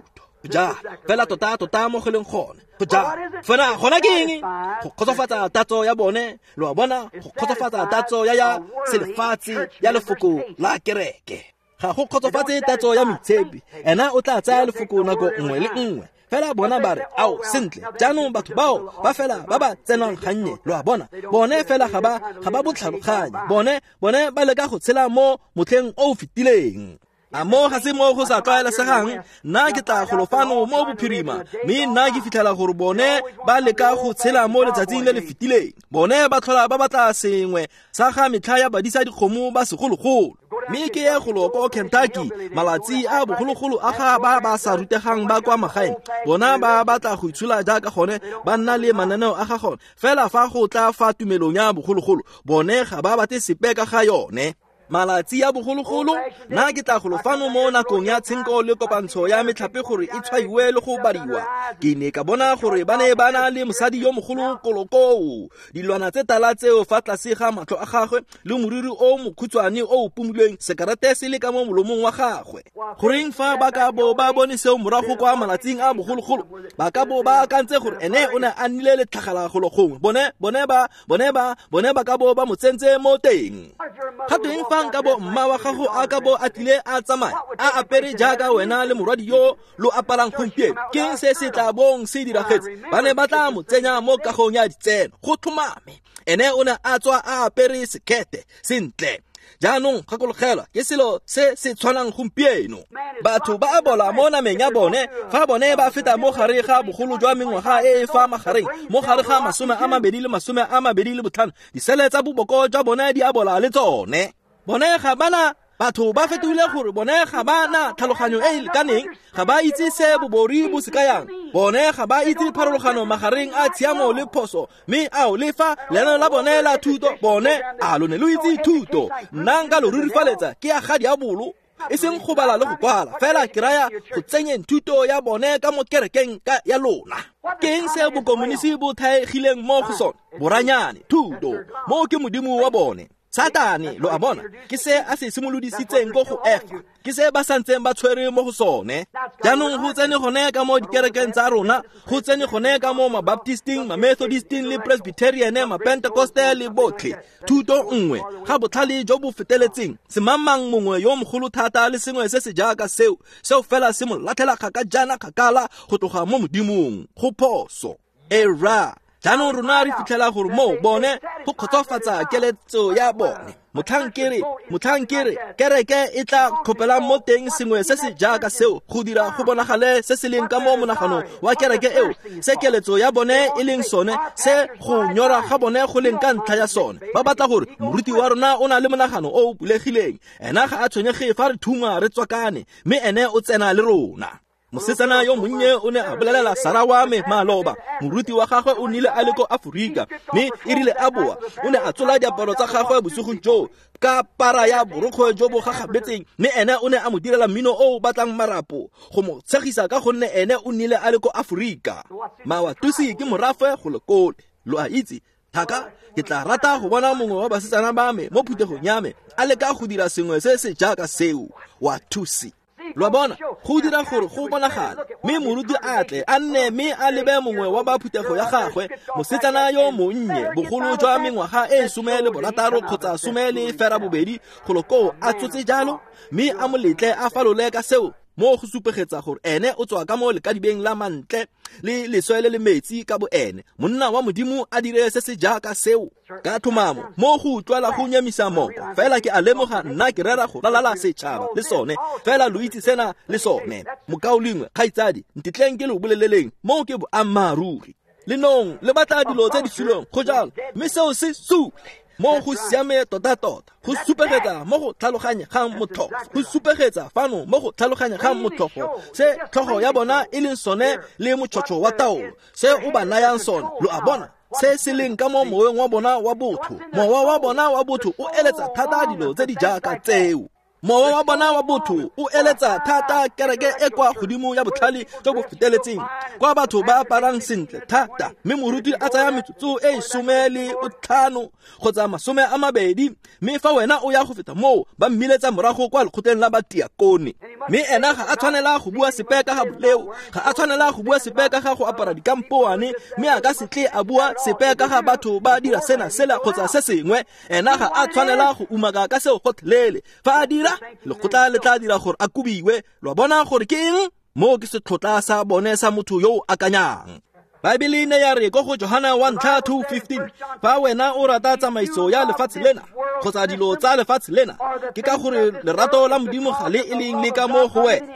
Ja, fela tota tota mo go leng gone. Go ja. Fela gona ke eng? Go kgotsofatsa tatso ya bone, lo a bona, go kgotsofatsa tatso ya ya selefatshe ya lefoko la kereke. Ga go kgotsofatse tatso ya moitshepi, ena o tla tsaya lefoko nako nngwe le nngwe. Fela bona ba re, ao, sentle, jaanong batho bao ba fela ba ba tsenang gannye, lo a bona, bone fela ga ba ga ba botlhaloganye, bone bone ba leka go tshela mo motlheng o o fetileng. A mo ga se mo go sa tlwaelesegang, nna ke tla golo fano mo bophirima, mme nna ke fitlhela gore bone ba leka go tshela mo letsatsing le le fetileng. Bone ba tlhola ba batla sengwe sa ga metlha ya badisa dikgomo ba segologolo. Mme ke ye golo ko Kentucky, malatsi a bogologolo a ga ba ba sa rutegang ba kwa magaeng, bona ba batla go itshola jaaka gone, ba nna le mananeo a ga gone. Fela fa go tla fa tumelong ya bogologolo, bone ga ba batle sepe ka ga yone. Malatsi a bogologolo, nna ke tla golo fano mo nakong ya tshenko le kopantsho ya metlhape gore e tshwaiwe le go badiwa. Ke ne ka bona gore ba ne ba na le mosadi yo mogolo kolokoo, dilwana tse tala tseo fa tlase ga matlho a gagwe le moriri o mokhutshwane o o pumulweng, sekarete se le ka mo molomong wa gagwe. Goreng fa ba ka bo ba bone seo morago kwa malatsing a bogologolo, ba ka bo ba akantse gore ene o ne a nnile letlhagala golo gongwe, bone bone ba bone ba bone ba ka bo ba mo tsentse mo teng. Ga tweng fa nka bo mma wa gago a ka bo a tlile a tsamaya a apere jaaka wena le morwadi yo lo aparang gompieno, ke se se tla bong se diragetse? Ba ne ba tla mo tsenya mo kagong ya ditseno go tlhomame. Ene o ne a tswa a apere sekete sentle. Jaanong gakologelwa, ke selo se se tshwanang gompieno. Batho ba a bola mo nameng ya bone fa bone ba feta mo gare ga bogolo jwa mengwaga e e fa magareng, mo gare ga masome a mabedi le masome a mabedi le botlhano, disele tsa boboko jwa bone di a bola le tsone. Bone ga bana, batho ba fetogile gore bone ga ba na tlhaloganyo e e lekaneng, ga ba itse se bobori bo se kayang, bone ga ba itse pharologano magareng a tshiamo le phoso, mme ao le fa leano la bone la thuto, bone a lo ne lo itse thuto. Nna nka lo rurifaletsa ke ya ga diabolo, e seng go bala le go kwala, fela ke raya go tsenyeng thuto ya bone ka mo kerekeng ka ya lona. Ke eng se bokomonisi bo thaegileng mo go sone? Boranyane, thuto, mo ke modimo wa bone. Satane, lo a bona, ke se a se simolodisitseng ko go Efa, ke se ba santseng ba tshwere mo go sone. Jaanong go tsene gone ka mo dikerekeng tsa rona, go tsene gone ka mo mabaptisting, mamethodisting le presbyterian, mapentecostal le botlhe. Thuto nngwe ga botlhale jo bo feteletseng, semangmang mongwe yo mogolo thata le sengwe se se jaaka seo, seo fela se mo latlhela kgaka jaana kgakala go tloga mo Modimong, go phoso. Era jaanong rona re fitlhela gore mo bone go kgotsofatsa keletso ya bone. Motlhankere, motlhankere, kereke e tla tlhopelang mo teng sengwe se se jaaka seo go dira go bonagale se se leng ka mo monaganong wa kereke eo, se keletso ya bone e leng sone, se go nyora ga bone go leng ka ntlha ya sone. Ba batla gore moruti wa rona o na le monagano o o bulegileng, ena ga a tshwenyege fa re thuma re tswakane, mme ene o tsena le rona. Mosetsana yo monnye o ne a bolelela Sara wa me maloba, moruti wa gagwe o nnile a le ko Aforika, mme e rile a boa o ne a tsola diaparo tsa gagwe bosigong joo ka para ya borokgwe jo bo gagabetseng, mme ene o ne a mo direla mmino o o batlang marapo go mo tshegisa ka gonne ene o nnile a le ko Aforika. Mawatusi ke morafe go lekole, lo a itse. Thaka, ke tla rata go bona mongwe wa basetsana ba me mo phuthegong ya me a leka go dira sengwe se se jaaka seo. Watusi. Lo a bona, go dira gore go bonagale, mme moruti a tle a nne mme a lebe mongwe wa ba phuthego ya gagwe, mosetsana yo monnye bogolo jwa mengwaga e some le borataro kgotsa some le fera bobedi golo koo a tsotse jalo, mme a mo letle a falole ka seo mo go supegetsa gore ene o tswa ka mo lekadibeng la mantle le leswe le le metsi ka bo ene. Monna wa Modimo a dire se se jaaka seo ka tlhomamo mo go utlwala go nyamisa moko. Fela ke a lemoga nna ke rera go lalala setšhaba le sone, fela lo itse sena le sone. Mokaulengwe, kgaitsadi, ntetleng ke lo boleleleng, moo ke boammaaruri. Lenong le batla dilo tse di suleng go jalo, mme seo se sule. Mo go siame tota-tota, go supegetsa mo go tlhaloganyegang motlhofo, go supegetsa fano mo go tlhaloganyegang motlhofo se tlhogo ya bona e leng sone le motšhotšho wa taolo se o ba nayang sone. Lo a bona se se leng ka mo moweng wa bona wa botho. Mowa wa bona wa botho o eletsa thata dilo tse di jaaka tseo. Mowa wa bona wa botho o eletsa thata kereke e kwa godimo ya botlhale jo bo feteletseng, kwa batho ba aparang sentle thata, mme moruti a tsaya metsotso e some le botlhano kgotsa masome a mabedi, mme fa wena o ya go feta moo ba mmiletsa morago kwa lekgotleng la batiakone. Mme ena ga a tshwanela go bua sepe ka ga boleo, ga a tshwanela go bua sepe ka ga go apara dikampoane, mme a ka se tle a bua sepe ka ga batho ba dira sena sela kgotsa se sengwe. Ena ga a tshwanela go umaka ka seo gotlhelele. Fa a dira, lekgotla le tla dira gore a kobiwe. Lo bona gore ke eng? Moo ke setlhotla sa bone sa motho yo o akanyang. Baebele ne ya re ko go Johana one two fifteen, fa wena o rata tsamaiso ya lefatshe lena kgotsa dilo tsa lefatshe lena, ke ka gore lerato la Modimo ga le e leng le ka mo go wena.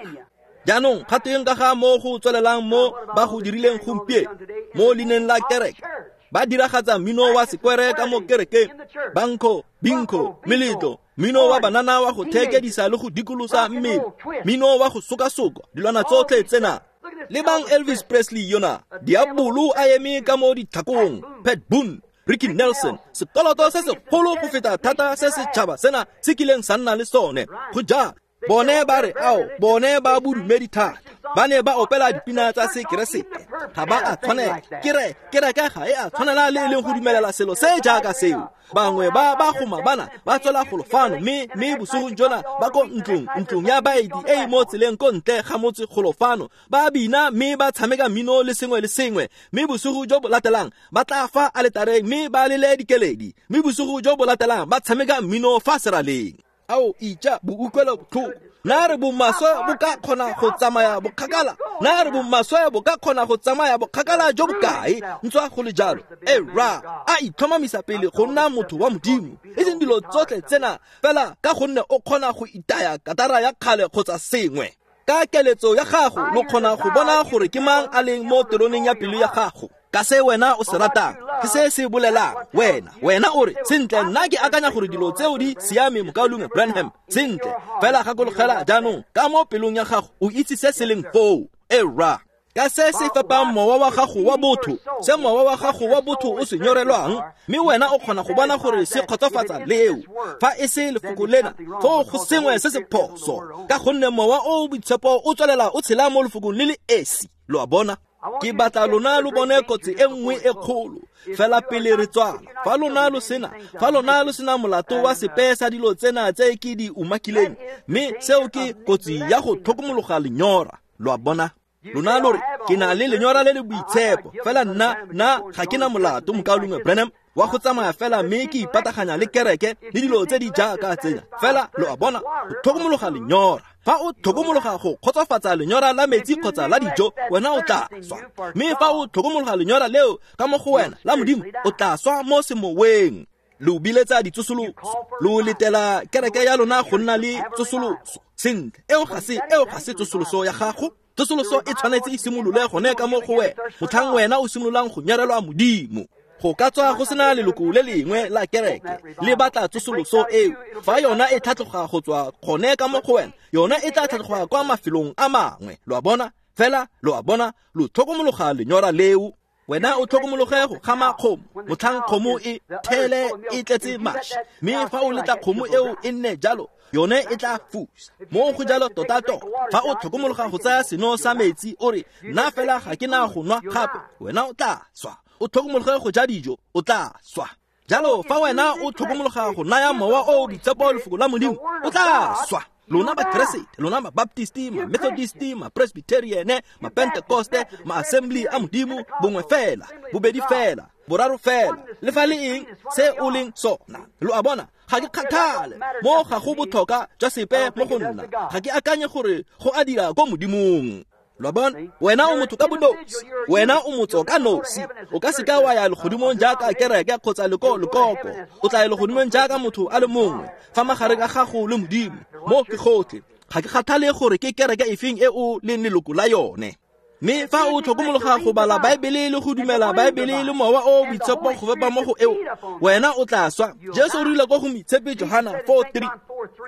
Jaanong ga teng ka ga mo go tswelelang mo ba go dirileng gompieno mo leineng la kereke, ba diragatsa mmino wa sekwere ka mo kerekeng, banko, binko, meletlo, mmino wa banana wa go thekedisa le go dikolosa mmele, mmino wa go sokasoka, dilwana tsotlhe tsena. Lebang Elvis Presley yona, diabolo a eme ka mo ditlhakong, Pat Boone, Ricky Nelson, sekoloto se segolo go feta thata se setšhaba sena se kileng sa nna le sone. Go jalo, bone ba re ao, bone ba bodumedi thata, ba ne ba opela dipina tsa sekeresete, ga ba a tshwanela. Kere kereke ga e a tshwanela le e leng go dumelela selo se jaaka seo. Bangwe ba ba goma bana ba tswela golo fano, mme mme bosigong jona ba ko ntlong ntlong ya baeti e e mo tseleng ko ntle ga motse golo fano, ba bina mme ba tshameka mmino le sengwe le sengwe, mme bosigo jo bo latelang ba tla fa aletareng mme ba lele dikeledi, mme bosigo jo bo latelang ba tshameka mmino fa seraleng. Ao ija bo utlwelo botlhoko. Na re bomaswe bo ka kgona go tsamaya bokgakala? Na re bomaswe bo ka kgona go tsamaya bokgakala jo bokae? Ntswa go le jalo, e ra a itlhomamisa pele go nna motho wa Modimo, e seng dilo tsotlhe tsena fela ka gonne o kgona go itaya katara ya kgale kgotsa sengwe. Ka keletso ya gago lo kgona go bona gore ke mang a leng mo teroneng ya pelo ya gago. Ka se wena o se ratang, ke se se bolelang wena. Wena o re, sentle nna ke akanya gore dilo tseo di siame, mokaulengwe Branham. Sentle, fela gakologela jaanong ka mo pelong ya gago o itse se se leng foo. E ra ka se se fepang mowa wa gago wa botho, se mowa wa gago wa botho o se nyorelwang, mme wena o kgona go bona gore se kgotsofatsa leo. Fa e se lefoko lena, foo go sengwe se se phoso, ka gonne mowa o o boitshepo o tswelela o tshela mo lefokong le le esi. Lo a bona? Ke batla lona lo bone kotsi e nngwe e kgolo fela pele re tswala. Fa lona lo sena, fa lona lo sena molato wa sepe sa dilo tsena tse ke di umakileng, mme seo ke kotsi ya go tlhokomologa lenyora. Lo a bona? Lona lo re, ke na le lenyora le le boitshepo, fela nna nna ga ke na molato, mokaulengwe Branham, wa go tsamaya fela mme ke ipataganya le kereke le dilo tse di jaaka tsena. Fela lo a bona, go tlhokomologa lenyora. Fa o tlhokomologa go kgotsofatsa lenyora la metsi kgotsa la dijo, wena o tla swa. Mme fa o tlhokomologa lenyora leo ka mo go wena la Modimo, o tla swa mo semoweng. Lo biletsa ditsosoloso, lo letela kereke ya lona go nna le tsosoloso. Sentle, eo ga se eo ga se tsosoloso ya gago. Tsosoloso e tshwanetse e simolole gone ka mo go wena, motlhang wena o simololang go nyarelwa Modimo. Go ka tswa go sena leloko le lengwe la kereke le batla tsosoloso eo. Fa yona e tlhatloga go tswa gone ka mo go wena, yona e tla tlhatloga kwa mafelong a mangwe. Lo a bona? Fela lo a bona lo tlhokomologa lenyora leo. Wena o tlhokomologe go gama kgomo motlhang kgomo e thele e tletse mašwi, mme fa o letla kgomo eo e nne jalo yone e tla fusa. Mo go jalo tota-tota, fa o tlhokomologa go tsaya seno sa metsi o re nna fela ga ke na go nwa gape, wena o tla swa. O tlhokomologe go ja dijo, o tla swa. Jalo fa wena o tlhokomologa go naya mowa o o boitshepo lefoko la Modimo, o tla swa. Lona Bakeresete, lona Mabaptisti, Ma-Methodisti, Ma-Presbyteriane, Ma-Pentecoste, Ma-Assembly a Modimo, bongwe fela, bobedi fela, boraro fela, le fa le eng se o leng sona. Lo a bona, ga ke kgathale, mo ga go botlhokwa jwa sepe mo go nna, ga ke akanye gore go a dira ko Modimong. Lo a bona, wena o motho ka bonosi, wena o motho ka nosi. O ka seka wa ya legodimong jaaka kereke kgotsa leko lekoko, o tla ya legodimong jaaka motho a le mongwe fa magareng a gago le Modimo. Mo ke gotlhe, ga ke kgathale gore ke kereke efeng e o leng leloko la yone. Mme fa o tlhokomologa go bala Baebele le go dumela Baebele le mowa o o boitshepo go fepa mo go eo, wena o tla swa. Jesu o rile ko go moitshepi Johana four three,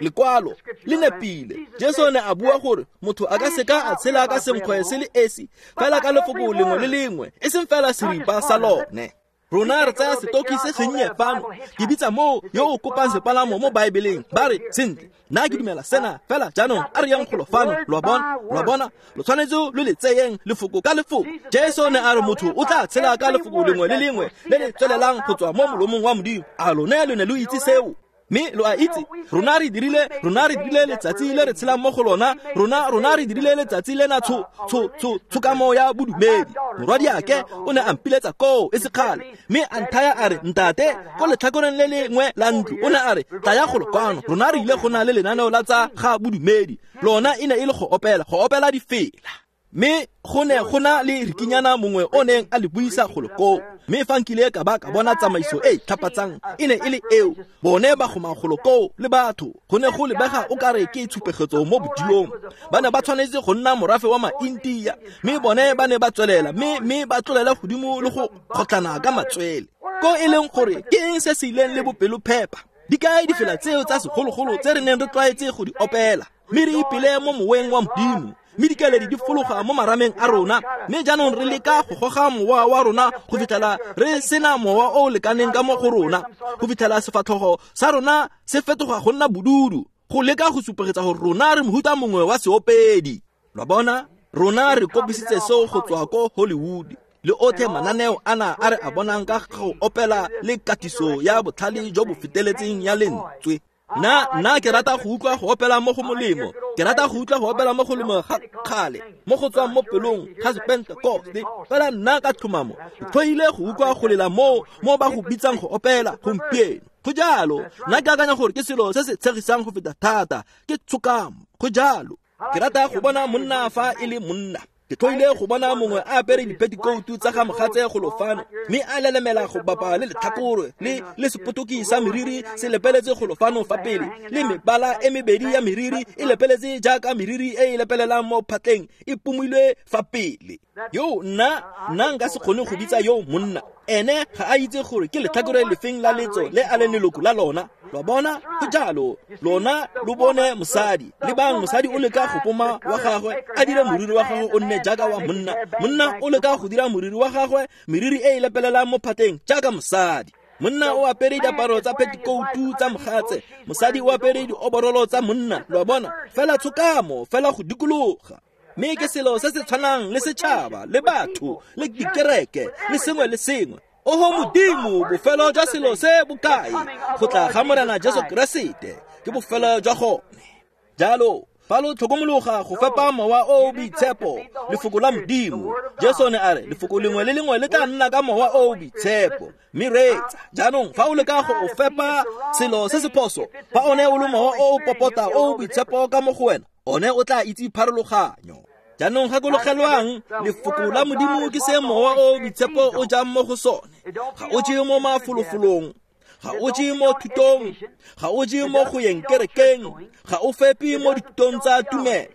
lekwalo le nepile. Jesu ne a bua gore motho a ka seka a tshela ka senkgwe se le esi, fela ka lefoko lengwe le lengwe, e seng fela seripa sa lone. Rona re tsaya setoki se sennye fano, ke bitsa moo yo o kopang sepalamo mo Baebeleng, ba re sentle, nna ke dumela sena fela jaanong a re yang golo fano. Lo a bona, lo a bona, lo tshwanetse lo le tseyeng lefoko ka lefoko. Jesu ne a re motho o tla tshela ka lefoko lengwe le lengwe le le tswelelang go tswa mo molomong wa Modimo. A lone lo ne lo itse seo? Mme lo a itse, rona re dirile, rona re dirile letsatsi le re tshelang mo go lona, rona rona re dirile letsatsi lena tsho tsho tsho tshokamo ya bodumedi. Morwadiake o ne a mpiletsa koo e sekgale, mme a nthaya a re, ntate, ko letlhakoreng le lengwe la ntlo, o ne a re, tlaya golo kwano, rona re ile go na le lenaneo la tsa ga bodumedi. Lona e ne e le go opela, go opela difela. Mme go ne go na le rikinyana mongwe o neng a le buisa golo koo. Mme fa nkile ka ba ka bona tsamaiso e e tlhapatsang e ne e le eo, bone ba goma golo koo le batho. Go ne go lebega o kare ke tshupegetso mo bodilong. Ba ne ba tshwanetse go nna morafe wa ma-India, mme bone ba ne ba tswelela, mme mme ba tlolela godimo le go kgotlana ka matswele. Ko e leng gore ke eng se se ileng le bopelophepa? Di kae difela tseo tsa segologolo tse re neng re tlwaetse go di opela, mme re ipele mo moweng wa Modimo, mme dikeledi di fologa mo marameng a rona, mme jaanong re leka go goga mowa wa rona go fitlhela re sena mowa o o lekaneng ka mo go rona, go fitlhela sefatlhogo sa rona se fetoga go nna bodudu, go leka go supegetsa gore rona re mohuta mongwe wa seopedi. Lo a bona, rona re kopisitse seo go tswa ko Hollywood le otlhe mananeo ana a re a bonang ka go opela le katiso ya botlhale jo bo feteletseng ya lentswe. Nna nna ke rata go utlwa go opela mo go molemo, ke rata go utlwa go opela mo go molemo ga kgale, mo go tswang mo pelong ga Sepentekoste. Fela nna ka tlhomamo ke tlhoile go utlwa go lela mo mo ba go bitsang go opela gompieno. Go jalo, nna ke akanya gore ke selo se se tshegisang go feta thata, ke tshokamo. Go jalo, ke rata go bona monna fa e le monna. Ke tlhoile go bona mongwe a apere dipetikotu tsa ga mogatse golo fano, mme a lelemela go bapa le letlhakore le le sepotoki sa meriri se lepeletse golo fano fa pele, le mebala e mebedi ya meriri e lepeletse jaaka meriri e e lepelelang mo phatleng e pumilwe fa pele. Yo nna nna nka se kgone go bitsa yo monna, ene ga a itse gore ke letlhakore lefeng la letso le a leng leloko la lona. Lo a bona, go jalo, lona lo bone mosadi, lebang mosadi o leka go poma wa gagwe, a dire moriri wa gagwe o nne jaaka wa monna, monna o leka go dira moriri wa gagwe meriri e e lepelelang mo phatleng jaaka mosadi. Monna o apere diaparo tsa pettikoutu tsa mogatse, mosadi o apere dioborolo tsa monna. Lo a bona, fela tshokamo, fela go dikologa. Mme ke selo se se tshwanang le setšhaba, le batho, le dikereke, le sengwe le sengwe. Oho Modimo, bofelo jwa selo se bokae? Go tla ga Morena Jesu Keresete ke bofelo jwa gone. Jalo, fa lo tlhokomologa go fepa mowa o o boitshepo, lefoko la Modimo. Jesu ne a re, lefoko lengwe le lengwe le tla nna ka mowa o o boitshepo. Mme reetsa, jaanong fa o leka go o fepa selo se se phoso, fa one o le mowa o o popota o o boitshepo ka mo go wena, one o tla itse pharologanyo. Jaanong gakologelwang, lefoko la Modimo ke se mowa o o boitshepo o jang mo go sone. Ga o je mo mafolofolong, ga o je mo thutong, ga o je mo go yeng kerekeng, ga o fepe mo dithutong tsa tumelo.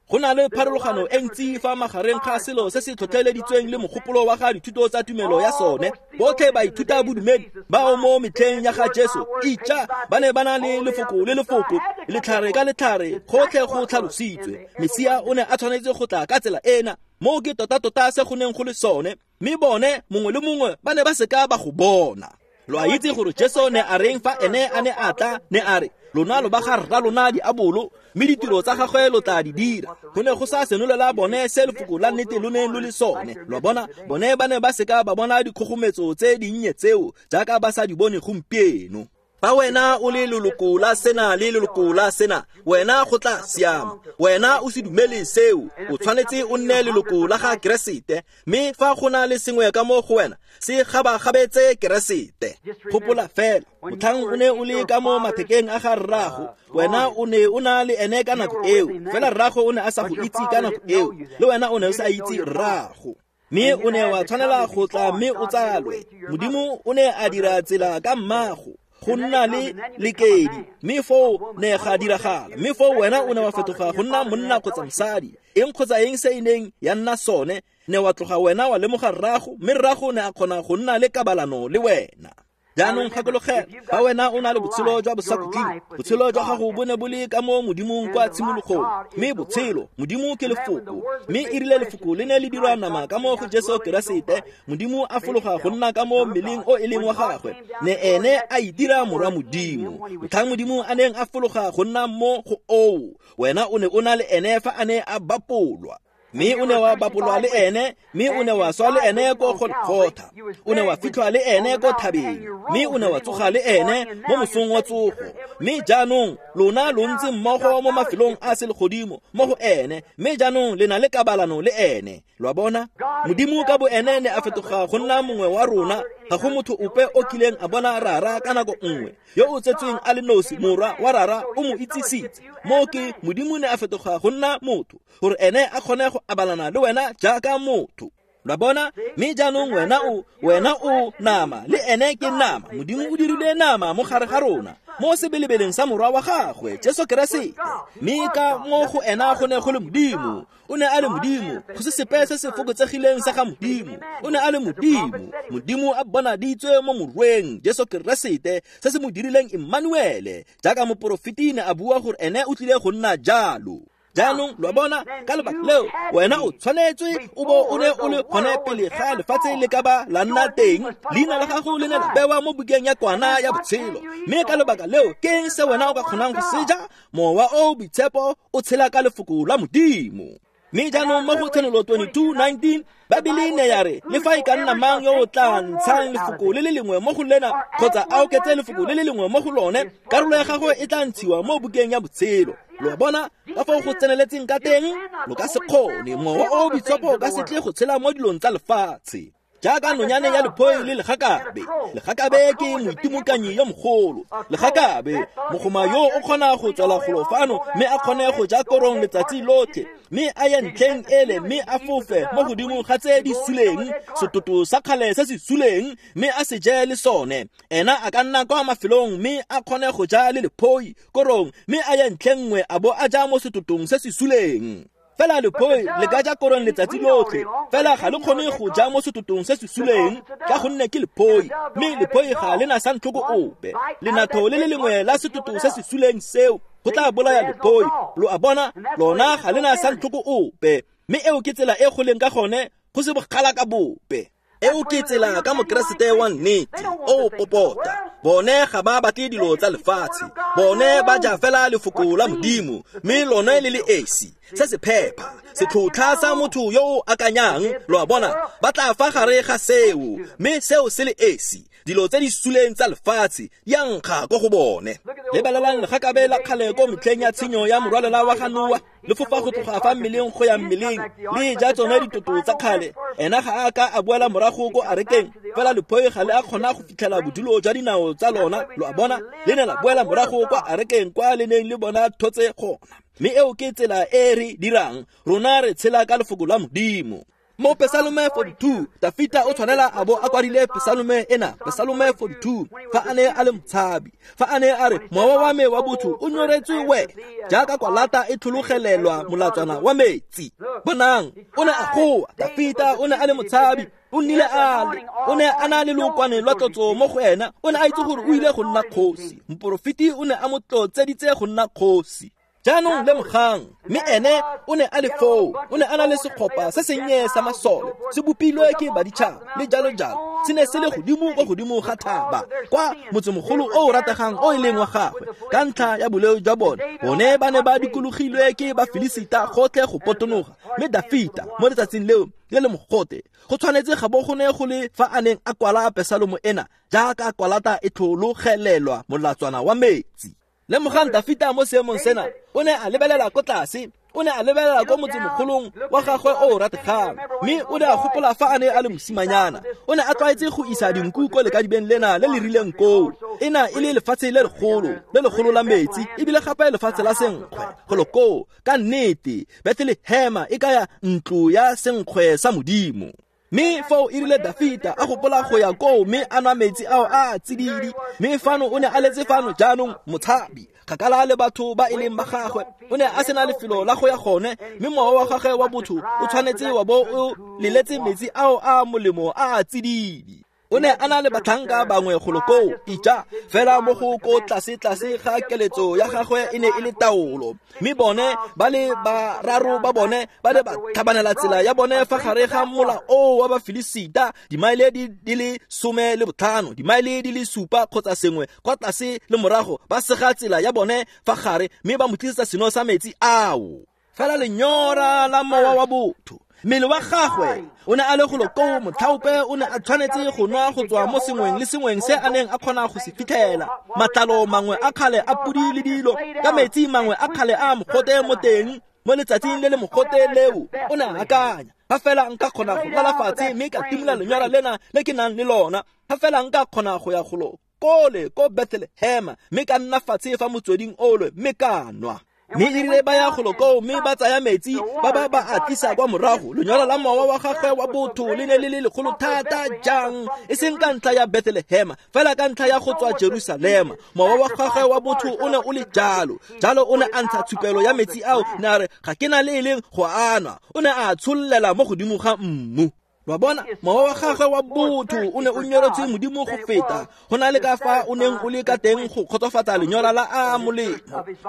Go na le pharologano e ntsi fa magareng ga selo se se tlhotlheleditsweng le mogopolo wa ga dithuto tsa tumelo ya sone. Botlhe baithuta bodumedi bao mo metlheng ya ga Jesu itja ba ne ba na le lefoko le lefoko, letlhare ka letlhare, gotlhe go tlhalositswe. Mesia o ne a tshwanetse go tla ka tsela ena, moo ke tota-tota se go neng go le sone, mme bone mongwe le mongwe ba ne ba seka ba go bona. Lo a itse gore Jesu ne a reng fa ene a ne a tla, ne a re, lona lo ba ga rra lona diabolo, mme ditiro tsa gagwe lo tla di dira. Go ne go sa senolela bone se lefoko la nnete lo neng lo le sone. Lo bona, bone ba ne ba seka ba bona dikgogometso tse dinnye tseo jaaka ba sa di bone gompieno. Fa wena o le leloko la sena le leloko la sena, wena go tla siama. Wena o se dumele seo, o tshwanetse o nne leloko la ga Keresete. Mme fa go na le sengwe ka mo go wena, se gabagabetse Keresete. Gopola fela, motlhang o ne o le ka mo mathekeng a ga rrago, wena o ne o na le ene ka nako eo, fela rrago o ne a sa go itse ka nako eo, le wena o ne o sa itse rrago. Mme o ne wa tshwanela go tla mme o tsalwe. Modimo o ne a dira tsela ka mmago go nna le lekedi, mme foo ne ga diragala. Mme foo wena o ne wa fetoga go nna monna kgotsa mosadi, eng kgotsa eng se e neng ya nna sone, ne wa tloga wena wa lemoga rrago, mme rrago ne a kgona go nna le kabalano le wena. Jaanong gakologela, fa wena o na le botshelo jwa bosakhutleng, botshelo jwa gago bo ne bo le ka mo Modimong kwa tshimologong, mme botshelo, Modimo ke lefoko, mme e rile lefoko le ne le dirwa nama ka mo go Jesu Keresete, Modimo a fologa go nna ka mo mmeleng o e leng wa gagwe, ne ene a itira morwa Modimo. Motlhang Modimo a neng a fologa go nna mo go oo, wena o ne o na le ene fa a ne a bapolwa. Mme o ne wa bapolwa le ene, mme o ne wa swa le ene ko Golgotha, o ne wa fitlhwa le ene ko thabeng, mme o ne wa tsoga le ene mo mosong wa tsogo. Mme jaanong lona lo ntse mmogo mo mafelong a selegodimo mo go ene, mme jaanong le na le kabalano le ene. Lo a bona, Modimo ka bo ene ne a fetoga go nna mongwe wa rona. Ga go motho ope o kileng a bona Rara ka nako nngwe, yo o tsetsweng a le nosi, morwa wa Rara o mo itsisitse. Mo ke Modimo ne a fetoga go nna motho, gore ene a kgone go abalana le wena jaaka motho. Lo a bona, mme jaanong wena o wena o nama, le ene ke nama. Modimo o dirile nama mo gare ga rona, mo sebelebeleng sa morwa wa gagwe Jesu Keresete. Mme ka mo go ena go ne go le Modimo, o ne a le Modimo, go se sepe se se fokotsegileng sa ga Modimo. O ne a le Modimo, Modimo a bonaditswe mo morweng Jesu Keresete, se se mo dirileng Emmanuele, jaaka moporofeti ne a bua gore ene o tlile go nna jalo. Jaanong lo a bona, ka lebaka leo wena o tshwanetswe o bo o ne o le gone pele ga lefatshe le ka ba la nna teng. Leina la gago le ne la bewa mo bukeng ya kwana ya botshelo. Mme ka lebaka leo ke eng se wena o ka kgonang go seja? Mowa o boitshepo o tshela ka lefoko la Modimo. Mme jaanong mo go Tshenolo twenty-two nineteen, Babele ne ya re, le fa e ka nna mang yo o tla ntshang lefoko le le lengwe mo go lena, kgotsa a oketse lefoko le le lengwe mo go lone, karolo ya gagwe e tla ntshiwa mo bukeng ya botshelo. Lo a bona ka fao go tseneletseng ka teng? Lo ka se kgone, mowa o boitshepo o ka se tle go tshela mo dilong tsa lefatshe. Jaaka nonyane ya lephoi le legakabe. Legakabe ke moitimokanyi yo mogolo. Legakabe, mogoma yo o kgona go tswela golo fano mme a kgone go ja korong letsatsi lotlhe, mme a ye ntlheng ele mme a fofe mo godimo ga tse di suleng, setoto sa kgale se se suleng, mme a se je le sone. Ena a ka nna kwa mafelong mme a kgone go ja le lephoi korong, mme a ye ntlheng nngwe a bo a ja mo setotong se se suleng. Fela lephoi le ka ja korong letsatsi lotlhe, fela ga le kgone go ja mo setotong se se suleng, ka gonne ke lephoi, mme lephoi ga le na santlhoko ope. Lenatho le le lengwe la setoto se se suleng seo go tla bolaya lephoi. Lo a bona, lona ga le na santlhoko ope, mme eo ke tsela e go leng ka gone, go se bogala ka bope. Eo ke tsela ka Mokeresete wa nnete o popota. Bone ga ba batle dilo tsa lefatshe, bone ba ja fela lefoko la Modimo, mme lone le le esi, se se phepa, setlhotlha sa motho yo o akanyang. Lo a bona, ba tla fa gare ga seo, mme seo se le esi, dilo tse di suleng tsa lefatshe di a nkga ko go bone. Lebelelang legakabe la kgale ko metlheng ya tshenyo ya morwalela wa ga Noa, le fofa go tloga fa mmeleng go ya mmeleng, le ja tsone ditoto tsa kgale. Ena ga a ka a boela morago ko arekeng, fela lephoi ga le a kgona go fitlhela bodulo jwa dinao tsa lona. Lo a bona, le ne la boela morago kwa arekeng kwa le neng le bona thotse gona. Mme eo ke tsela e re dirang, rona re tshela ka lefoko la Modimo. Mo Pesalome forty-two, Dafita o tshwanela a bo a kwadile Pesalome ena, Pesalome forty-two, fa a ne a le motshabi, fa a ne a re mowa wa me wa botho o nyoretswe wena, jaaka kwalata e tlhologelelwa molatswana wa metsi. Bonang, o ne a goa, Dafita o ne a le motshabi, o nnile a le, o ne a na le lookwane lwa tlotso mo go ena, o ne a itse gore o ile go nna kgosi. Moporofeti o ne a mo tlotseditse go nna kgosi. Jaanong lemogang, mme ene o ne a le foo, o ne a na le setlhopha se sennye sa masole, se bopilwe ke baditšhaba le jalo jalo. Se ne se le godimo kwa godimo ga thaba, kwa motsemogolo o o rategang o e leng wa gagwe. Ka ntlha ya boleo jwa bone, bone ba ne ba dikologilwe ke Bafilisita gotlhe go potonoga. Mme Dafita mo letsatsing leo le le mogote, go tshwanetse ga bo go ne go le fa a neng a kwala Pesalomo ena, jaaka kwalata e tlhologelelwa molatswana wa metsi. Lemogang Dafita mo seemong sena, o ne a lebelela ko tlase, o ne a lebelela ko motsemogolong wa gagwe o o rategang, mme o ne a gopola fa a ne a le mosimanyana. O ne a tlwaetse go isa dinku ko lekadibeng lena le le rileng koo. Ena e le lefatshe le legolo, le legolo la metsi, ebile gape lefatshe la senkgwe. Golo koo, ka nnete, Bethlehema e kaya ntlo ya senkgwe sa Modimo. Mme foo e rile Dafita a gopola go ya koo mme a nwa metsi ao a tsididi. Mme fano o ne a letse fano jaanong motshabi, kgakala le batho ba e leng ba gagwe. O ne a sena lefelo la go ya gone, mme mowa wa gagwe wa botho o tshwanetse wa bo o leletse metsi ao a molemo a a tsididi. O ne a na le batlhanka bangwe golo koo, ija fela mo go ko tlase tlase ga keletso ya gagwe e ne e le taolo. Mme bone ba le bararo ba bone ba ne ba tlhabanela tsela ya bone fa gare ga mola oo wa Bafilisita, dimaele di, di le some le botlhano, dimaele di le supa kgotsa sengwe kwa tlase le morago, ba sega tsela ya bone fa gare, mme ba mo tlisetsa seno sa metsi ao. Fela lenyora la mowa wa botho, mmele wa gagwe o ne a le golo koo, motlhaope o ne a tshwanetse go nwa go tswa mo sengweng le sengweng se a neng a kgona go se fitlhela. Matlalo mangwe a kgale a podi le dilo, ka metsi mangwe a kgale a mogote mo teng, mo letsatsing le le mogote leo, o ne a akanya, fa fela nka kgona go lala fatshe mme ka timola lenyora lena le ke nang le lona, fa fela nka kgona go ya golo kole ko Bethlehema mme ka nna fatshe fa motsweding ole mme ka nwa. Mme e rile ba ya golo koo mme ba tsaya metsi ba ba ba a tlisa kwa morago. Lenyora la mowa wa gagwe wa botho le ne le le legolo thata jang, e seng ka ntlha ya Bethlehema, fela ka ntlha ya go tswa Jerusalema. Mowa wa gagwe wa botho o ne o le jalo. Jalo o ne a ntsha tshupelo ya metsi ao, ne a re ga ke na le e leng go a nwa. O ne a tshollela mo godimo ga mmu. Wa bona, mowa wa gagwe wa botho o ne o nyoretswe Modimo go feta go na le ka fa o neng o le ka teng go kgotsofatsa lenyora la a molemo.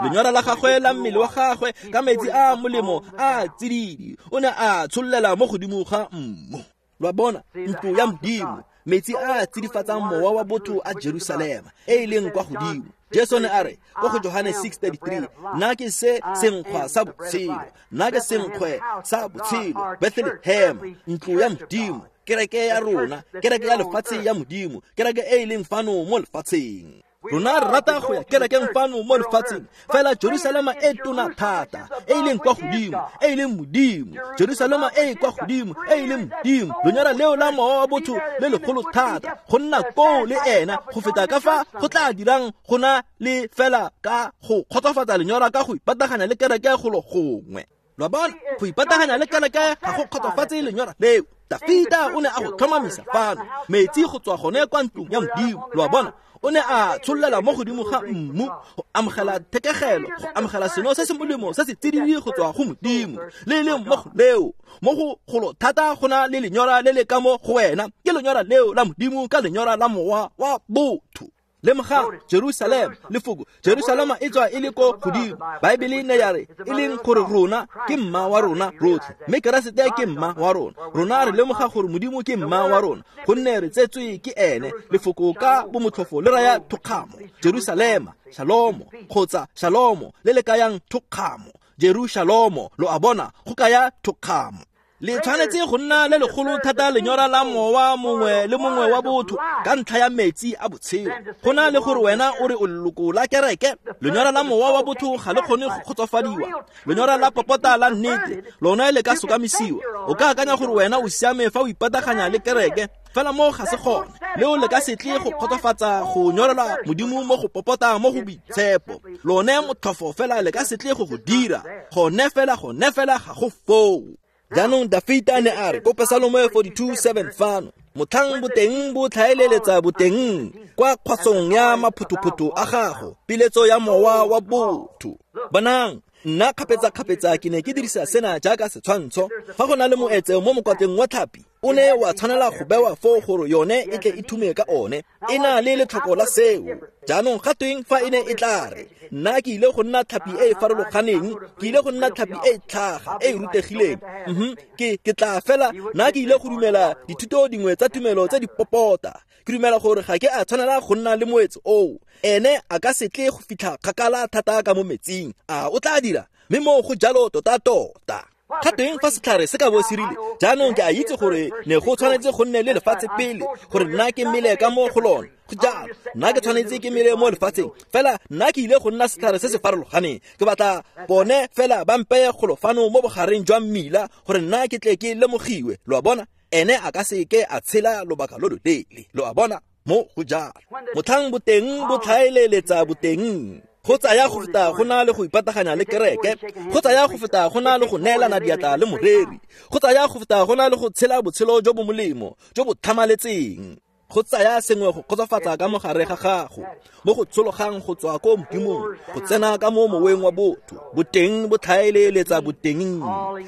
Lenyora la gagwe la mmele wa gagwe ka metsi a molemo a tsididi, o ne a tshollela mo godimo ga mmu. Lwa bona, ntlo ya Modimo, metsi a tsidifatsang mowa wa botho a Jerusalema e e leng kwa godimo. Jesu ne a re ko go Johane six thirty-three, nna ke se senkgwa sa botshelo, nna ke senkgwe sa botshelo. Bethlehema, ntlo ya Modimo, kereke ya rona, kereke ya lefatshe ya Modimo, kereke e e leng fano mo lefatsheng. Rona re rata go ya kerekeng fano mo lefatsheng, fela Jerusalema e tona thata, e e leng kwa godimo, e e leng Modimo. Jerusalema e e kwa godimo, e e leng Modimo. Lenyora leo la mowa wa botho le legolo thata, go nna koo le ena go feta ka fa go tla dirang go na le fela ka go kgotsofatsa lenyora ka go ipataganya le kereke golo gongwe. Lwa bona, go ipataganya le kereke ga go kgotsofatse lenyora leo. Dafita o ne a go tlhomamisa fano, metsi go tswa gone kwa ntlong ya Modimo. Lwa bona, o ne a tshollela mo godimo ga mmu go amogela thekegelo, go amogela seno se se molemo se se tsididi go tswa go Modimo. Le leng mo go leo, mo go golo thata go na le lenyora le le ka mo go wena, ke lenyora leo la Modimo ka lenyora la mowa wa botho. Lemogang Jerusalema, lefoko Jerusalema e tswa e le ko godimo. Baebele ne ya re e leng gore rona ke mma wa rona rotlhe, mme Keresete ke mma wa rona. Rona re lemoga gore Modimo ke mma wa rona, gonne re tsetswe ke ene. Lefoko ka bomotlhofo le raya thokgamo. Jerusalema, Shalomo kgotsa Shalomo le le kayang thokgamo. Jerusalemo, lo a bona, go kaya thokgamo. Le tshwanetse go nna le legolo thata lenyora la mowa mongwe le mongwe wa botho ka ntlha ya metsi a botshelo. Go na le gore wena o re o leloko la kereke, lenyora la mowa wa botho ga le kgone go kgotsofadiwa. Lenyora la popota la nnete lona le ka sokamisiwa. O ka akanya gore wena o siame fa o ipataganya le kereke, fela mo ga se gone. Leo le ka se tle go kgotsofatsa go nyorelwa Modimo mo go popota mo go boitshepo. Lone motlhofo fela le ka se tle go go dira. Gone fela, gone fela ga go foo. Jaanong Dafita ne a re ko Pesalome forty-two seven fano, motlhang boteng bo tlhaeleletsa boteng kwa kgwasong ya maphuthuputhu a gago, piletso ya mowa wa botho. Bonang, nna kgapetsa-kgapetsa ke ne ke dirisa sena jaaka setshwantsho. Fa go na le moetse mo mokwatleng wa tlhapi, o ne wa tshwanela go bewa foo gore yone e tle e thume ka one. E na le letlhoko la seo. Jaanong ga tweng fa e ne e tla re, nna ke ile go nna tlhapi e e farologaneng, ke ile go nna tlhapi e e tlhaga, e e rutegileng. Mhm, ke ke tla fela, nna ke ile go dumela dithuto dingwe tsa tumelo tse di popota. Ke dumela gore ga ke a tshwanela go nna le moetse oo. Ene a ka se tle go fitlha kgakala thata ka mo metsing. A o tla dira? Mme moo go jalo tota-tota. Ga teng fa setlhare se ka bo se rile, jaanong ke a itse gore ne go tshwanetse go nne le lefatshe pele gore nna ke mele ka mo go lone. Go jalo, nna ke tshwanetse ke mele mo lefatsheng, fela nna ke ile go nna setlhare se se farologaneng. Ke batla bone fela ba mpeye golo fano mo bogareng jwa mmila gore nna ke tle ke lemogiwe. Lo a bona? Ene a ka se ke a tshela lobaka lo loleele. Lo a bona? Mo go jalo. Motlhang boteng bo tlhaeleletsa boteng. Go tsaya go feta go na le go ipataganya le kereke, go tsaya go feta go na le go neelana diatla le moreri, go tsaya go feta go na le go tshela botshelo jo bo molemo, jo bo tlhamaletseng. Go tsaya sengwe go kgotsofatsa ka mogare ga gago, mo go tshologang go tswa ko Modimong, go tsena ka mo moweng wa botho. Boteng bo tlhaeleletsa boteng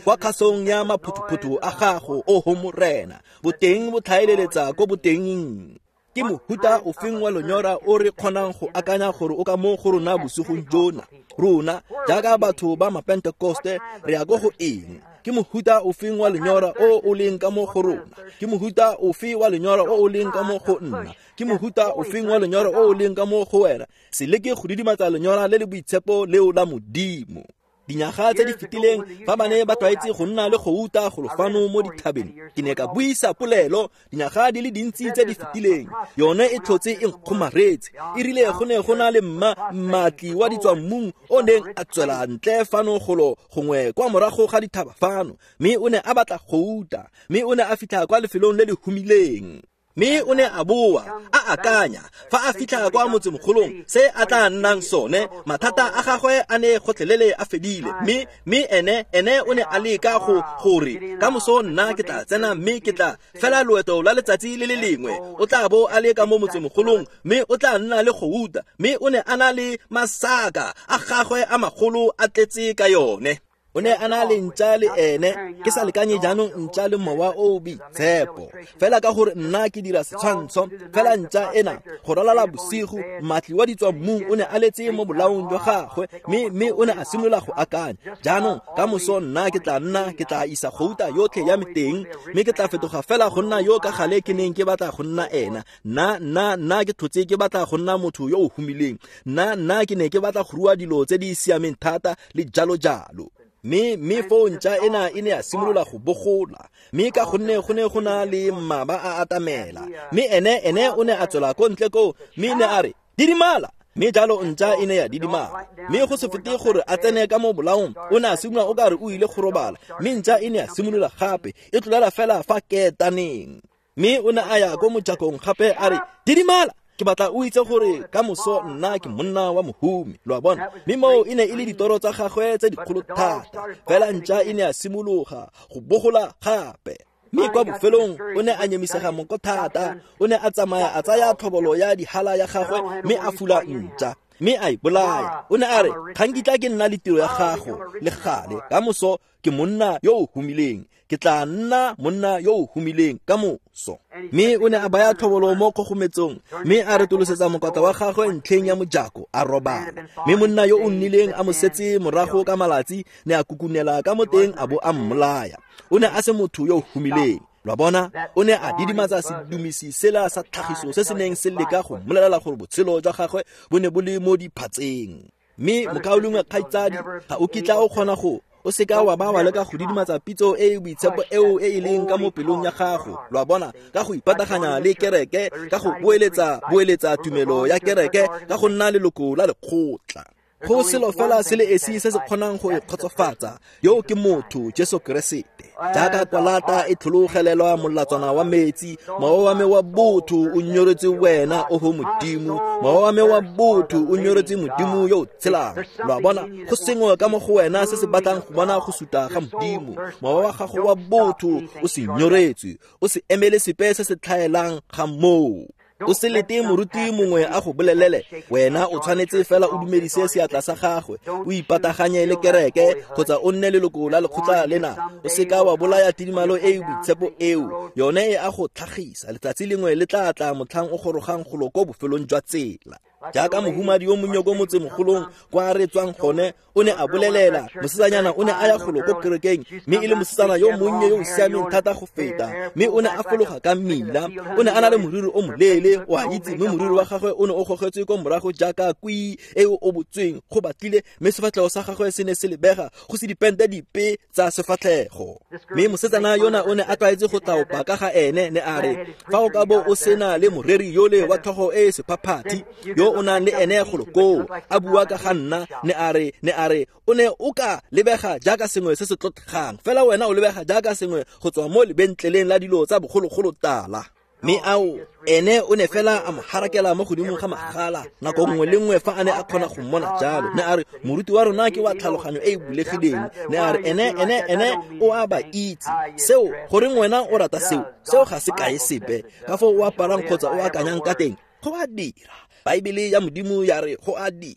kwa kgasong ya maphuthuputhu a gago, oho Morena. Boteng bo tlhaeleletsa ko boteng. Ke mohuta ofeng wa lenyora o re kgonang go akanya gore o ka mo go rona bosigong jona? Rona jaaka batho ba Mapentekoste re ya ko go eng? Ke mohuta ofeng wa lenyora o o leng ka mo go rona? Ke mohuta ofe wa lenyora o o leng ka mo go nna? Ke mohuta ofeng wa lenyora o o leng ka mo go wena? Se leke go didimatsa lenyora le le boitshepo leo la Modimo. Dinyaga tse di fetileng fa ba ne ba tlwaetse go nna le gouta golo fano mo dithabeng, ke ne ka buisa polelo dinyaga di le dintsi tse di fetileng. Yone e tlhotse e nkgomaretse. E rile go ne go na le mma mmatli wa ditswammung o neng a tswela ntle fano golo gongwe kwa morago ga dithaba fano, mme o ne a batla gouta, mme o ne a fitlha kwa lefelong le le humileng. Mme o ne a boa a akanya fa a fitlha kwa motsemogolong se a tla nnang sone, mathata a gagwe a ne gotlhelele a fedile. Mme mme ene ene o ne a leka go gore ka moso nna ke tla tsena mme ke tla fela loeto la letsatsi le le lengwe. O tla bo a le ka mo motsemogolong mme o tla nna le gouta, mme o ne a na le masaka a gagwe a magolo a tletse ka yone. O ne a na le ntša le ene, ke sa lekanye jaanong ntša le mowa o o boitshepo. Fela ka gore nna ke dira setshwantsho, fela ntša ena go ralala bosigo, mmatli wa ditswammung o ne a letse mo bolaong jwa gagwe, mme mme o ne a simolola go akanya, jaanong ka moso nna ke tla nna ke tla isa gouta yotlhe ya me teng, mme ke tla fetoga fela go nna yo ka gale ke neng ke batla go nna ena. Nna nna nna ke tlhotse ke batla go nna motho yo o humileng. Nna nna ke ne ke batla go rua dilo tse di siameng thata le jalo jalo. Mme mme foo ntša ena e ne ya simolola go bogola, mme ka gonne go ne go na le mmaba a atamela, mme ene ene o ne a tswela ko ntle koo, mme ne a re didimala. Mme jalo ntša e ne ya didimala, mme go se fete gore a tsene ka mo bolaong, o ne a simolola o ka re o ile go robala, mme ntša e ne ya simolola gape e tlolela fela fa ketaneng. Mme o ne a ya ko mojakong gape a re didimala, ke batla o itse gore ka moso nna ke monna wa mohumi. Lo a bona? Mme moo e ne e le ditoro tsa gagwe tse dikgolo thata. Fela ntša e ne ya simologa go bogola gape. Mme kwa bofelong o ne a nyemisega monko thata. O ne a tsamaya a tsaya tlhobolo ya dihala ya gagwe mme a fula ntša, mme a e bolaya. O ne a re, ga nkitla ke nna le tiro ya gago le gale, ka moso ke monna yo o humileng, ke tla nna monna yo o humileng ka moso. Mme o ne a baya tlhobolo mo kgogometsong, mme a retolosetsa mokwatla wa gagwe ntlheng ya mojako, a robala. Mme monna yo o nnileng a mo setse morago ka malatsi ne a kukunela ka mo teng a bo a mmolaya. O ne a se motho yo o humileng. Lo a bona? O ne a didimatsa sedumisi sela sa tlhagiso se se neng se leka go mmolelela gore botshelo jwa gagwe bo ne bo le mo diphatseng. Mme mokaulengwe kgaitsadi, ga o kitla o kgona go o seka wa ba wa leka go didimatsa pitso e e boitshepo eo e e leng ka mo pelong ya gago. Lo a bona? Ka go ipataganya le kereke, ka go boeletsa boeletsa tumelo ya kereke, ka go nna leloko la lekgotla. Go selo fela se le esi se se kgonang go e kgotsofatsa, yo ke motho Jesu Keresete. Jaaka kwalata e tlhologelelwa molatswana wa metsi, mowa wa me wa botho o nyoretse wena, oho Modimo. Mowa wa me wa botho o nyoretse Modimo yo o tshelang. Lo a bona, go sengwe ka mo go wena se se batlang go bona go suta ga Modimo. Mowa wa gago wa botho o se nyoretswe, o se emele sepe se se tlhaelang ga moo. O se lete moruti mongwe a go bolelele, wena o tshwanetse fela o dumedise seatla sa gagwe, o ipataganye le kereke kgotsa o nne leloko la lekgotla lena. O seka wa bolaya tidimalo e e boitshepo eo, yone e a go tlhagisa. Letsatsi lengwe le tla tla motlhang o gorogang golo ko bofelong jwa tsela. Jaaka mohumadi yo monnye ko motsemogolong kwa re tswang gone o ne a bolelela, mosetsanyana o ne a ya golo ko kerekeng, mme e le mosetsana yo monnye yo o siameng thata go feta, mme o ne a fologa ka mmila. O ne a na le moriri o moleele, o a itse, mme moriri wa gagwe o ne o gogetswe ko morago jaaka kwii e o obotsweng go batlile, mme sefatlhego sa gagwe se ne se lebega go se dipente dipe tsa sefatlhego. Mme mosetsana yona o ne a tlwaetse go tlaopa ka ga ene, ne a re, fa o ka bo o sena le moreri yole wa tlhogo e e sephaphathi yo o nang le ene golo koo a bua ka ga nna, ne a re, ne a re, o ne o ka lebega jaaka sengwe se se tlotlegang, fela wena o lebega jaaka sengwe go tswa mo lebentleleng la dilo tsa bogologolo tala. Mme ao, ene o ne fela a mo harakela mo godimo ga magala nako nngwe le nngwe fa a ne a kgona go mmona jalo. Ne a re, moruti wa rona ke wa tlhaloganyo e e bulegileng. Ne a re, ene, ene, ene o a ba itse. Seo, goreng wena o rata seo? Seo ga se kae sepe. Ka foo o aparang kgotsa o akanyang ka teng, go a dira. Baebele ya Modimo ya re go a dira.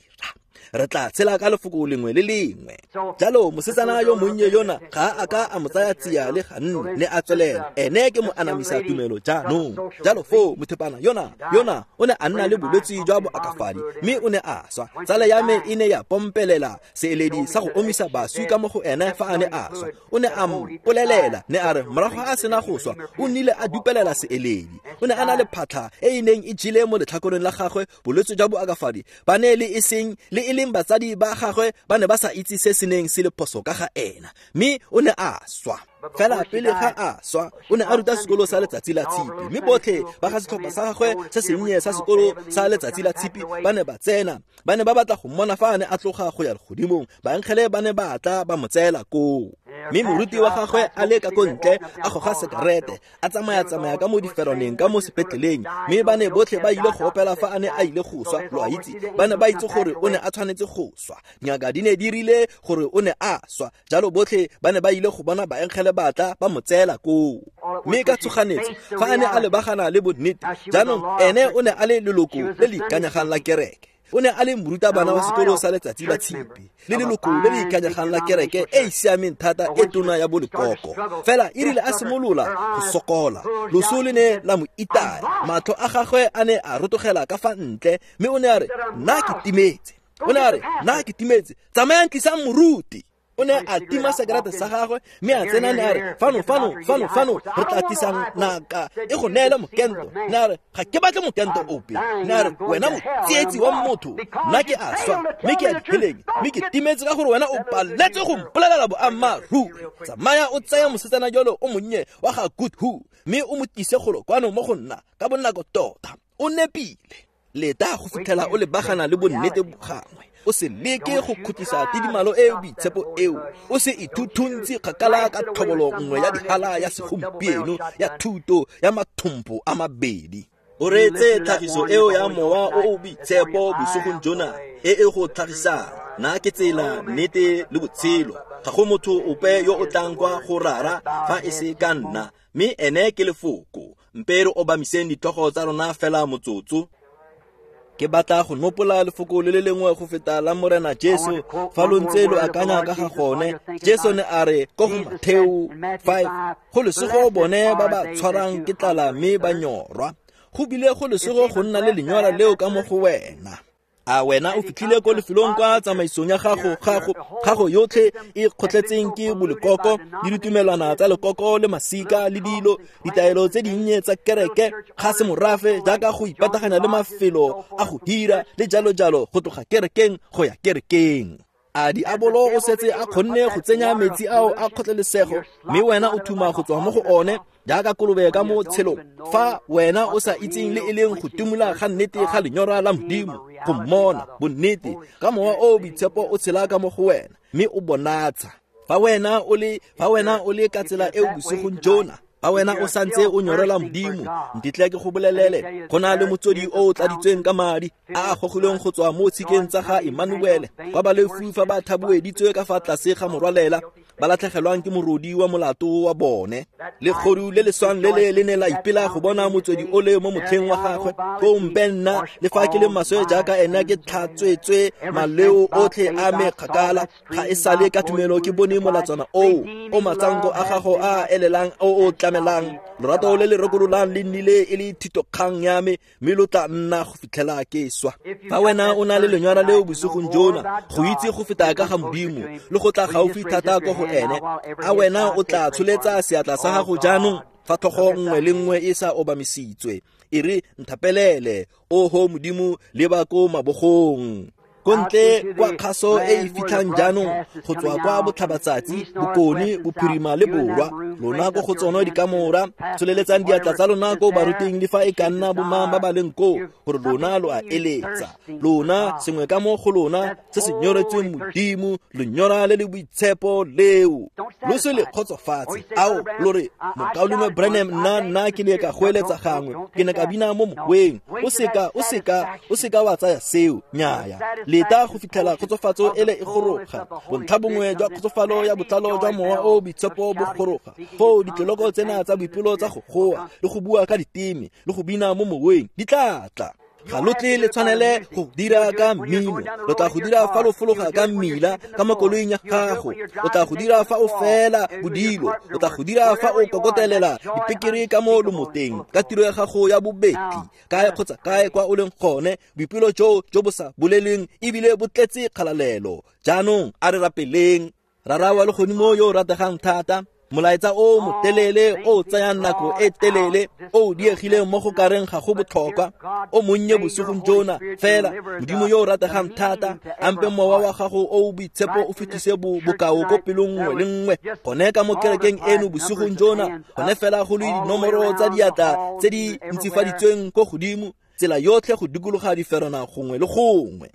Re tla tshela ka lefoko lengwe le lengwe. Jalo mosetsana yo monnye yona ga a ka a mo tsaya tsia le ganne, ne a tswelela. Ene ke mo anamisa tumelo jaanong. Jalo foo mothepana yona, yona o ne a nna le bolwetse jwa boakafadi, mme o ne a swa. Tsala ya me e ne ya pompelela seeledi sa go omisa baswi ka mo go ene fa a ne a swa. O ne a mpolelela, ne a re morago a sena go swa, o nnile a dupelela seeledi. O ne a na le phatlha e e neng e jele mo letlhakoreng la gagwe, bolwetse jwa boakafadi ba ne le e seng le e leng batsadi ba gagwe ba ne ba sa itse se se neng se le phoso ka ga ena, mme o ne a swa. Fela pele ga a swa, o ne a ruta sekolo sa letsatsi la tshipi, mme botlhe ba ga setlhopha sa gagwe se sennye sa sekolo sa letsatsi la tshipi ba ne ba tsena. Ba ne ba batla go mmona fa a ne a tloga go ya legodimong. Baengele ba ne ba tla ba mo tseela koo. Mme moruti wa gagwe a le ka ko ntle a goga sekerete, a tsamaya-tsamaya ka mo diferoneng ka mo sepetleleng, mme ba ne botlhe ba ile go opela fa a ne a ile go swa. Lo a itse, ba ne ba itse gore o ne a tshwanetse go swa. Dingaka di ne di rile gore o ne a swa, jalo botlhe ba ne ba ile go bona baengele ba tla ba mo tseela koo. Mme ka tshoganetso fa a ne a lebagana le bonnete, jaanong ene o ne a le leloko le le ikanyegang la kereke. O ne a le morutabana wa sekolo sa letsatsi la tshipi, le leloko le le ikanyegang la kereke e e siameng thata e tona ya bolekoko. Fela e rile a simolola go sokola, loso le ne la mo itaya, matlho a gagwe a ne a rotogela ka fa ntle, mme o ne a re, nna ke timetse. O ne a re, nna ke timetse, tsamayang tlisang moruti. O ne a tima sekerete sa gagwe, mme a tsena, ne a re, fano, fano, fano, fano, re tla tlisang ngaka e go neele mokento. Ne a re, ga ke batle mokento ope. Ne a re, wena motsietsi wa motho, nna ke a swa, mme ke ya diheleng, mme ke timetse ka gore wena o paletswe go mpolelela boammaaruri. Tsamaya o tsaya mosetsana jalo o monnye wa ga Goodhu, mme o mo tlise golo kwano mo go nna ka bonako tota. O nepile. Leta go fitlhela o lebagana le bonnete gangwe. O se leke go khutlisa tidimalo e e boitshepo eo. O se ithuthuntse kgakala ka tlhobolo nngwe ya dihala ya segompieno ya thuto ya mathompo a mabedi. O reetse tlhagiso eo ya mowa o o boitshepo bosigong jona e e go tlhagisang. Nna ke tsela, nnete le botshelo. Ga go motho ope yo o tlang kwa go Rara fa e se ka nna, mme ene ke lefoko. Mpe re obamiseng ditlhogo tsa rona fela motsotso. Ke batla go nopola lefoko le le lengwe go feta la Morena Jesu fa lo ntse lo akanya ka ga gone. Jesu ne a re ko go Matheo five, go lesego bone ba ba tshwarang ke tlala mme ba nyorwa. Go bile go lesego go nna le lenyora leo ka mo go wena. A wena o fitlhile ko lefelong kwa tsamaisong ya gago, gago, gago yotlhe e kgotletseng ke bolekoko le ditumelwana tsa lekoko le masika le dilo, ditaelo tse dinnye tsa kereke, ga se morafe jaaka go ipataganya le mafelo a go hira le jalo jalo go tloga kerekeng go ya kerekeng. A diabolo o setse a kgonne go tsenya metsi ao a kgotlelesego, mme wena o thuma go tswa mo go one. Jaaka kolobe ka mo tshelong, fa wena o sa itseng le e leng go timola ga nnete ga lenyora la Modimo, go mmona bonnete ka mowa o boitshepo o tshela ka mo go wena, mme o bonatsha. Fa wena o le fa wena o le ka tsela eo bosigong jona, fa wena o santse o nyorela Modimo, ntitle ke go bolelele, go na le motswedi o o tladitsweng ka madi a a gogilweng go tswa mo tshikeng tsa ga Emmanuele, kwa baleofi fa ba thabueditswe ka fa tlase ga morwalela, ba latlhegelwang ke morodi wa molato wa bone. Legodu le le swang le le le ne la ipela go bona motswedi o le mo motlheng wa gagwe. Ko mpe nna le fa ke le maswe jaaka ena ke tlhatswetswe maleo otlhe a me kgakala, ga e sale ka tumelo ke bone molatswana oo o matsanko a gago a elelang o o tlamelang. Lorato le le rekololang le nnile e le thitokgang ya me, mme lo tla nna go fitlhela ke swa. Fa wena o na le lenyora leo bosigong jona, go itse go feta ka ga Modimo le go tla gaufi thata ko go ene, a wena o tla tsholetsa seatla sa gago jaanong fa tlhogo nngwe le nngwe e sa obamisitswe. E re nthapelele, oho Modimo, leba ko mabogong. Ko ntle kwa kgaso e e fitlhang jaanong go tswa kwa botlhabatsatsi, bokone, bophirima le borwa, lona ko go tsona dikamora, tsholeletsang diatla tsa lona ko baruting le fa e ka nna bomang ba ba leng koo, gore lona lo a eletsa. Lona sengwe ka mo go lona se se nyoretsweng Modimo, lenyora le le boitshepo leo. Lo se le kgotsofatse. Ao, lo re, Mokaulengwe Branham, nna nna ke ne ka goeletsa gangwe, ke ne ka bina mo moweng. O seka, o seka, o seka wa tsaya seo, nnyaya. Leta go fitlhela kgotsofatso ele e goroga, bontlha bongwe jwa kgotsofalo ya botlalo jwa mowa o boitshepo bo goroga. Foo ditloloko tsena tsa boipelo tsa go goa le go bua ka diteme le go bina mo moweng di tla tla. Ga lo tle le tshwanele go dira ka mmino, lo tla go dira fa lo fologa ka mmila ka mo koloing ya gago, o tla go dira fa o fela bodilo, o tla go dira fa o kokotelela dipekere ka mo lomoteng ka tiro ya gago ya bobetli, kae kgotsa kae kwa o leng gone. Boipelo jo jo bo sa boleleng ebile bo tletse kgalalelo. Jaanong a re rapeleng. Rara wa legodimo yo o rategang thata, molaetsa o motelele o tsayang nako e telele o diegileng mo go kareng ga go botlhokwa, o monnye bosigong jona fela. Modimo yo o rategang thata, ampe mowa wa gago o boitshepo o fetise bokao ko pelong nngwe le nngwe gone ka mo kerekeng eno bosigong jona, gone fela go le dinomoro tsa diatla tse di ntsifaditsweng ko godimo, tsela yotlhe go dikologa diferana gongwe le gongwe.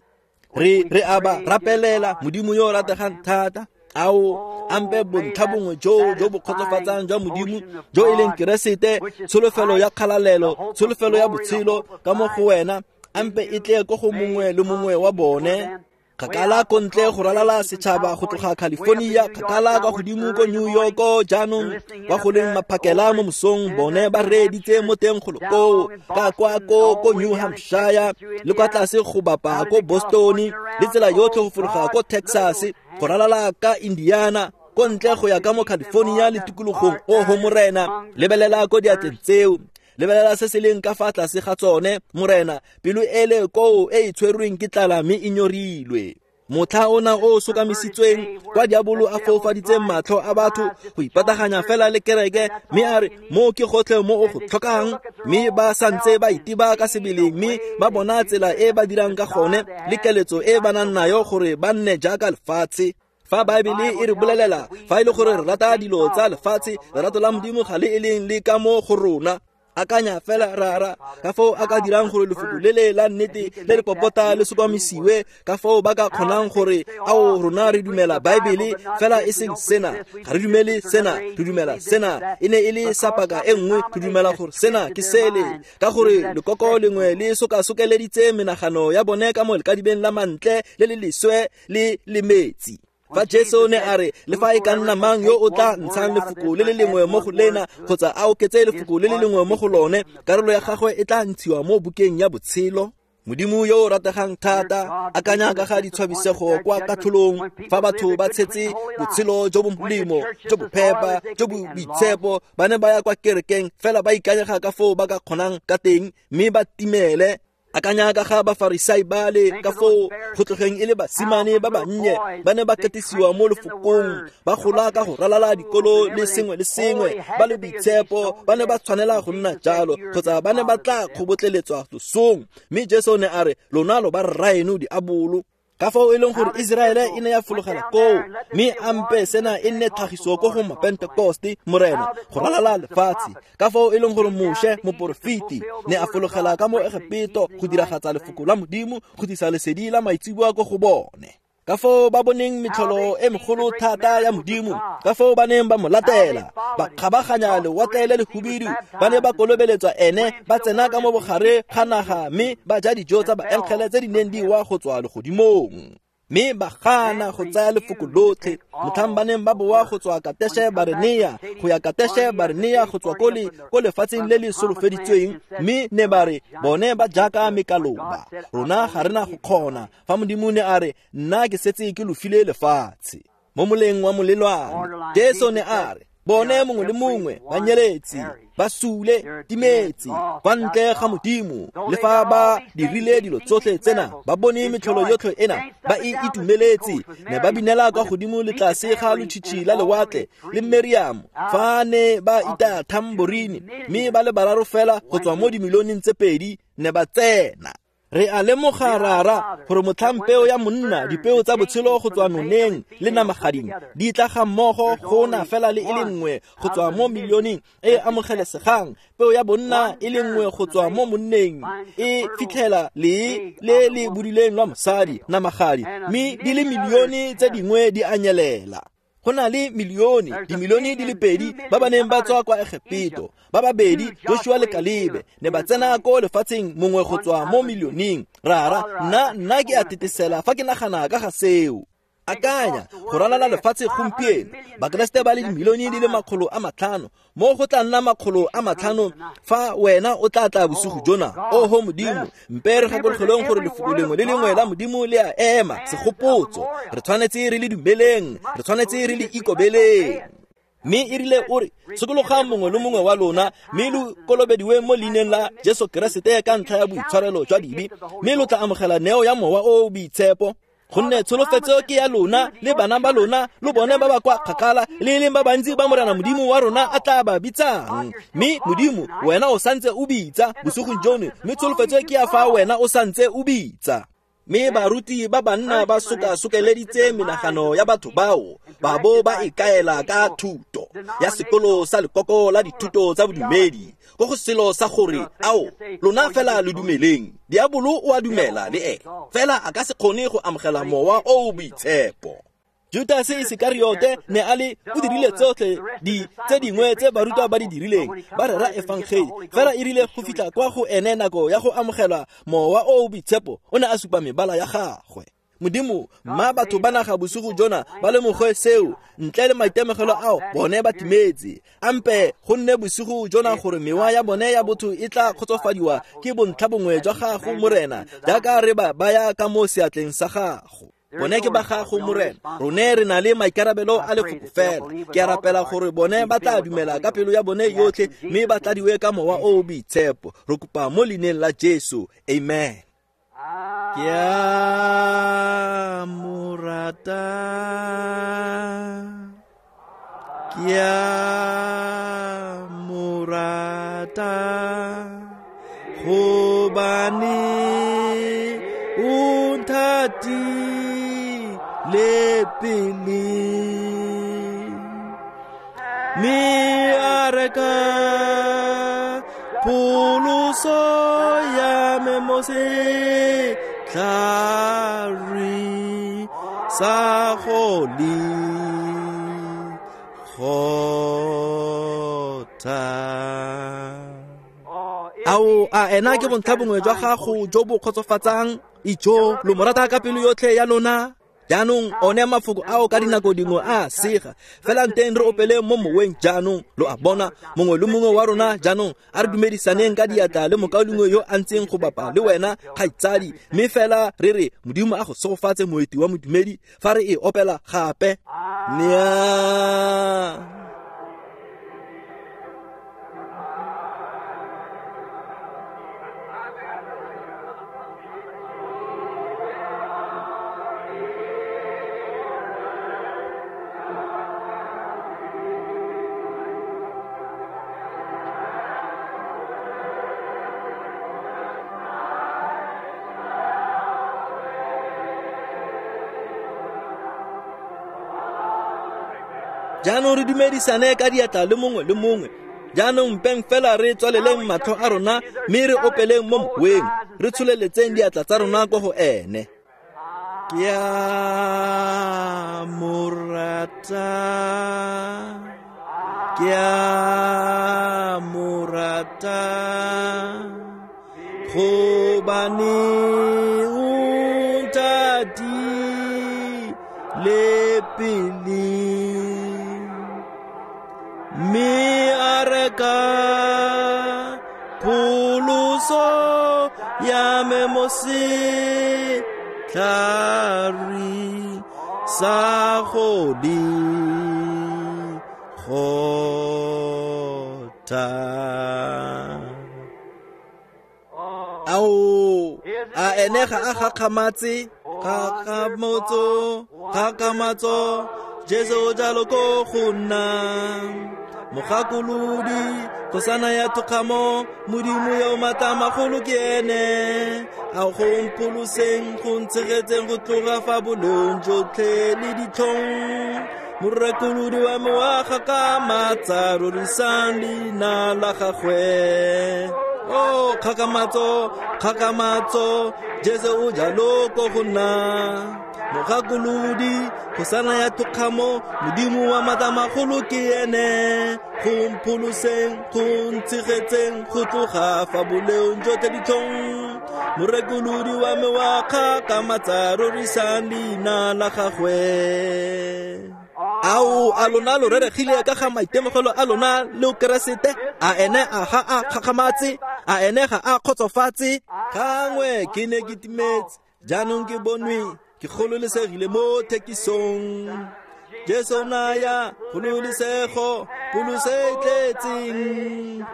Re re aba rapelela Modimo yo o rategang thata, ao ampe bontlha bongwe jo jo bo kgotsofatsang jwa Modimo jo e leng Keresete, tsholofelo ya kgalalelo, tsholofelo ya botshelo ka mo go wena, ampe e tle ko go mongwe le mongwe wa bone. Kgakala ko ntle go ralala setšhaba go tloga California, kgakala kwa godimo ko New York, jaanong kwa go leng maphakela mo mosong, bone ba reeditse mo teng golo koo, ka kwa ko ko New Hampshire le kwa tlase go bapa ko Boston, le tsela yotlhe go fologa ko Texas, go ralala ka Indiana, ko ntle go ya ka mo California le tikologong. Oho Morena, lebelela ko diatleng tseo, lebelela se se leng ka fa tlase ga tsone, Morena, pelo ele koo e e tshwerweng ke tlala mme e nyorilwe. Motlha ona o sokamisitsweng kwa diabolo a foufaditseng matlho a batho go ipataganya fela le kereke, mme a re mo ke gotlhe mo o go tlhokang, mme ba santse ba iteba ka sebele, mme ba bona tsela e ba dirang ka gone le keletso e ba nang nayo gore ba nne jaaka lefatshe. Fa Baebele e re bolelela fa e le gore re rata dilo tsa lefatshe, lerato la Modimo ga le e leng le ka mo go rona. Akanya fela rara ka foo a ka dirang gore lefoko le le la nnete le le popota le sokamisiwe, ka foo ba ka kgonang gore ao rona re dumela Baebele fela e seng sena, ga re dumele sena, re dumela sena, e ne e le sa paka e nngwe, re dumela gore sena ke sele, ka gore lekoko lengwe le sokasokeleditse menagano ya bone ka mo lekadibeng la mantle le le leswe le le metsi. Fa Jesu ne a re le fa e ka nna mang yo o tla ntshang lefoko le le lengwe mo go lena kgotsa a oketse lefoko le le lengwe mo go lone, karolo ya gagwe e tla ntshiwa mo bukeng ya botshelo. Modimo yo o rategang thata, akanya ka ga ditshwabisego kwa katlholong fa batho ba tshetse botshelo jo bo molemo, jo bo phepa, jo bo boitshepo, ba ne ba ya kwa kerekeng fela ba ikanyega ka foo ba ka kgonang ka teng, mme ba timele. Akanya ka ga Bafarisai bale ka foo go tlogeng e le basimane ba bannye, ba ne ba katisiwa mo lefokong, ba gola ka go ralala dikolo le sengwe le sengwe, ba le boitshepo, ba ne ba tshwanela go nna jalo kgotsa ba ne ba tla kgobotleletswa losong. Mme Jesu ne a re, lona lo ba rraeno diabolo. Ka fao e leng gore Iseraele e ne ya fologela koo, mme ampe sena e nne tlhagiso ko go Mapentekoste, Morena, go ralala lefatshe. Ka fao e leng gore Moshe, moporofeti, ne a fologela ka mo Egepeto go diragatsa lefoko la Modimo, go tlisa lesedi la maitseboa ko go bone. Ka foo ba boneng metlholo e megolo thata ya Modimo, ka foo ba neng ba mo latela, ba kgabaganya lewatle le lehubidu, ba ne ba kolobeletswa ene, ba tsena ka mo bogare ga naga, mme ba ja dijo tsa baengele tse di neng di wa go tswa legodimong. Mme ba gana go tsaya lefoko lotlhe, motlhang ba neng ba boa go tswa Kateshe Barnea go ya Kateshe Barnea go tswa ko le ko lefatsheng le le solofeditsweng, mme ne ba re bone ba jaaka mekaloba, rona ga rena go kgona. Fa Modimo ne a re, nna ke setse ke lo file lefatshe. Mo moleng wa molelwane, Jesu ne a re, bone mongwe le mongwe ba nyeletse, ba sule, timetse, kwa ntle ga Modimo. Le fa ba dirile dilo tsotlhe tsena, ba bone metlholo yotlhe ena, ba e itumeletse, ne ba binela kwa godimo le tlase ga lotshitshi la lewatle le Meriamo, fa ne ba itaya tambourine, mme ba le bararo fela go tswa mo dimilioneng tse pedi ne ba tsena. Re a lemoga rara gore motlhang peo ya monna, dipeo tsa botshelo go tswa noneng le namagading di tla ga mmogo, go na fela le e le nngwe go tswa mo milioneng e amogelesegang. Peo ya bonna e le nngwe go tswa mo monneng e fitlhela le le le budileng lwa mosadi namagadi, mme di le milione tse dingwe di a nyelela. Go na le milione, dimilione di le pedi ba ba neng ba tswa kwa Egepeto, ba babedi Joshua le Kalebe ne ba tsena ko lefatsheng, mongwe go tswa mo milioneng. Rara, nna nna ke a tetesela fa ke nagana ka ga seo. Akanya go ralala lefatshe gompieno, Bakeresete ba le dimilione di le makgolo a matlhano, mo go tla nna makgolo a matlhano fa wena o tla tla bosigo jona. Oho Modimo, mpe re gakologelweng gore lefoko lengwe le lengwe la Modimo le a ema segopotso. Re tshwanetse re le dumeleng, re tshwanetse re le ikobeleng. Mme e rile o re, sokologang mongwe le mongwe wa lona, mme lo kolobediwe mo leineng la Jesu Keresete ka ntlha ya boitshwarelo jwa dibe, mme lo tla amogela neo ya Mowa o o Boitshepo. Gonne tsholofetso ke ya lona le bana ba lona, lo bone ba ba kwa kgakala, le e leng ba bantsi ba Morena Modimo wa rona a tla ba bitsang. Mme Modimo, wena o santse o bitsa bosigong jono, mme tsholofetso ke ya fa wena o santse o bitsa. Mme baruti ba banna ba sokasokeleditse menagano ya batho bao, ba bo ba ikaela ka thuto ya sekolo sa lekoko la dithuto tsa bodumedi, ko go selo sa gore ao lona fela lo dumeleng. Diabolo o a dumela le ene, fela a ka se kgone go amogela Mowa o o Boitshepo. Judase Isekariote ne a le o dirile tsotlhe di tse dingwe tse barutwa ba di dirileng, ba rera efangeli, fela e rile go fitlha kwa go ene nako ya go amogela Mowa o o Boitshepo, o ne a supa mebala ya gagwe. Modimo, mma batho ba naga bosigo jona ba lemoge seo, ntle le maitemogelo ao bone ba timetse. Ampe go nne bosigo jona gore mewa ya bone ya botho e tla kgotsofadiwa ke bontlha bongwe jwa gago, Morena, jaaka re ba baya ka mo seatleng sa gago. Bone ke ba gago, Morena, rone re na le maikarabelo a lefoko fela. Ke a rapela gore bone ba tla dumela ka pelo ya bone yotlhe, mme ba tladiwe ka Mowa o o Boitshepo. Re kopa mo leineng la Jesu, amen. Ke a mo rata, ke a mo rata, gobane o nthatile pele, mme a reka pholoso ya me mo setlhareng sa Golegotha. Ao, a ena ke bontlha bongwe jwa gago jo bo kgotsofatsang? Ijo, lo mo rata ka pelo yotlhe ya lona? Jaanong one mafoko ao ka dinako dingwe a sega, fela nteng re opele mo moweng jaanong. Lo a bona, mongwe le mongwe wa rona jaanong a re dumedisaneng ka diatla le mokaulengwe yo a ntseng go bapa le wena, kgaitsadi, mme fela re re Modimo a go segofatse, moeti wa modumedi, fa re e opela gape. Nnyaa. Jaanong re dumedisane ka diatla le mongwe le mongwe. Jaanong mpeng fela re tswaleleng matlho a rona mme re opeleng mo moweng, re tsholeletseng diatla tsa rona kwa go ene. Ke a mo rata, ke a mo rata, gobane o nthatile pele, mme a reka pholoso ya me mo setlhareng sa Golegotha. Ao, a ene ga a gakgamatse? Kgakgamatso, kgakgamatso, Jesu o jalo ko go nna. Mogakolodi, kgosana ya thokgamo, Modimo yo o maatla a magolo ke ene. A go mpholoseng, go ntshegetseng go tloga fa boleong jotlhe le ditlhong. Morekolodi wa me wa gakgamatsa, rorisang leina la gagwe. Oh, kgakgamatso, kgakgamatso, Jesu o jalo ko go nna. Mogakolodi, kgosana ya thokgamo, Modimo wa maatla a magolo ke ene. Go mpholoseng, go ntshegetseng go tloga fa boleong jotlhe ditlhong. Morekolodi wa me wa kgakgamatsa, rorisang leina la gagwe. Ao, a lona lo reregile ka ga maitemogelo a lona le Keresete? A ene a ga a kgakgamatse? A ene ga a kgotsofatse? Gangwe ke ne ke timetse, jaanong ke bonwe, ke gololesegile mo thekisong. Jesu naya kgololesego, pholoso e tletseng.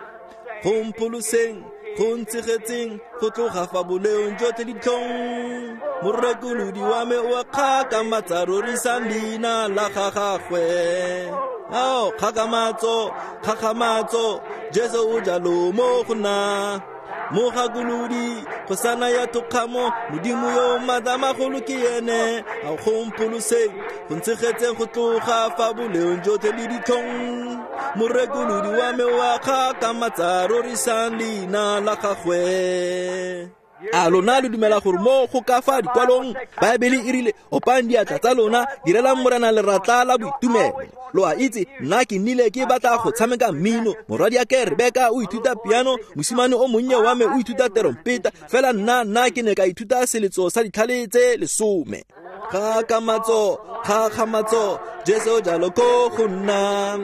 Go mpholoseng, go ntshegetseng go tloga fa boleong jotlhe ditlhong. Morekolodi wa me o a kgakgamatsa, rorisang leina la gagwe. Ao, kgakgamatso, kgakgamatso, Jesu o jalo mo go nna. Mogakolodi, kgosana ya thokgamo, Modimo yo o maatla a magolo ke ene. A go mpholoseng, go ntshegetseng go tloga fa boleong jotlhe le ditlhong. Morekolodi wa me o a kgakgamatsa, rorisang leina la gagwe. A lona lo dumela gore mo go ka fa dikwalong Baebele e rile, opang diatla tsa lona, direlang Morena leratla la boitumelo. Lo a itse, nna ke nnile ke batla go tshameka mmino. Morwadiake Rebeka o ithuta piano, mosimane o monnye wa me o ithuta terompeta, fela nna nna ke ne ka ithuta seletso sa ditlhale tse lesome. Kgakgamatso, kgakgamatso, Jesu jalo ko go nna.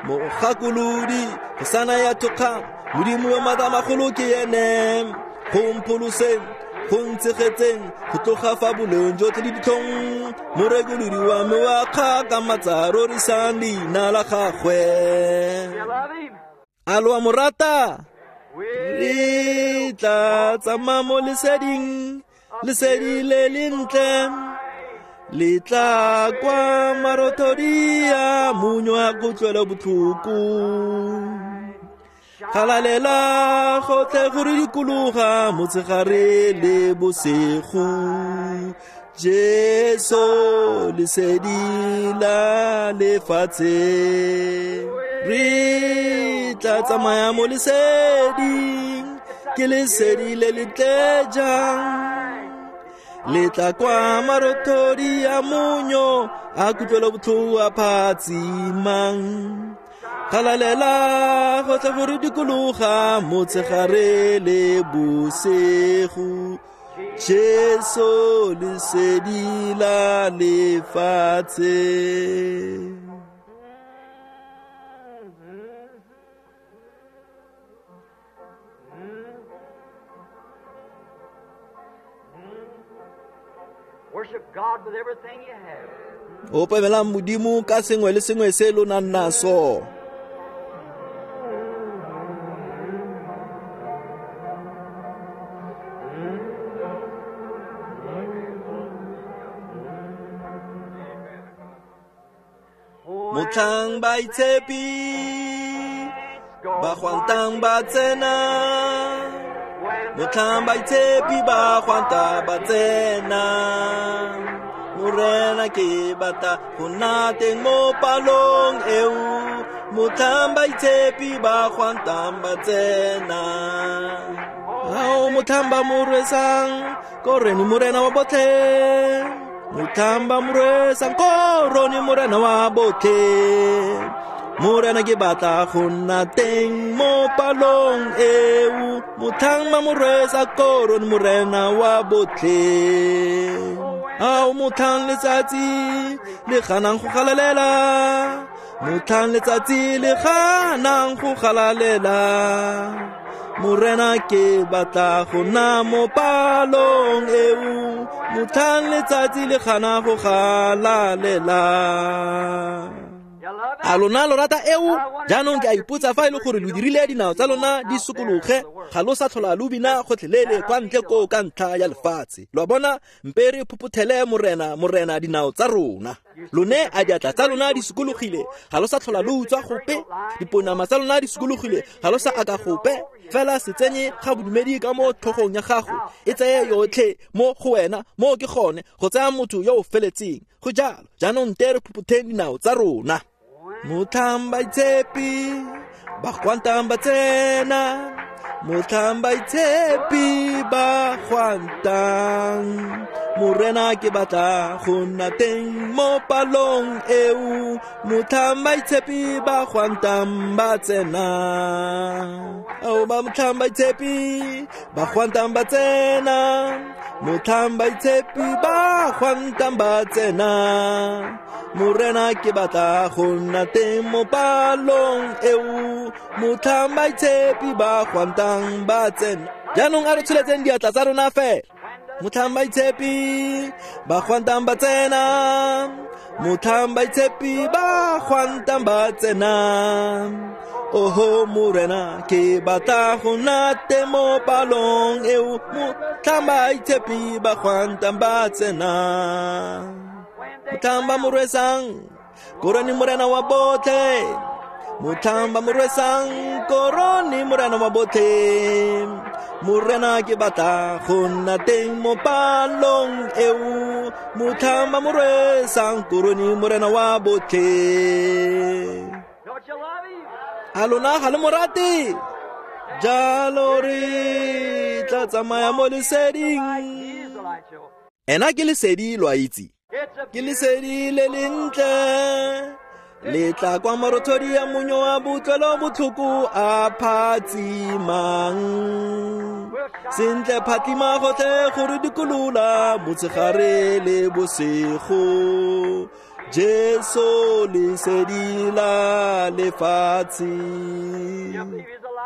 Mogakolodi, kgosana ya thokgamo, Modimo yo maatla a magolo ke ene. Go mpholoseng, go ntshegetseng go tloga fa boleong jotlhe le ditlhong. Morekolodi wa me wa kgakgamatsa, rorisang leina la gagwe. A lo a mo rata? Re tla tsamaya mo leseding, lesedi le lentle, le tla kwa marothodi a monyo a kutlwelo botlhoko. Galalela gotlhe go re dikologa motshegare le bosigo. Jesu lesedi la lefatshe. Re tla tsamaya mo leseding, ke lesedi le le tle jang. Le tla kwa marothodi a monyo a kutlwelo botlhoko a phatsimang. Galalela gotlhe go re dikologa motshegare le bosigo. Jesu lesedi la lefatshe. Worship God with everything you have. Opemelang Modimo ka sengwe le sengwe se lo nang naso. Motlhang baitshepi ba gwantang ba tsena, motlhang baitshepi ba gwanta ba tsena, Morena ke batla go nna teng mo palong eo, motlhang baitshepi ba gwantang ba tsena. Ao motlhang ba mo rwesang korone Morena wa botlhe, motlhang ba mo rwesang korone Morena wa botlhe. Morena ke batla go nna teng mo palong eo, motlhang ba mo rwesa korone Morena wa botlhe. Ao motlhang letsatsi le ganang go galalela, motlhang letsatsi le ganang go galalela. Morena ke batla go nna mo palong eo, motlhang letsatsi le gana go galalela. A lona lo rata eo? Jaanong ke a ipotsa fa e le gore lo dirile dinao tsa lona di sokologe, ga lo sa tlhola lo bina gotlhelele kwa ntle koo ka ntlha ya lefatshe. Lo a bona, mpe re phophothele Morena, Morena dinao tsa rona. Lone a diatla tsa lona di sokologile, ga lo sa tlhola lo utswa gope. Diponama tsa lona di sokologile, ga lo sa aka gope. Fela se tsenye ga bodumedi ka mo tlhogong ya gago, e tseye yotlhe mo go wena, mo ke gone go tsaya motho yo o feletseng. Go jalo, jaanong nte re phophotheng dinao tsa rona. Motlhang baitshepi ba gwantang ba tsena, motlhang baitshepi ba gwantang. Morena ke batla go nna teng mo palong eo, motlhang baitshepi ba gwantang ba tsena. Ao ba motlhang baitshepi ba gwantang ba tsena, motlhang baitshepi ba gwantang ba tsena. Morena ke batla go nna teng mo palong eo, motlhang baitshepi ba gwantang ba tsena. Jaanong a re tsholetseng diatla tsa rona fela. Motlhang baitshepi ba gwantang ba tsena, motlhang baitshepi ba gwantang ba tsena. Oho Morena ke batla go nna teng mo palong eo, motlhang baitshepi ba gwantang ba tsena. Motlhang ba mo rwesang korone Morena wa botlhe, motlhang ba mo rwesang korone Morena wa botlhe. Morena ke batla go nna teng mo palong eo, motlhang ba mo rwesang korone Morena wa botlhe. A lona ga le mo rate? Jalo re tla tsamaya mo leseding. Ena ke lesedi, lo a itse. Ke lesedi le lentle, le tla kwa marothodi a monyo wa botlwelo botlhoko a phatsimang. Sentle phatlima gotlhe gore dikolola motshegare le bosigo. Jesu lesedi la lefatshe.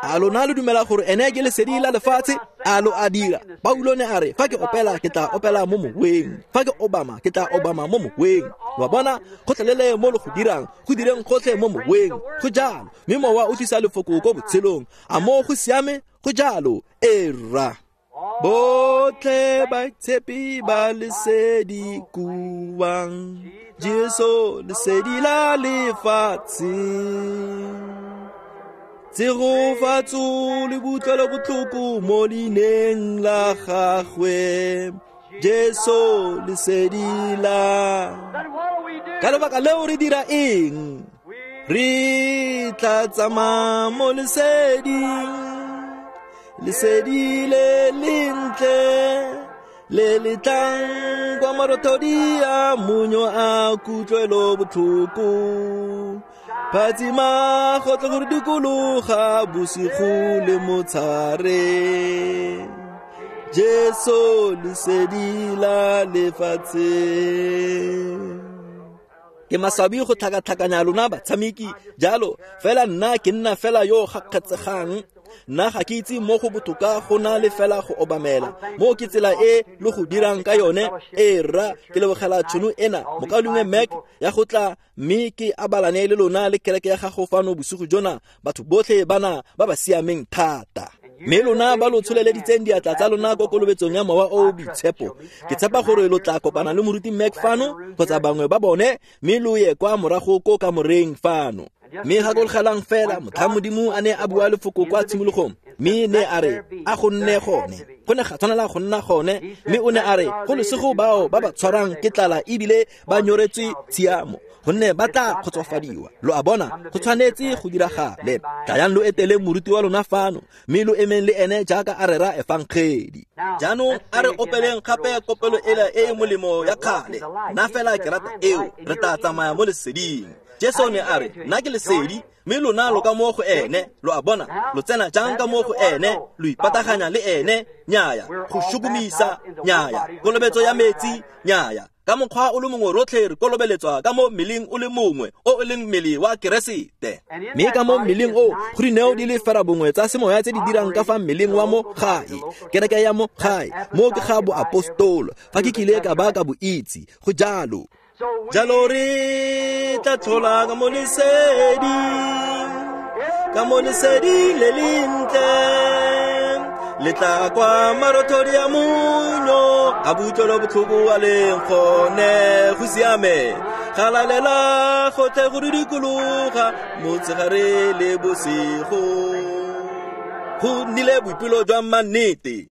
A lona lo dumela gore ene ke lesedi la lefatshe? A lo a dira? Paulo ne a re, fa ke opela ke tla opela mo moweng, fa ke obama ke tla obama mo moweng. Lo a bona, gotlhelele mo lo go dirang, go direng gotlhe mo moweng. Go jalo, mme mowa o tlisa lefoko ko botshelong. A mo go siame? Go jalo, era. Botlhe baitshepi ba lesedi kuang, Jesu lesedi la lefatshe. Tshegofatso le botlwelo botlhoko mo leineng la gagwe, Jesu lesedi la. Ka lebaka leo re dira eng? Re tla tsamaya mo leseding, lesedi le lentle le le tlang kwa marothodi a monyo a kutlwelo botlhoko. Phatsima gotlhe gore dikologa bosigo le motshare, Jesu lesedi la lefatshe. Ke maswabi go tlhakatlhakanya lona batshameki jalo, fela nna ke nna fela yo gakgatsegang. Nna ga ke itse mo go botoka go na le fela go obamela. Mo ke tsela e lo go dirang ka yone. E rra, ke lebogela tšhono ena mokaulengwe Mac ya go tla mme ke abalane le lona le kereke ya gago fano bosigo jona. Batho botlhe bana ba ba siameng thata. Mme lona ba lo tsholeleditseng diatla tsa lona ko kolobetsong ya Mowa o o Boitshepo, ke tshepa gore lo tla kopana le moruti Mac fano kgotsa bangwe ba bone, mme lo ye kwa morago ko kamoreng fano. Mme gakologelang fela, motlhang Modimo a ne a bua lefoko kwa tshimologong, Mme ne a re a go nne gone, go ne ga tshwanela go nna gone. Mme o ne a re go lesego bao ba ba tshwarang ke tlala ebile ba nyoretswe tshiamo, gonne ba tla kgotsofadiwa. Lo a bona, go tshwanetse go diragale. Tlayang lo etele moruti wa lona fano, mme lo emeng le ene jaaka a rera efangedi. Jaanong a re opeleng gape kopelo ela e e molemo ya kgale. Nna fela ke rata eo, re tla tsamaya mo leseding. Jesu ne a re, nna ke lesedi, mme lona lo ka mo go ene. Lo a bona, lo tsena jang ka mo go ene, lo ipataganya le ene? Nnyaya. Go shukumisa? Nnyaya. Kolobetso ya metsi? Nnyaya. Ka mokgwa o le mongwe rotlhe re kolobeletswa ka mo mmeleng o le mongwe, o e leng mmele wa Keresete. Mme ka mo mmeleng o go dineo di le fera bongwe tsa semoya tse di dirang ka fa mmeleng wa mo gae, kereke ya mo gae. Mo ke ga boapostolo, fa ke kile ka ba ka bo itse, go jalo. Jalo re tla tlhola ka mo leseding, ka mo leseding le lentle, le tla kwa marothodi a monyo, a butlwelo botlhoko a leng gone. Go siame, galalela gotlhe go didikologa motshegare le bosigo. Go nnile boipelo jwa mannete.